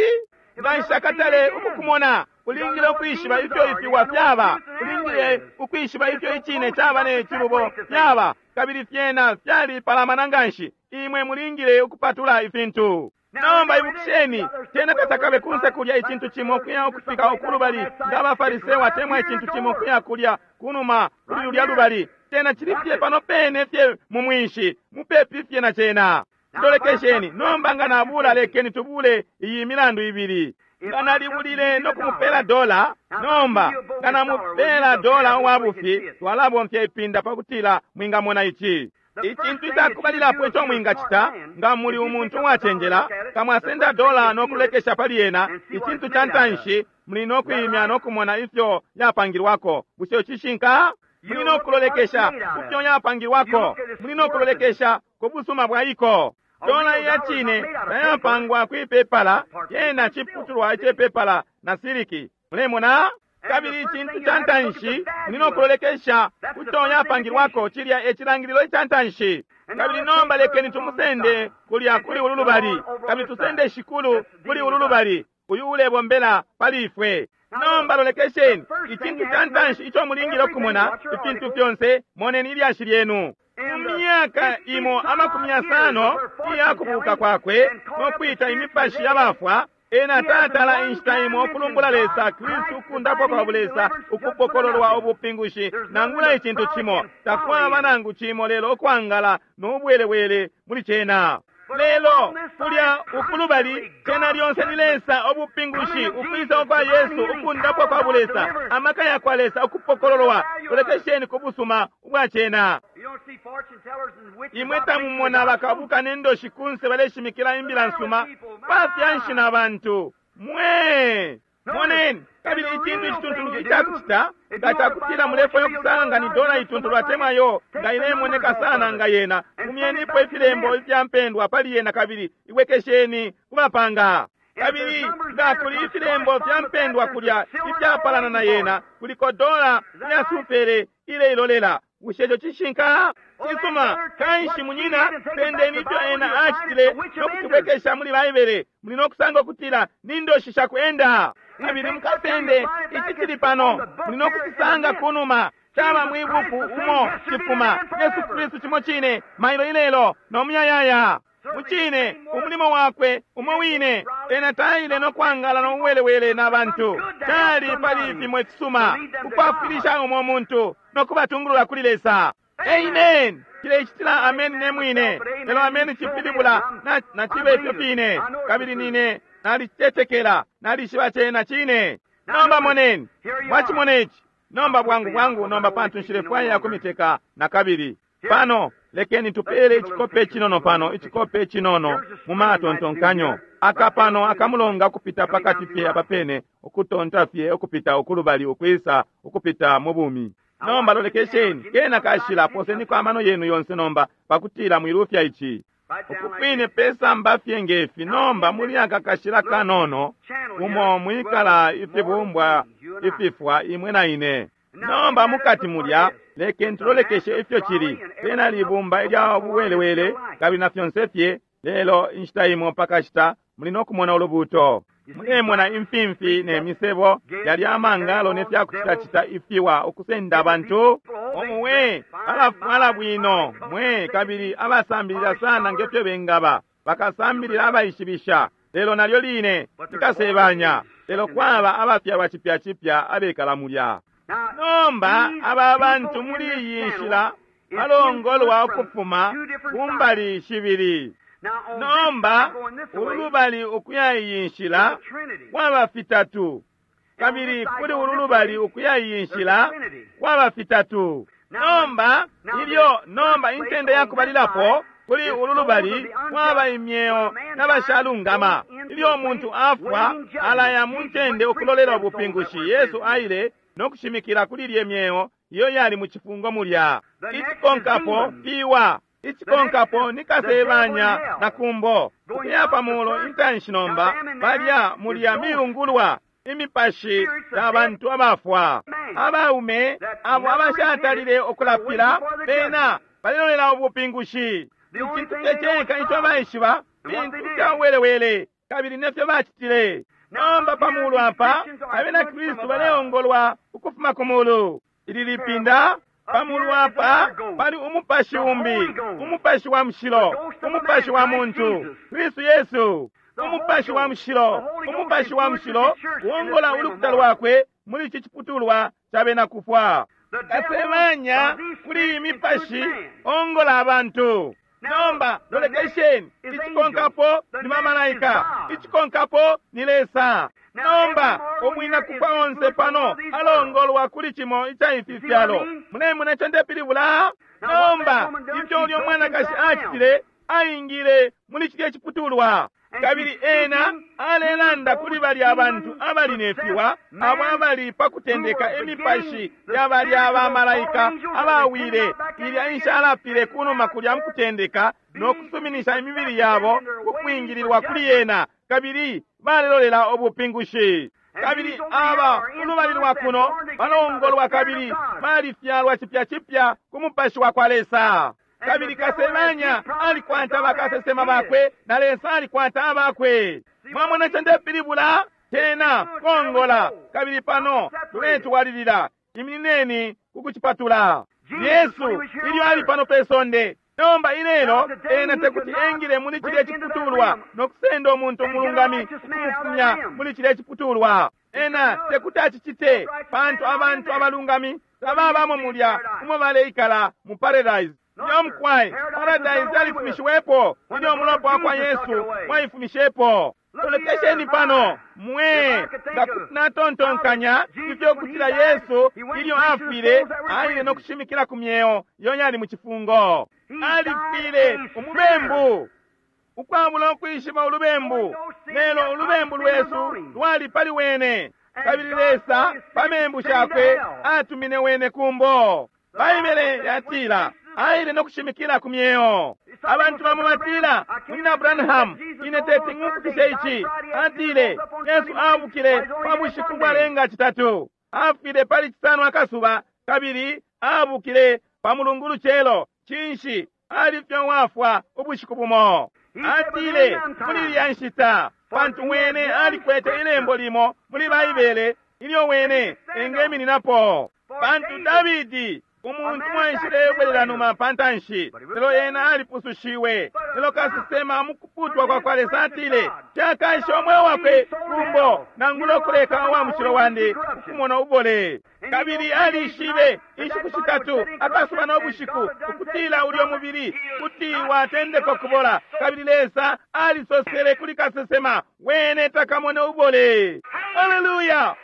Nga nshakatale ukukumona, ulingile ukwishiba ifyo ifiwa fyaba, ulingile ukwishiba ifyo icine caba ne cilubo fyaba, kabili fyena fyalipalamana nganshi. Imwe mulingile ukupatula ifintu. Nomba ibukisheni, cena tatakabe kunse kulya icintu cimo kuya ukufika ukulubali nga Abafariseyo atemwa icintu cimo kuya kulya kunuma kuli lulya lubali. Cena cili fye pano pene fye mu mwinshi, mupepi fye na cena. Lolekesheni nomba, nga nabula, lekeni tubule iyi milandu ibili. Nga nalibulile no kumupela dola, nomba nga namupela dola uwa bufi, twalabomfya ipinda pakutila mwingamona ici. Icintu icakubalilapo ico mwingacita nga muli umuntu uwacenjela, nga mwasenda dola no kulekesha pali yena, icintu ca ntanshi muli no kwimya no kumona ifyo yapangilwako. Bushe cishinka? Muli no kulolekesha kufyo yapangilwako, muli no kulolekesha ku busuma bwa iko. Dola iya cine tayapangwa kwipepala, yena ciputulwa icepepala na siliki. Mulemona? Kabili icintu ca ntanshi muli no kulolekesha kuco yapangilwako, cilya e cilangililo ica ntanshi. Kabili nomba lekeni tumusende kulya kuli ulu lubali, kabili tusende Shikulu kuli ulu lubali, uyu ulebombela pali ifwe. Nomba lolekesheni, icintu ca ntanshi ico mulingile ukumona, ifintu fyonse, moneni ilyashi lyenu. Mu myaka imo amakumi yasano iya kubuka kwakwe no kwita imipashi y'abafwa, ena tatala inshita imo ukulumbula Lesa, Kristu, ukundapwa kwa bulesa, ukupokololwa ubupingushi, nangula icintu cimo. Takwaba nangu cimo lelo ukwangala n'ubwelewele muli cena. Lelo kulya ukulubali cena lyonse ni Lesa, ubupingushi, ukwisa kwa Yesu, ukundapwa kwa bulesa, amaka ya kwa Lesa, ukupokololwa. Lolekesheni ku busuma ubwa cena. Imwe tamumona bakabuka n'endoshi kunse baleshimikila imbila nsuma bafyanshi na bantu mwe. Moneni, kabili icintu icituntulu icakucita nga cakutila mulefwaya ukusanga ni dola ituntulu atemwa yo nga ilemoneka sana nga yena, fumyenipo ifilembo ifya mpendwa pali yena kabili ibwekesheni kubapanga. Kabili nga kuli ifilembo fya mpendwa kulya ifyapalana na yena, kuliko dola iya sufere ileilolela. Bushe ico cishinka? Cisuma. Kanshi munyina, sendeni ifyo ena acitile no kutubwekesha muli Baibele, muli no kusanga ukutila ni ndoshi shakwenda. Kabili mukasende ici cili pano, muli no kucisanga kunuma, caba mwibuku umo cifuma. Yesu Kristu cimo cine mailo ilelo no muyayaya. Mucine umulimo wakwe umo wine, ena taile no kwangala no uwelewele na bantu. Cali pali fimo ifisuma ukwafwilisha umo muntu no kubatungulula kuli Lesa. Amen. Cilecitila ameni ne mwine, lelo ameni cipilibula na cibe ifyo fine, kabili nine nalicetekela, nalishiba cena cine. Nomba moneni, mwachimona ici. Nomba bwangu bwangu, nomba pantu nshilefwaya kumiteka na kabili. Pano lekeni tupele ichikope chinono pano, ichikope chinono mu matontonkanyo aka pano akamulonga kupita pakati fye apapene, ukutonta fye ukupita ukulubali ukwisa ukupita mu bumi. Nomba lolekesheni kena kashila poseniko amano yenu yonse nomba pakutila mwilufya ichi ukukwine pesamba fye ngefi. Nomba muli aka kashila kanono umo mwikala ifibumbwa ififwa imwe na ine. Nomba mukati mulya lekeni tulolekeshe ifyo chili tena libumba ilya buwelewele kabili na fyonse fye. Lelo inshita imo pakashita muli nokumona ulubuto, mulemona imfimfi ne misebo yali amangalo ne fyakuchitachita ifiwa ukusenda abantu omuwe alafwala bwino mwe kabili abasambilila sana ngefyo bengaba bakasambilila abaishibisha, lelo nalyo line likasebanya. Lelo kwaba abafyalwa chipya chipya abekala mulya. Nomba aba bantu muli iyi nshila balongolwa ukufuma kumbali shibili. Nomba ululubali ukuya iyi nshila kwaba fitatu, kabili kuli ululubali ukuya iyi nshila kwaba fitatu. Nomba ilyo nomba intende yakubalilapo kuli ululubali kwaba imyeo n'abashalungama. Ilyo umuntu afwa alaya mu ntende ukulolela ubupingushi. Yesu aile no kushimikila kuli lye myeo iyo yali mu chifungo mulya. Ichikonkapo fiwa, ichikonkapo nikasebanya na kumbo ukuya pamulo intanshi. Nomba balya mulya miyungulwa imipashi ya bantu abafwa, abaume abo abashatalile okulapila bena balilolela ubupingushi. Icintu ceceka ico baishiba fintu fya welewele kabili nefyo bacitile. Nomba pamulu apa abena Kristu baleongolwa ukufuma ku mulu. Ili lipinda pamulu apa pali umupashi umbi, umupashi wa mushilo, umupashi wa muntu Kristu Yesu. Umupashi wa mushilo, umupashi wa mushilo uongola ulukuta lwakwe muli ici ciputulwa ca bena kufwa. Kasebanya kuli imipashi ongola abantu. Nomba lolekesheni, ichikonkapo ni mamalaika, ichikonkapo ni Lesa. Nomba omwina kufwa onse pano alongolwa kuli chimo icha ifi fyalo. Mulemona ico ndepilibula? Nomba ifyo ulyo mwanakashi acitile, aingile muli chilye chiputulwa, kabili ena alelanda kuli bali abantu abali nefiwa, abo abali pakutendeka emipashi ya bali abamalaika abawile ilya inshalapile kunuma kulya mukutendeka no kusuminisha imibili yabo kukwingililwa kuli yena, kabili balelolela ubupingushi. Kabili aba ulubali lwa kuno balongolwa kabili balifyalwa chipya chipya ku mupashi wa kwa Lesa. Kabili kasebanya alikwata bakasesema bakwe na Lesa alikwata abakwe. Mwamona ico ndepilibula? Tena kongola. Kabili pano tuletwalilila, iminineni kukuchipatula. Yesu ilyo ali pano pe sonde. Nomba ilelo ena tekuti engile muli chilye chiputulwa no kusenda umuntu umulungami ukumufumya muli chilye chiputulwa. Ena tekuti achichite pantu abantu abalungami tababamo mulya umo baleikala mu paradise. Yomkwai paradise yalifumishiwepo ilyo umulopa wa kwa Yesu waifumishepo. Tolekesheni pano mwe nga natontonkanya ifyo kutila Yesu ilyo afwile aile no kushimikila ku myeo iyo yali mu chifungo. Alifwile umubembu ukwabula ukwishiba ulubembu, lelo ulubembu lwesu lwali pali wene, kabili Lesa pa membu shakwe atumine wene kumbo. Baibele yatila aile no kushimikila ku myeo. Abantu bamo batila Munyina Branham, ine teti ng'umfukishe ici. Atile Yesu abukile pa bushiku bwalenga chitatu, afwile pali chisano akasuba, kabili abukile pa mulungu lucelo. Cinshi? Alifye wafwa ubushiku bumo. Atile muli ilya nshita, pantu wene alikwete ilembo limo muli Baibele ilyo wene engemininapo. Pantu Davidi Umuntu mwaishile numa pantanshi, lelo ena alipusushiwe. Lelo kasesema mukuputwa kwa kwa Lesa atile, cakaisha omweo wakwe kumbo nangula okuleka wa mushilo wandi ukumona ubole. Kabili alishibe inshiku shitatu akasuba n'obushiku ukutila ulyo mubili kuti watendeka okubola. Kabili Lesa alisosele kuli kasesema, wene takamone ubole. Haleluya!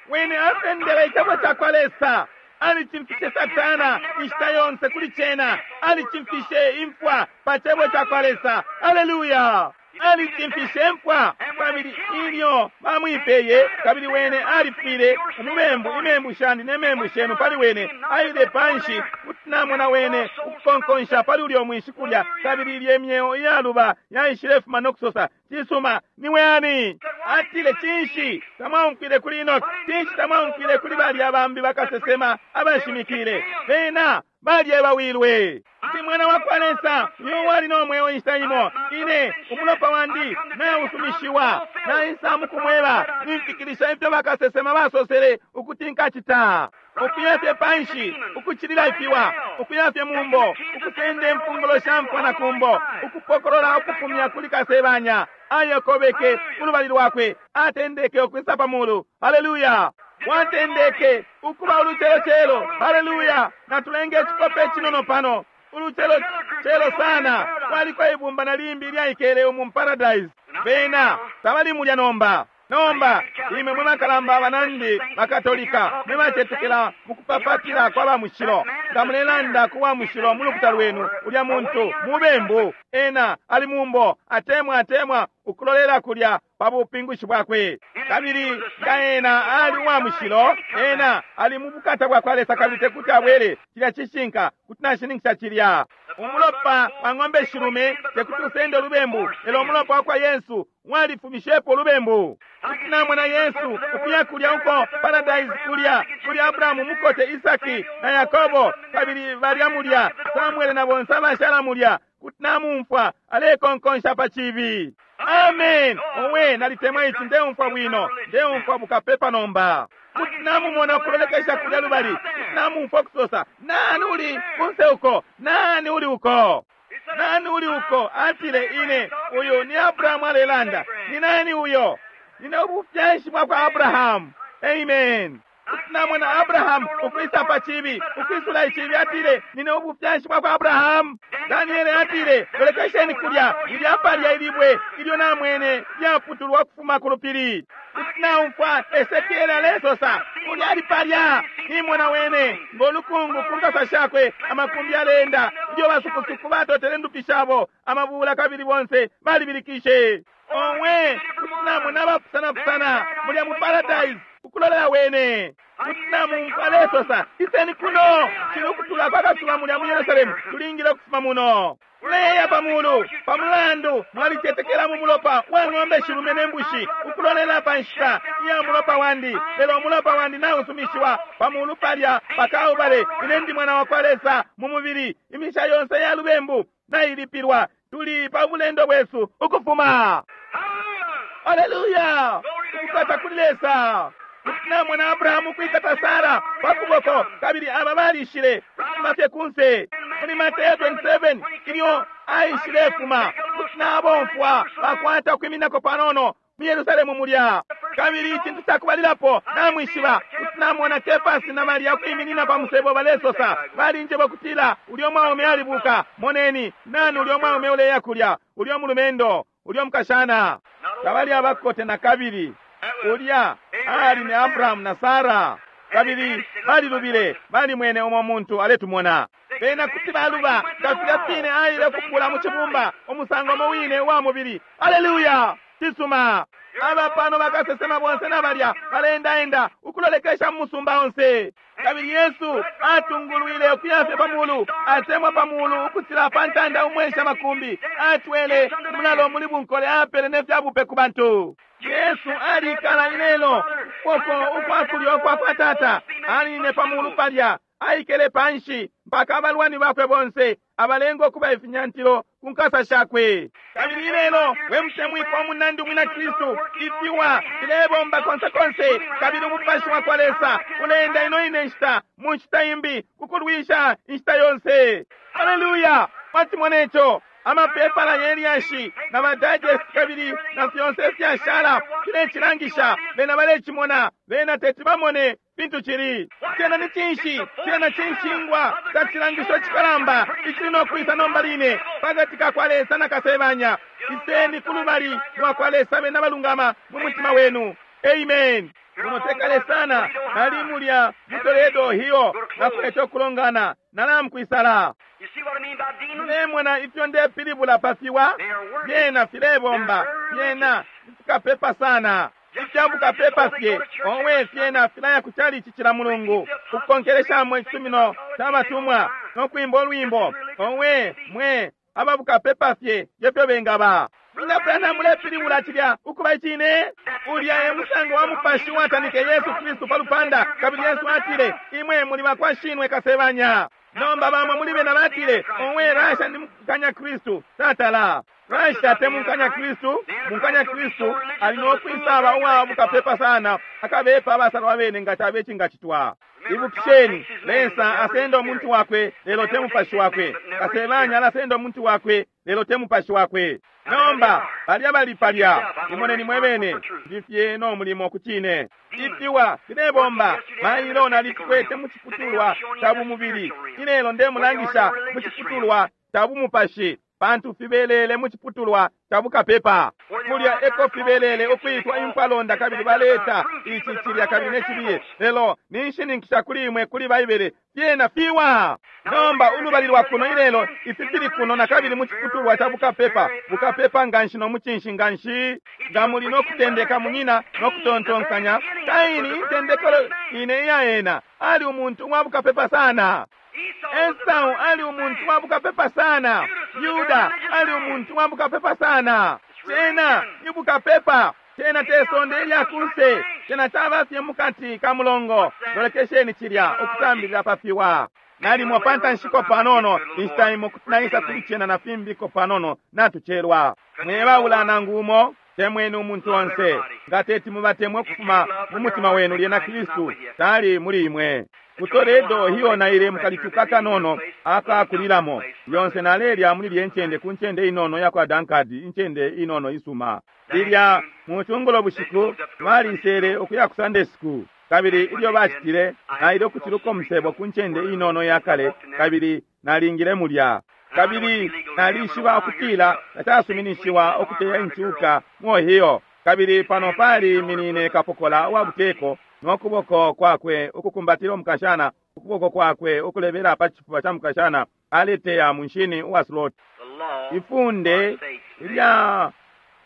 Wene asendele icebo ca kwa Lesa. Alichimfishe Satana inshita yonse kuli cena. Alichimfishe imfwa pa cebo ca kwa Lesa. Haleluya! Alichimfishe imfwa. Kabili ilyo bamwipeye, kabili wene alifwile umubembu, imembu shandi ne membu shenu pali wene. Aile panshi kuti namona wene ukukonkonsha pali ulyo mwinshi kulya. Kabili ilye myeo iyaluba yaishile fuma nokusosa, cisuma niwe ani? Atile, cinshi tamwaumfwile kuli Enoki? Cinshi tamwaumfwile kuli balya bambi bakasesema abashimikile? Bena balyebawilwe. Ndi mwana wa kwa Lesa, uyo wali n'omweo inshita imo. Ine umulopa wandi nausumishiwa, naisa mukumweba, nimfikilisha ifyo bakasesema basosele ukuti nkacita. Ukuya fye panshi, ukuchilila ifiwa, ukuya fye mumbo, ukusenda imfungulo sha mfwa na kumbo, ukupokolola ukufumya kuli kasebanya. Ayokobeke kulubali lwakwe, atendeke okwisa pamulu. Haleluya! Watendeke ukuba ulucelo-celo. Haleluya! Natulenge echikope chinono pano. Ulucelo-celo sana. Waliko ibumba na limbi lyaikele umu paradise. Bena tabali mulya nomba. Nomba imwe mwe bakalamba banandi bakatolika mwe bacetekela mukupapatila kwa bamushilo, nga mulelanda ku wa mushilo mu lukuta lwenu, ulya muntu mubembu, ena ali mumbo, atemwa atemwa ukulolela kulya pa bupingushi bwakwe. Kabili nga ena ali uwa mushilo, ena ali mu bukata bwa kwa Lesa, kabili tekuti abwele. Cilya cishinka, kuti nashininkisha cilya. Umulopa wa ng'ombe shilume tekuti usende ulubembu, lelo umulopa wa kwa Yesu walifumishepo ulubembu. Kuti namona Yesu ukuya kulya uko paradise kulya kuli Abrahamu mukote, Isaki na Yakobo, kabili balya mulya Samuele na bonse abashala mulya. Kuti namumfwa alekonkonsha pa chibi. Amen. Owe, nalitemwa ichi, ndeumfwa bwino, ndeumfwa bukapepa nomba. Kuti namumona ukulolekesha kulya lubali, kuti namumfwa kusosa, nani uli kunse uko? Nani uli uko? Nani uli uko? Atile, ine uyu ni Abrahamu alelanda. Ni nani uyo? Nine ubufyashi bwa kwa Abrahamu. Amen. Kuti namona Abrahamu ukwisa pa chibi, ukwisula ichibi, atile, nine ubufyashi bwa kwa Abrahamu. Daniele atile, lolekesheni kulya, ilya palya ilibwe ilyo namwene lyaputulwa kufuma ku lupili. Kuti naumfwa Esekiele alesosa, ulya ali palya, nimona wene ng'olukungu ku nkasa shakwe, amakumbi aleenda, ilyo basukusuku batotele ndupi shabo, amabula kabili bonse balibilikishe. Owe, kuti namona abapusanapusana mulya mu paradise ukulolela wene. Kuti namumfwa alesosa, iseni kuno, cili ukutula kwa kasuba mulya mu Yerusalemu, tulingile ukufuma muno. Tuleya pamulu, pamulandu mwalicetekela mu mulopa wa ng'ombe shilume ne mbushi, ukulolela pa nshita iya mulopa wandi. Lelo umulopa wandi nausumishiwa pamulu palya pakaubale. Ine ndi mwana wa kwa Lesa mu mubili. Imisha yonse ya lubembu nailipilwa. Tuli pa bulendo bwesu ukufuma. Haleluya! Ukukata kuli Lesa. Kuti namona Abrahamu kwikata Sara pa kuboko, kabili aba balishile kufuma fye kunse. Muli Mateo twenty-seven ilyo aishile fuma, kuti nabomfwa bakwata ukwiminako panono mu Yerusalemu mulya. Kabili icintu cakubalilapo namwishiba, kuti namona Kefasi na Maria kwiminina pa musebo balesosa, balinjeba kutila ulyo mwaume alibuka. Moneni, nani ulyo mwaume uleya kulya? Ulyo mulumendo, ulyo mukashana. Tabali abakote na kabili. Ulya ali ni Abrahamu na Sara. Kabili balilubile, balimwene umo muntu aletumona. Bena kuti baluba, nga filya fine aile kupula mu cibumba, umusango mo wine wa mubili. Haleluya! Cisuma. Aba pano bakasesema bonse na balya baleendaenda ukulolekesha mu musumba onse. Kabili Yesu atungulwile ukuya fye pamulu, atemwa pamulu ukucila pa ntanda umwensha makumbi, atwele umulalo muli bunkole, apele ne fyabupe ku bantu. Yesu alikala ilelo ukuboko ukwa kulyo kwa kwa Tata, aline pamulu palya, aikele panshi mpaka abalwani bakwe bonse abalenga ukuba ifinyantilo ku nkasa shakwe. Kabili ilelo we mutemwikwa munandi umwina Kristu, ifiwa filebomba konse konse, kabili umupashi wa kwa Lesa uleenda ino ine nshita mu nshita imbi kukulwisha inshita yonse. Haleluya! Mwachimona ico? Amapepala yelyashi na ba digest kabili na fyonse ifyashala filecilangisha, bena balecimona, bena teti bamone fintu cili. Cena ni cinshi? Cena cinshingwa ca cilangisho cikalamba icili no kwisa nomba line pakati ka kwa Lesa na kasebanya. Iseni ku lubali lwa kwa Lesa bena balungama mu mutima wenu. Amen. Munotekale sana nali mulya mu Toledo hiyo nakwete okulongana nalamukwisala. You see what I mean by demons? Mulemona ifyo ndepilibula pafiwa byena filebomba, byena fikapepa sana ifyabukapepa fye owe fyena filaya ku chalichi cila mulungu kukonkeleshamo icisumino ca batumwa nokwimba olwimbo owe mwe ababukapepa fye ngefyo bengaba. Mwina Branham mulepilibula cilya ukuba icine? Ulya e musango wa mupashi watanike Yesu Kristu pa lupanda, kabili Yesu atile imwe muli bakwa shinwe kasebanya. Nomba bamwe muli bena batile owe Rasha ndi mukanya Kristu. Tatala Rasha te mukanya Kristu. Mukanya Kristu ali nokwisaba uwa bukapepa sana akabepa abasalwa bene nga cabe cingacitwa. Ibukisheni, Lesa asenda omuntu wakwe lelo te mupashi wakwe. Kasebanya alasenda omuntu wakwe lelo te mupashi wakwe. Nomba balya bali palya, imoneni mwebene ndifye no mulimo ku cine. Ifiwa filebomba mailo nalifikwete mu ciputulwa ca bumubili, ilelo ndemulangisha mu ciputulwa ca bumupashi, pantu fibelele mu ciputulwa ca bukapepa. Kulya eko fibelele ukwitwa impalonda, kabili baleta ici cilya kabili necibiye, lelo ninshininkisha kuli imwe kuli Baibele fyena fiwa. Nomba ulubali lwa kuno ilelo ifi fili kuno na kabili mu ciputulwa ca bukapepa, bukapepa nganshi no mucinshi nganshi. Nga muli no kutendeka munyina no kutontonkanya, Kaini intendekelo ine iya ena ali umuntu uwa bukapepa sana. Esau ali umuntu wa bukapepa sana. Yuda ali umuntu wa bukapepa sana. Cena ni bukapepa, cena te sonde ilya kunse, cena caba fye mukati ka mulongo. Lolekesheni cilya ukusambilila pafiwa. Nalimo pantanshiko panono inshita imo kuti naisa kuli cena na fimbiko panono natucelwa. Mwebaula nangu umo, temweni umuntu onse. Nga teti mubatemwe ukufuma mu mutima wenu, lyena Kristu tali muli imwe. Ku Toledo hiyo naile mukalituka kanono akakulilamo yonse nalelya muli lye ncende ku ncende inono yakwa Dankadi, incende inono isuma. Lilya mu cungulo bushiku balisele ukuya ku Sunday school, kabili ilyo bacitile naile ukuciluka umusebo ku ncende inono yakale, kabili nalingile mulya. Kabili nalishiba ukutila tacasuminishiwa ukuteya incuka mu Ohio, kabili pano pali minine kapokola wa buteko nokuboko kwakwe ukukumbatila umukashana, ukuboko kwakwe ukulebela pa cifuba ca mukashana aleteya munshini uwa slot. Ifunde lya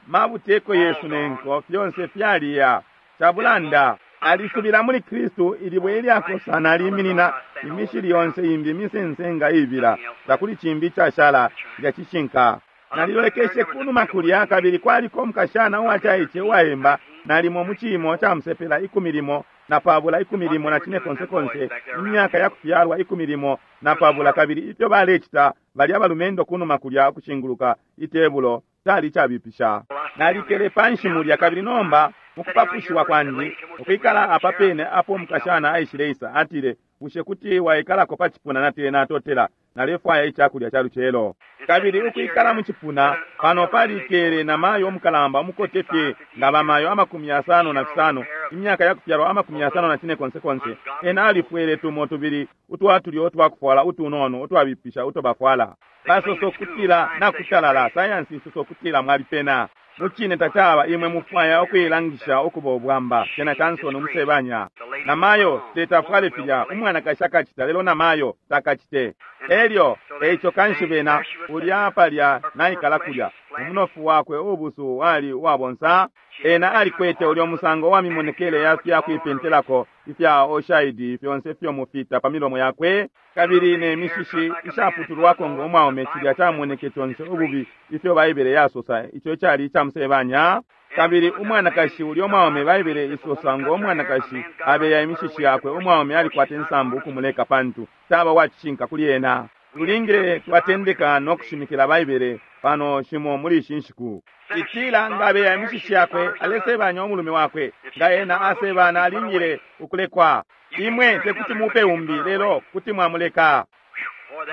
mabuteko yesu nenko fyonse fyaliya cabulanda. Alisubila muli Kristu ilibwe ilyakosa naliminina imishili yonse imbi imisensenga ibila takuli cimbi icashala lya cishinka. Nalilolekeshe kunuma kulya, kabili kwaliko umukashana uwacaice uwaemba nalimo mu ciimo ca musepela ikumi limo na pabula ikumi limo na cine konse konse, imyaka ya kufyalwa ikumi limo na pabula, kabili ifyo balecita balya balumendo kunuma kulya ukushinguluka itebulo cali cabipisha. Nalikele panshi mulya, kabili nomba mukupapushiwa kwandi ukwikala apa pene apo umukashana aishileisa, atile bushe kuti waikalako pa cipuna? Natile natotela, nalefwaya icakulya ca lucelo. Kabili ukwikala mu cipuna pano palikele na mayo umukalamba umukote fye nga bamayo amakumi yasano na fisano, imyaka ya kufyalwa amakumi yasano na cine konse konse. Ena alifwele tumo tubili utwatulyo utwakufwala utunono utwabipisha uto bafwala. Basosa ukutila nakutalala, sayansi isosa ukutila mwalipena. Mucine tacaba imwe mufwaya ukuilangisha ukuba ubwamba, cena cansoni umusebanya. Namayo tetafwale filya umwanakashi akacita, lelo namayo takacite. Elyo eico kanshi bena ulya palya naikala kulya umunofu wakwe ubusu wali uwabonsa. Ena alikwete ulyo musango wa mimonekele ya fya kuipentelako ifya oshaidi fyonse fyo mufita pa milomo yakwe, kabili ne mishishi ishaputulwako ngo mwaume, cilya camoneke conse ububi ifyo Baibele yasosa ico cali icamusebanya. Kabili umwanakashi ulyo mwaume Baibele isosa ngo umwanakashi abeya imishishi yakwe, umwaume alikwata insambu ukumuleka pantu taba wacishinka kuli ena. Tulingile twatendeka no kushimikila Baibele pano shimo muli ishi nshiku. Itila nga abeya imishishi yakwe alesebanya umulume wakwe, nga ena asebana alingile ukulekwa. Imwe tekuti mupe umbi, lelo kuti mwamuleka.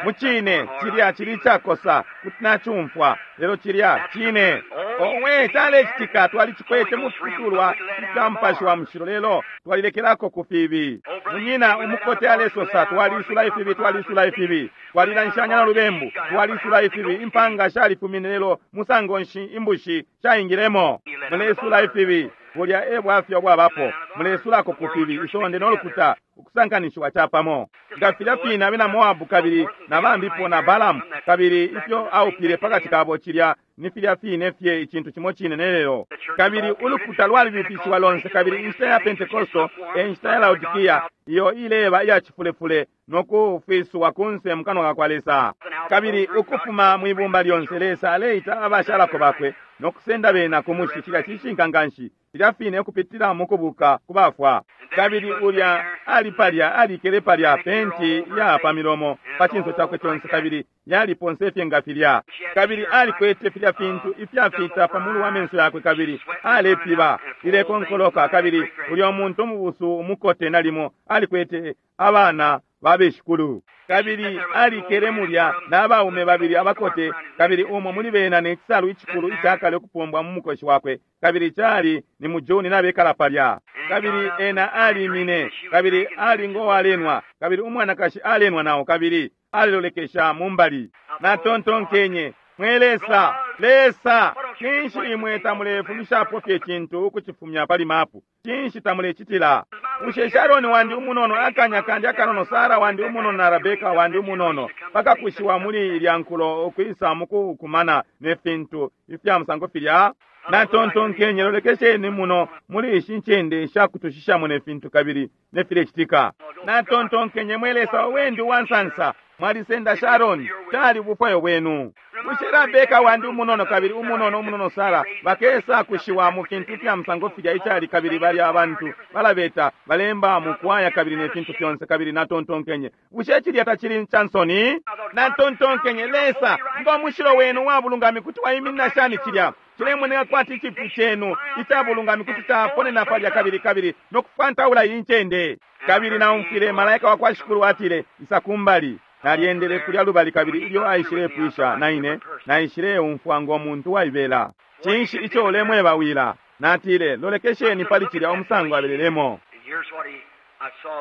Mucine cilya cili icakosa, kuti nacumfwa, lelo cilya cine. Owe, calecitika, twalicikwete mufiputulwa ifya Mupashi wa Mushilo, lelo twalilekelako ku fibi. Munyina umukote alesosa, twalisula ifibi, twalisula ifibi, twalilanshanya na lubembu, twalisula ifibi, impanga shalifumine, lelo musango nshi imbushi shaingilemo? Mulesula ifibi, bulya e bwafya bwabapo. Mulesulako ku fibi, isonde no lukuta ukusankanishiwa capamo. Nga filya fine abena Moabu kabili na bambipo na Balamu kabili ifyo aupile pakati kabo, cilya ni filya fine fye icintu cimo cine nelelo. Kabili ulukuta lwalibifishiwa lonse, kabili inshita ya Pentekosto e nshita ya Laodikia iyo ileba iya cifulefule no kufiswa kunse mu kanwa ka kwa Lesa. Kabili ukufuma mwibumba lyonse Lesa aleita abashalako bakwe no kusenda bena ku mushi. Cilya cishinka nganshi, filya fine ukupitila mu kubuka ku bafwa. Kabili ulya ali palya, alikele palya, penti ya pa milomo pa cinso cakwe conse, kabili yaliponse fye nga filya. Kabili alikwete filya fintu ifyafita pa mulu wa menso yakwe, kabili alepiba ilekonkoloka. Kabili ulya muntu umubusu umukote nalimo alikwete abana babeshikulu. Kabili alikele mulya n'abaume babili abakote, kabili umo muli bena ne cisalu icikulu icakale ukupombwa mu mukoshi wakwe, kabili cali ni mu Juni nabekala palya. Kabili ena alimine, kabili ali ngowalenwa, kabili umwanakashi alenwa nao, kabili alilolekesha mumbali. Natontonkenye, mwe Lesa, Lesa, cinshi imwe tamulefumishapo fye cintu ukucifumya pali mapu? Cinshi tamulecitila? Bushe Sharoni wandi umunono, akanya kandi akanono, Sara wandi umunono na Rebeka wandi umunono bakakushiwa muli ilya nkulo ukwisa mukukumana ne fintu ifya musango filya? Natontonkenye, lolekesheni muno muli ishi ncende shakutushishamo ne fintu kabili ne filecitika. Natontonkenye, mwe Lesa wendi uwansansa, mwalisenda Sharoni, tali bufwayo bwenu. Bushe Rebeka wandi umunono kabili umunono umunono Sara bakesa kushiwa mu fintu fya musango filya icali, kabili balya abantu balabeta balemba mu kwaya kabili ne fintu fyonse. Kabili natontonkenye, bushe cilya tacili cansoni? Natontonkenye, Lesa, ngo mushilo wenu wa bulungami kuti waiminina shani cilya? Cilemoneka kwati icipu cenu ica bulungami kuti caponena palya kabili kabili no kufantaula iyi ncende. Kabili naumfwile malaika wa kwa Shikulu atile, isa kumbali. Nalyendele kulya lubali, kabili ilyo aishilepwisha naine naishileumfwa ngo muntu waibela. Cinshi ico ulemwebawila? Natile, lolekesheni pali cilya umusango abelelemo.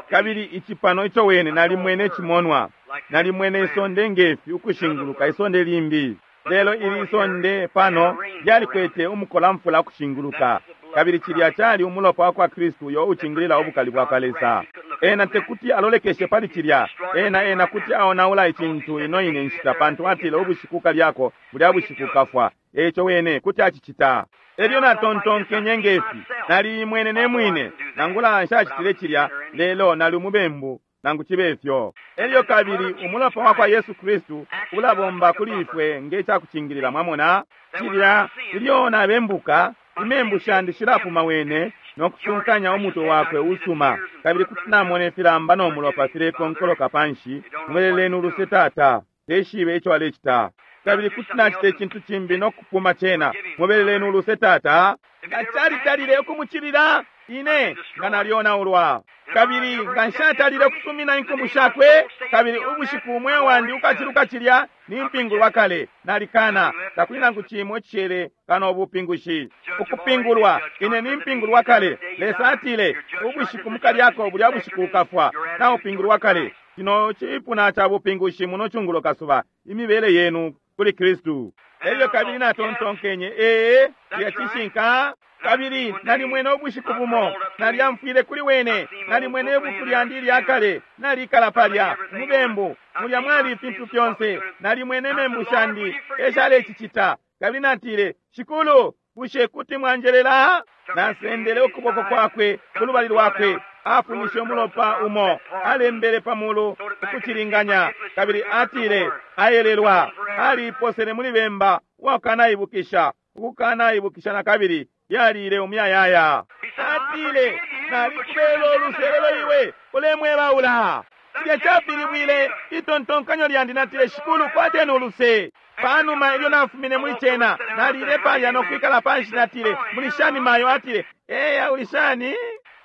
Kabili icipano ico wene nalimwene cimonwa, nalimwene isonde ngefi ukushinguluka isonde limbi. Lelo ili isonde pano lyalikwete umukolamfula ukushinguluka, kabili cilya cali umulopa wa kwa Kristu uyo ucingilila ubukali bwa kwa Lesa. Ena tekuti alolekeshe pali cilya, ena ena kuti aonaula icintu ino ine nshita, pantu atile ubushiku kalyako bulya bushiku kafwa. Eco wene kuti acicita. Elyo natontonkenye ngefi, naliimwene ne mwine, nangula nshacitile cilya, lelo nali umubembu nangu cibe fyo. Elyo kabili umulopa wa kwa Yesu Kristu ulabomba kuli ifwe nge cakucingilila. Mwamona cilya, ilyo nabembuka, imembu shandi shilapuma wene no kusunkanya umutwe wakwe usuma, kabili kuti namona ifilamba no mulopa filekonkoloka panshi. Mweleleni uluse tata, teshibe ico alecita. Kabili kuti nacita icintu cimbi no kupuma cena. Mubeleleni uluse tata. Nga calitalile ukumucilila ine nga nalyonaulwa, kabili nga nshatalile ukusumina inkumbu shakwe, kabili ubushiku umweo wandi ukaciluka cilya nimpingulwa kale, nalikana takuli nangu cimo icishele kano ubupingushi. Ukupingulwa ine nimpingulwa kale. Lesa atile ubushiku mukalyako bulya bushiku ukafwa, naupingulwa kale. Kino cipuna ca bupingushi muno cungulo kasuba, imibele yenu kuli Kristu. Elyo kabili natontonkenye, ee, cilya cishinka. Kabili nalimwene ubushiku bumo, nalyamfwile kuli wene, nalimwene ibuku lyandi ilya kale, nalikala palya mubembu mulya mwali ifintu fyonse, nalimwene membu shandi eshalecicita. Kabili natile, Shikulu, bushe kuti mwanjelela? Nasendele ukuboko kwakwe kulubali lwakwe, afumishe umulopa umo, alembele pamulu ukucilinganya, kabili atile ayelelwa. Aliposele muli bemba wakanaibukisha, ukukanaibukisha na kabili yalile umuyayaya. Atile, nalikubela uluse lelo iwe ulemwebaula. Cilya capilibwile itontonkanyo lyandi. Natile, Shikulu, kwateni uluse. Panuma ilyo nafumine muli cena, nalile palya nokwikala panshi. Natile, muli shani, mayo? Atile, eya, uli shani?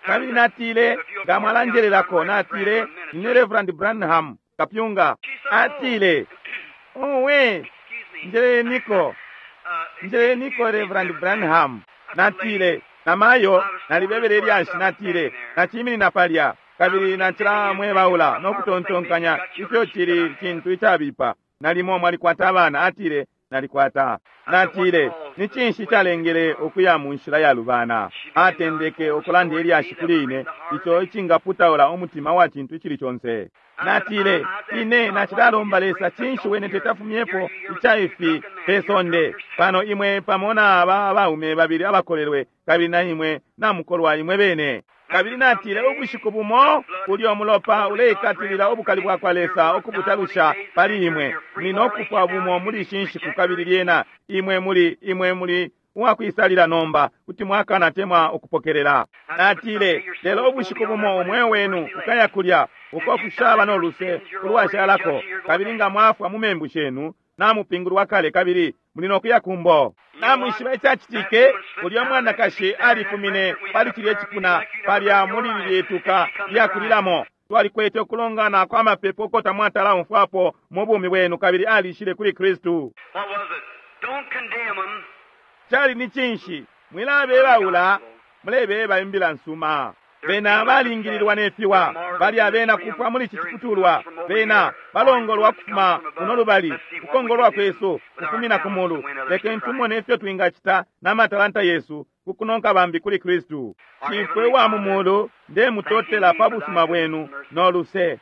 Kabili natile, nga mwalanjelelako. Natile, nine Reverend Branham, kapyunga. Atile, owe, njeleleniko, njeleleniko, Reverend Branham. Natile, namayo, nalibebele ilyashi. Natile, naciminina palya kabili nacila mwebaula nokutontonkanya ifyo cili cintu icabipa. Nalimo mwalikwata abana. Atile, nalikwata. Natile, ni cinshi calengele ukuya mu nshila yalubana? Atendeke ukulanda ilyashi kuli ine ico icingaputaula umutima wa cintu icili conse. Natile, ine nacilalomba Lesa cinshi wene tetafumyepo ica ifi pe sonde. Pano imwe pamo na aba abaume babili abakolelwe, kabili na imwe namukolwa imwe bene. Kabili natile, ubushiku bumo ulyo mulopa uleikatilila ubukali bwa kwa Lesa ukubutalusha pali imwe, muli nokufwa bumo muli ishi nshiku. Kabili lyena imwe muli, imwe muli uwakwisalila nomba, kuti mwakana temwa ukupokelela. Natile, lelo ubushiku bumo umweo wenu ukaya kulya uko kushaba no luse ulwashalako, kabili nga mwafwa mu membu shenu, namupingulwa kale kabili muli nokuya kumbo. Namwishiba icacitike? Ulya mwanakashi alifumine pali cilye cipuna palya muli lilye tuka lyakulilamo. Twalikwete ukulongana kwa mapepo uko tamwatala umfwapo mu bumi bwenu, kabili alishile kuli Kristu. What was it? Don't condemn them. Cali ni cinshi? Mwilabebaula, mulebeba imbila nsuma. Bena balingililwa ne fiwa, bali abena kufwa muli ici ciputulwa. Bena balongolwa kufuma kuno lubali, ukongolwa kwesu kufumina ku mulu. Lekeni tumone ifyo twingacita n'amatalanta yesu kukunonka bambi kuli Kristu. Shifwe wa mu mulu, ndemutotela pa busuma bwenu no luse.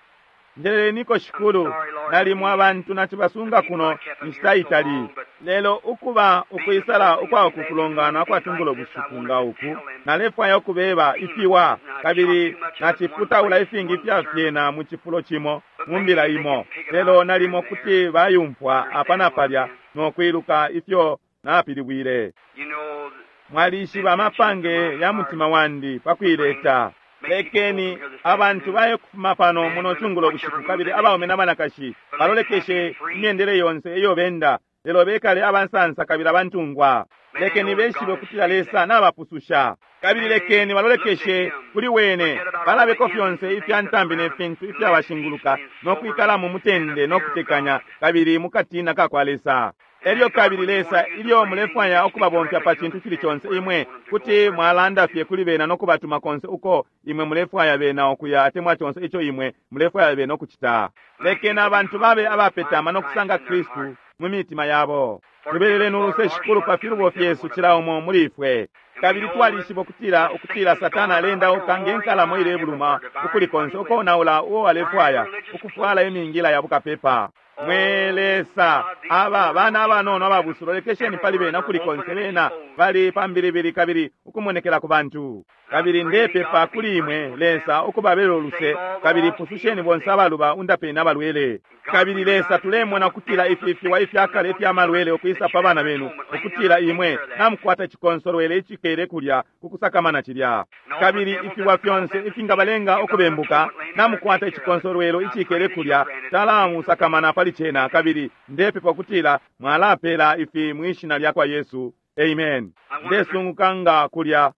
Njeleleniko, Shikulu, nalimo abantu nacibasunga kuno inshita itali, lelo ukuba ukwisala ukwa uku kulongana kwatungulo bushiku nga uku, nalefwaya ukubeba ifiwa, kabili naciputaula ifingi ifya fyena mu cifulo cimo mu mbila imo, lelo nalimo kuti bayumfwa apa na palya nokwiluka ifyo napilibwile. You know, Mwalishiba amapange ya mutima wandi pakuileta. Lekeni abantu baye kufuma pano muno cungulo bushiku, kabili abaume n'abanakashi balolekeshe imyendele yonse iyo benda, lelo bekale abansansa kabili abantungwa. Lekeni beshibe ukutila Lesa nabapususha, kabili lekeni balolekeshe kuli wene, balabeko fyonse ifya ntambi ne fintu ifyabashinguluka, no kwikala mu mutende no kutekanya kabili mu katina ka kwa Lesa. Elyo kabili Lesa, ilyo mulefwaya ukubabomfya pa cintu cili conse, imwe kuti mwalanda fye kuli bena no kubatuma konse uko imwe mulefwaya bena ukuya, atemwa conse ico imwe mulefwaya bena ukucita. Lekeni abantu babe abapetama no kusanga Kristu mu mitima yabo. Tubeleleni uluse, Shikulu, pa filubo fyesu cila umo muli ifwe. Kabili twalishiba ukutila, ukutila Satana alendauka nge nkalamo ilebuluma ukuli konse ukonaula uo alefwaya ukufwala imingila ya bukapepa. Mwe Lesa, aba bana abanono ababusu, lolekesheni pali bena kuli konse. Bena bali pambilibili kabili ukumonekela ku bantu. Kabili ndepepa kuli imwe, Lesa, ukubabela uluse, kabili pususheni bonse abaluba, undapeni abalwele. Kabili Lesa, tulemona ukutila ifi fiwa ifyakale ifya malwele ukwisa pa bana benu, ukutila imwe namukwata icikonsolwele icikele kulya kukusakamana cilya. Kabili ifiwa fyonse ifingabalenga ukubembuka, namukwata icikonsolwelo icikele kulya, talamusakamana pali cena. Kabili ndepepa ukutila mwalapela ifi mwishina lya kwa Yesu. Amen. Ndesunguka nga kulya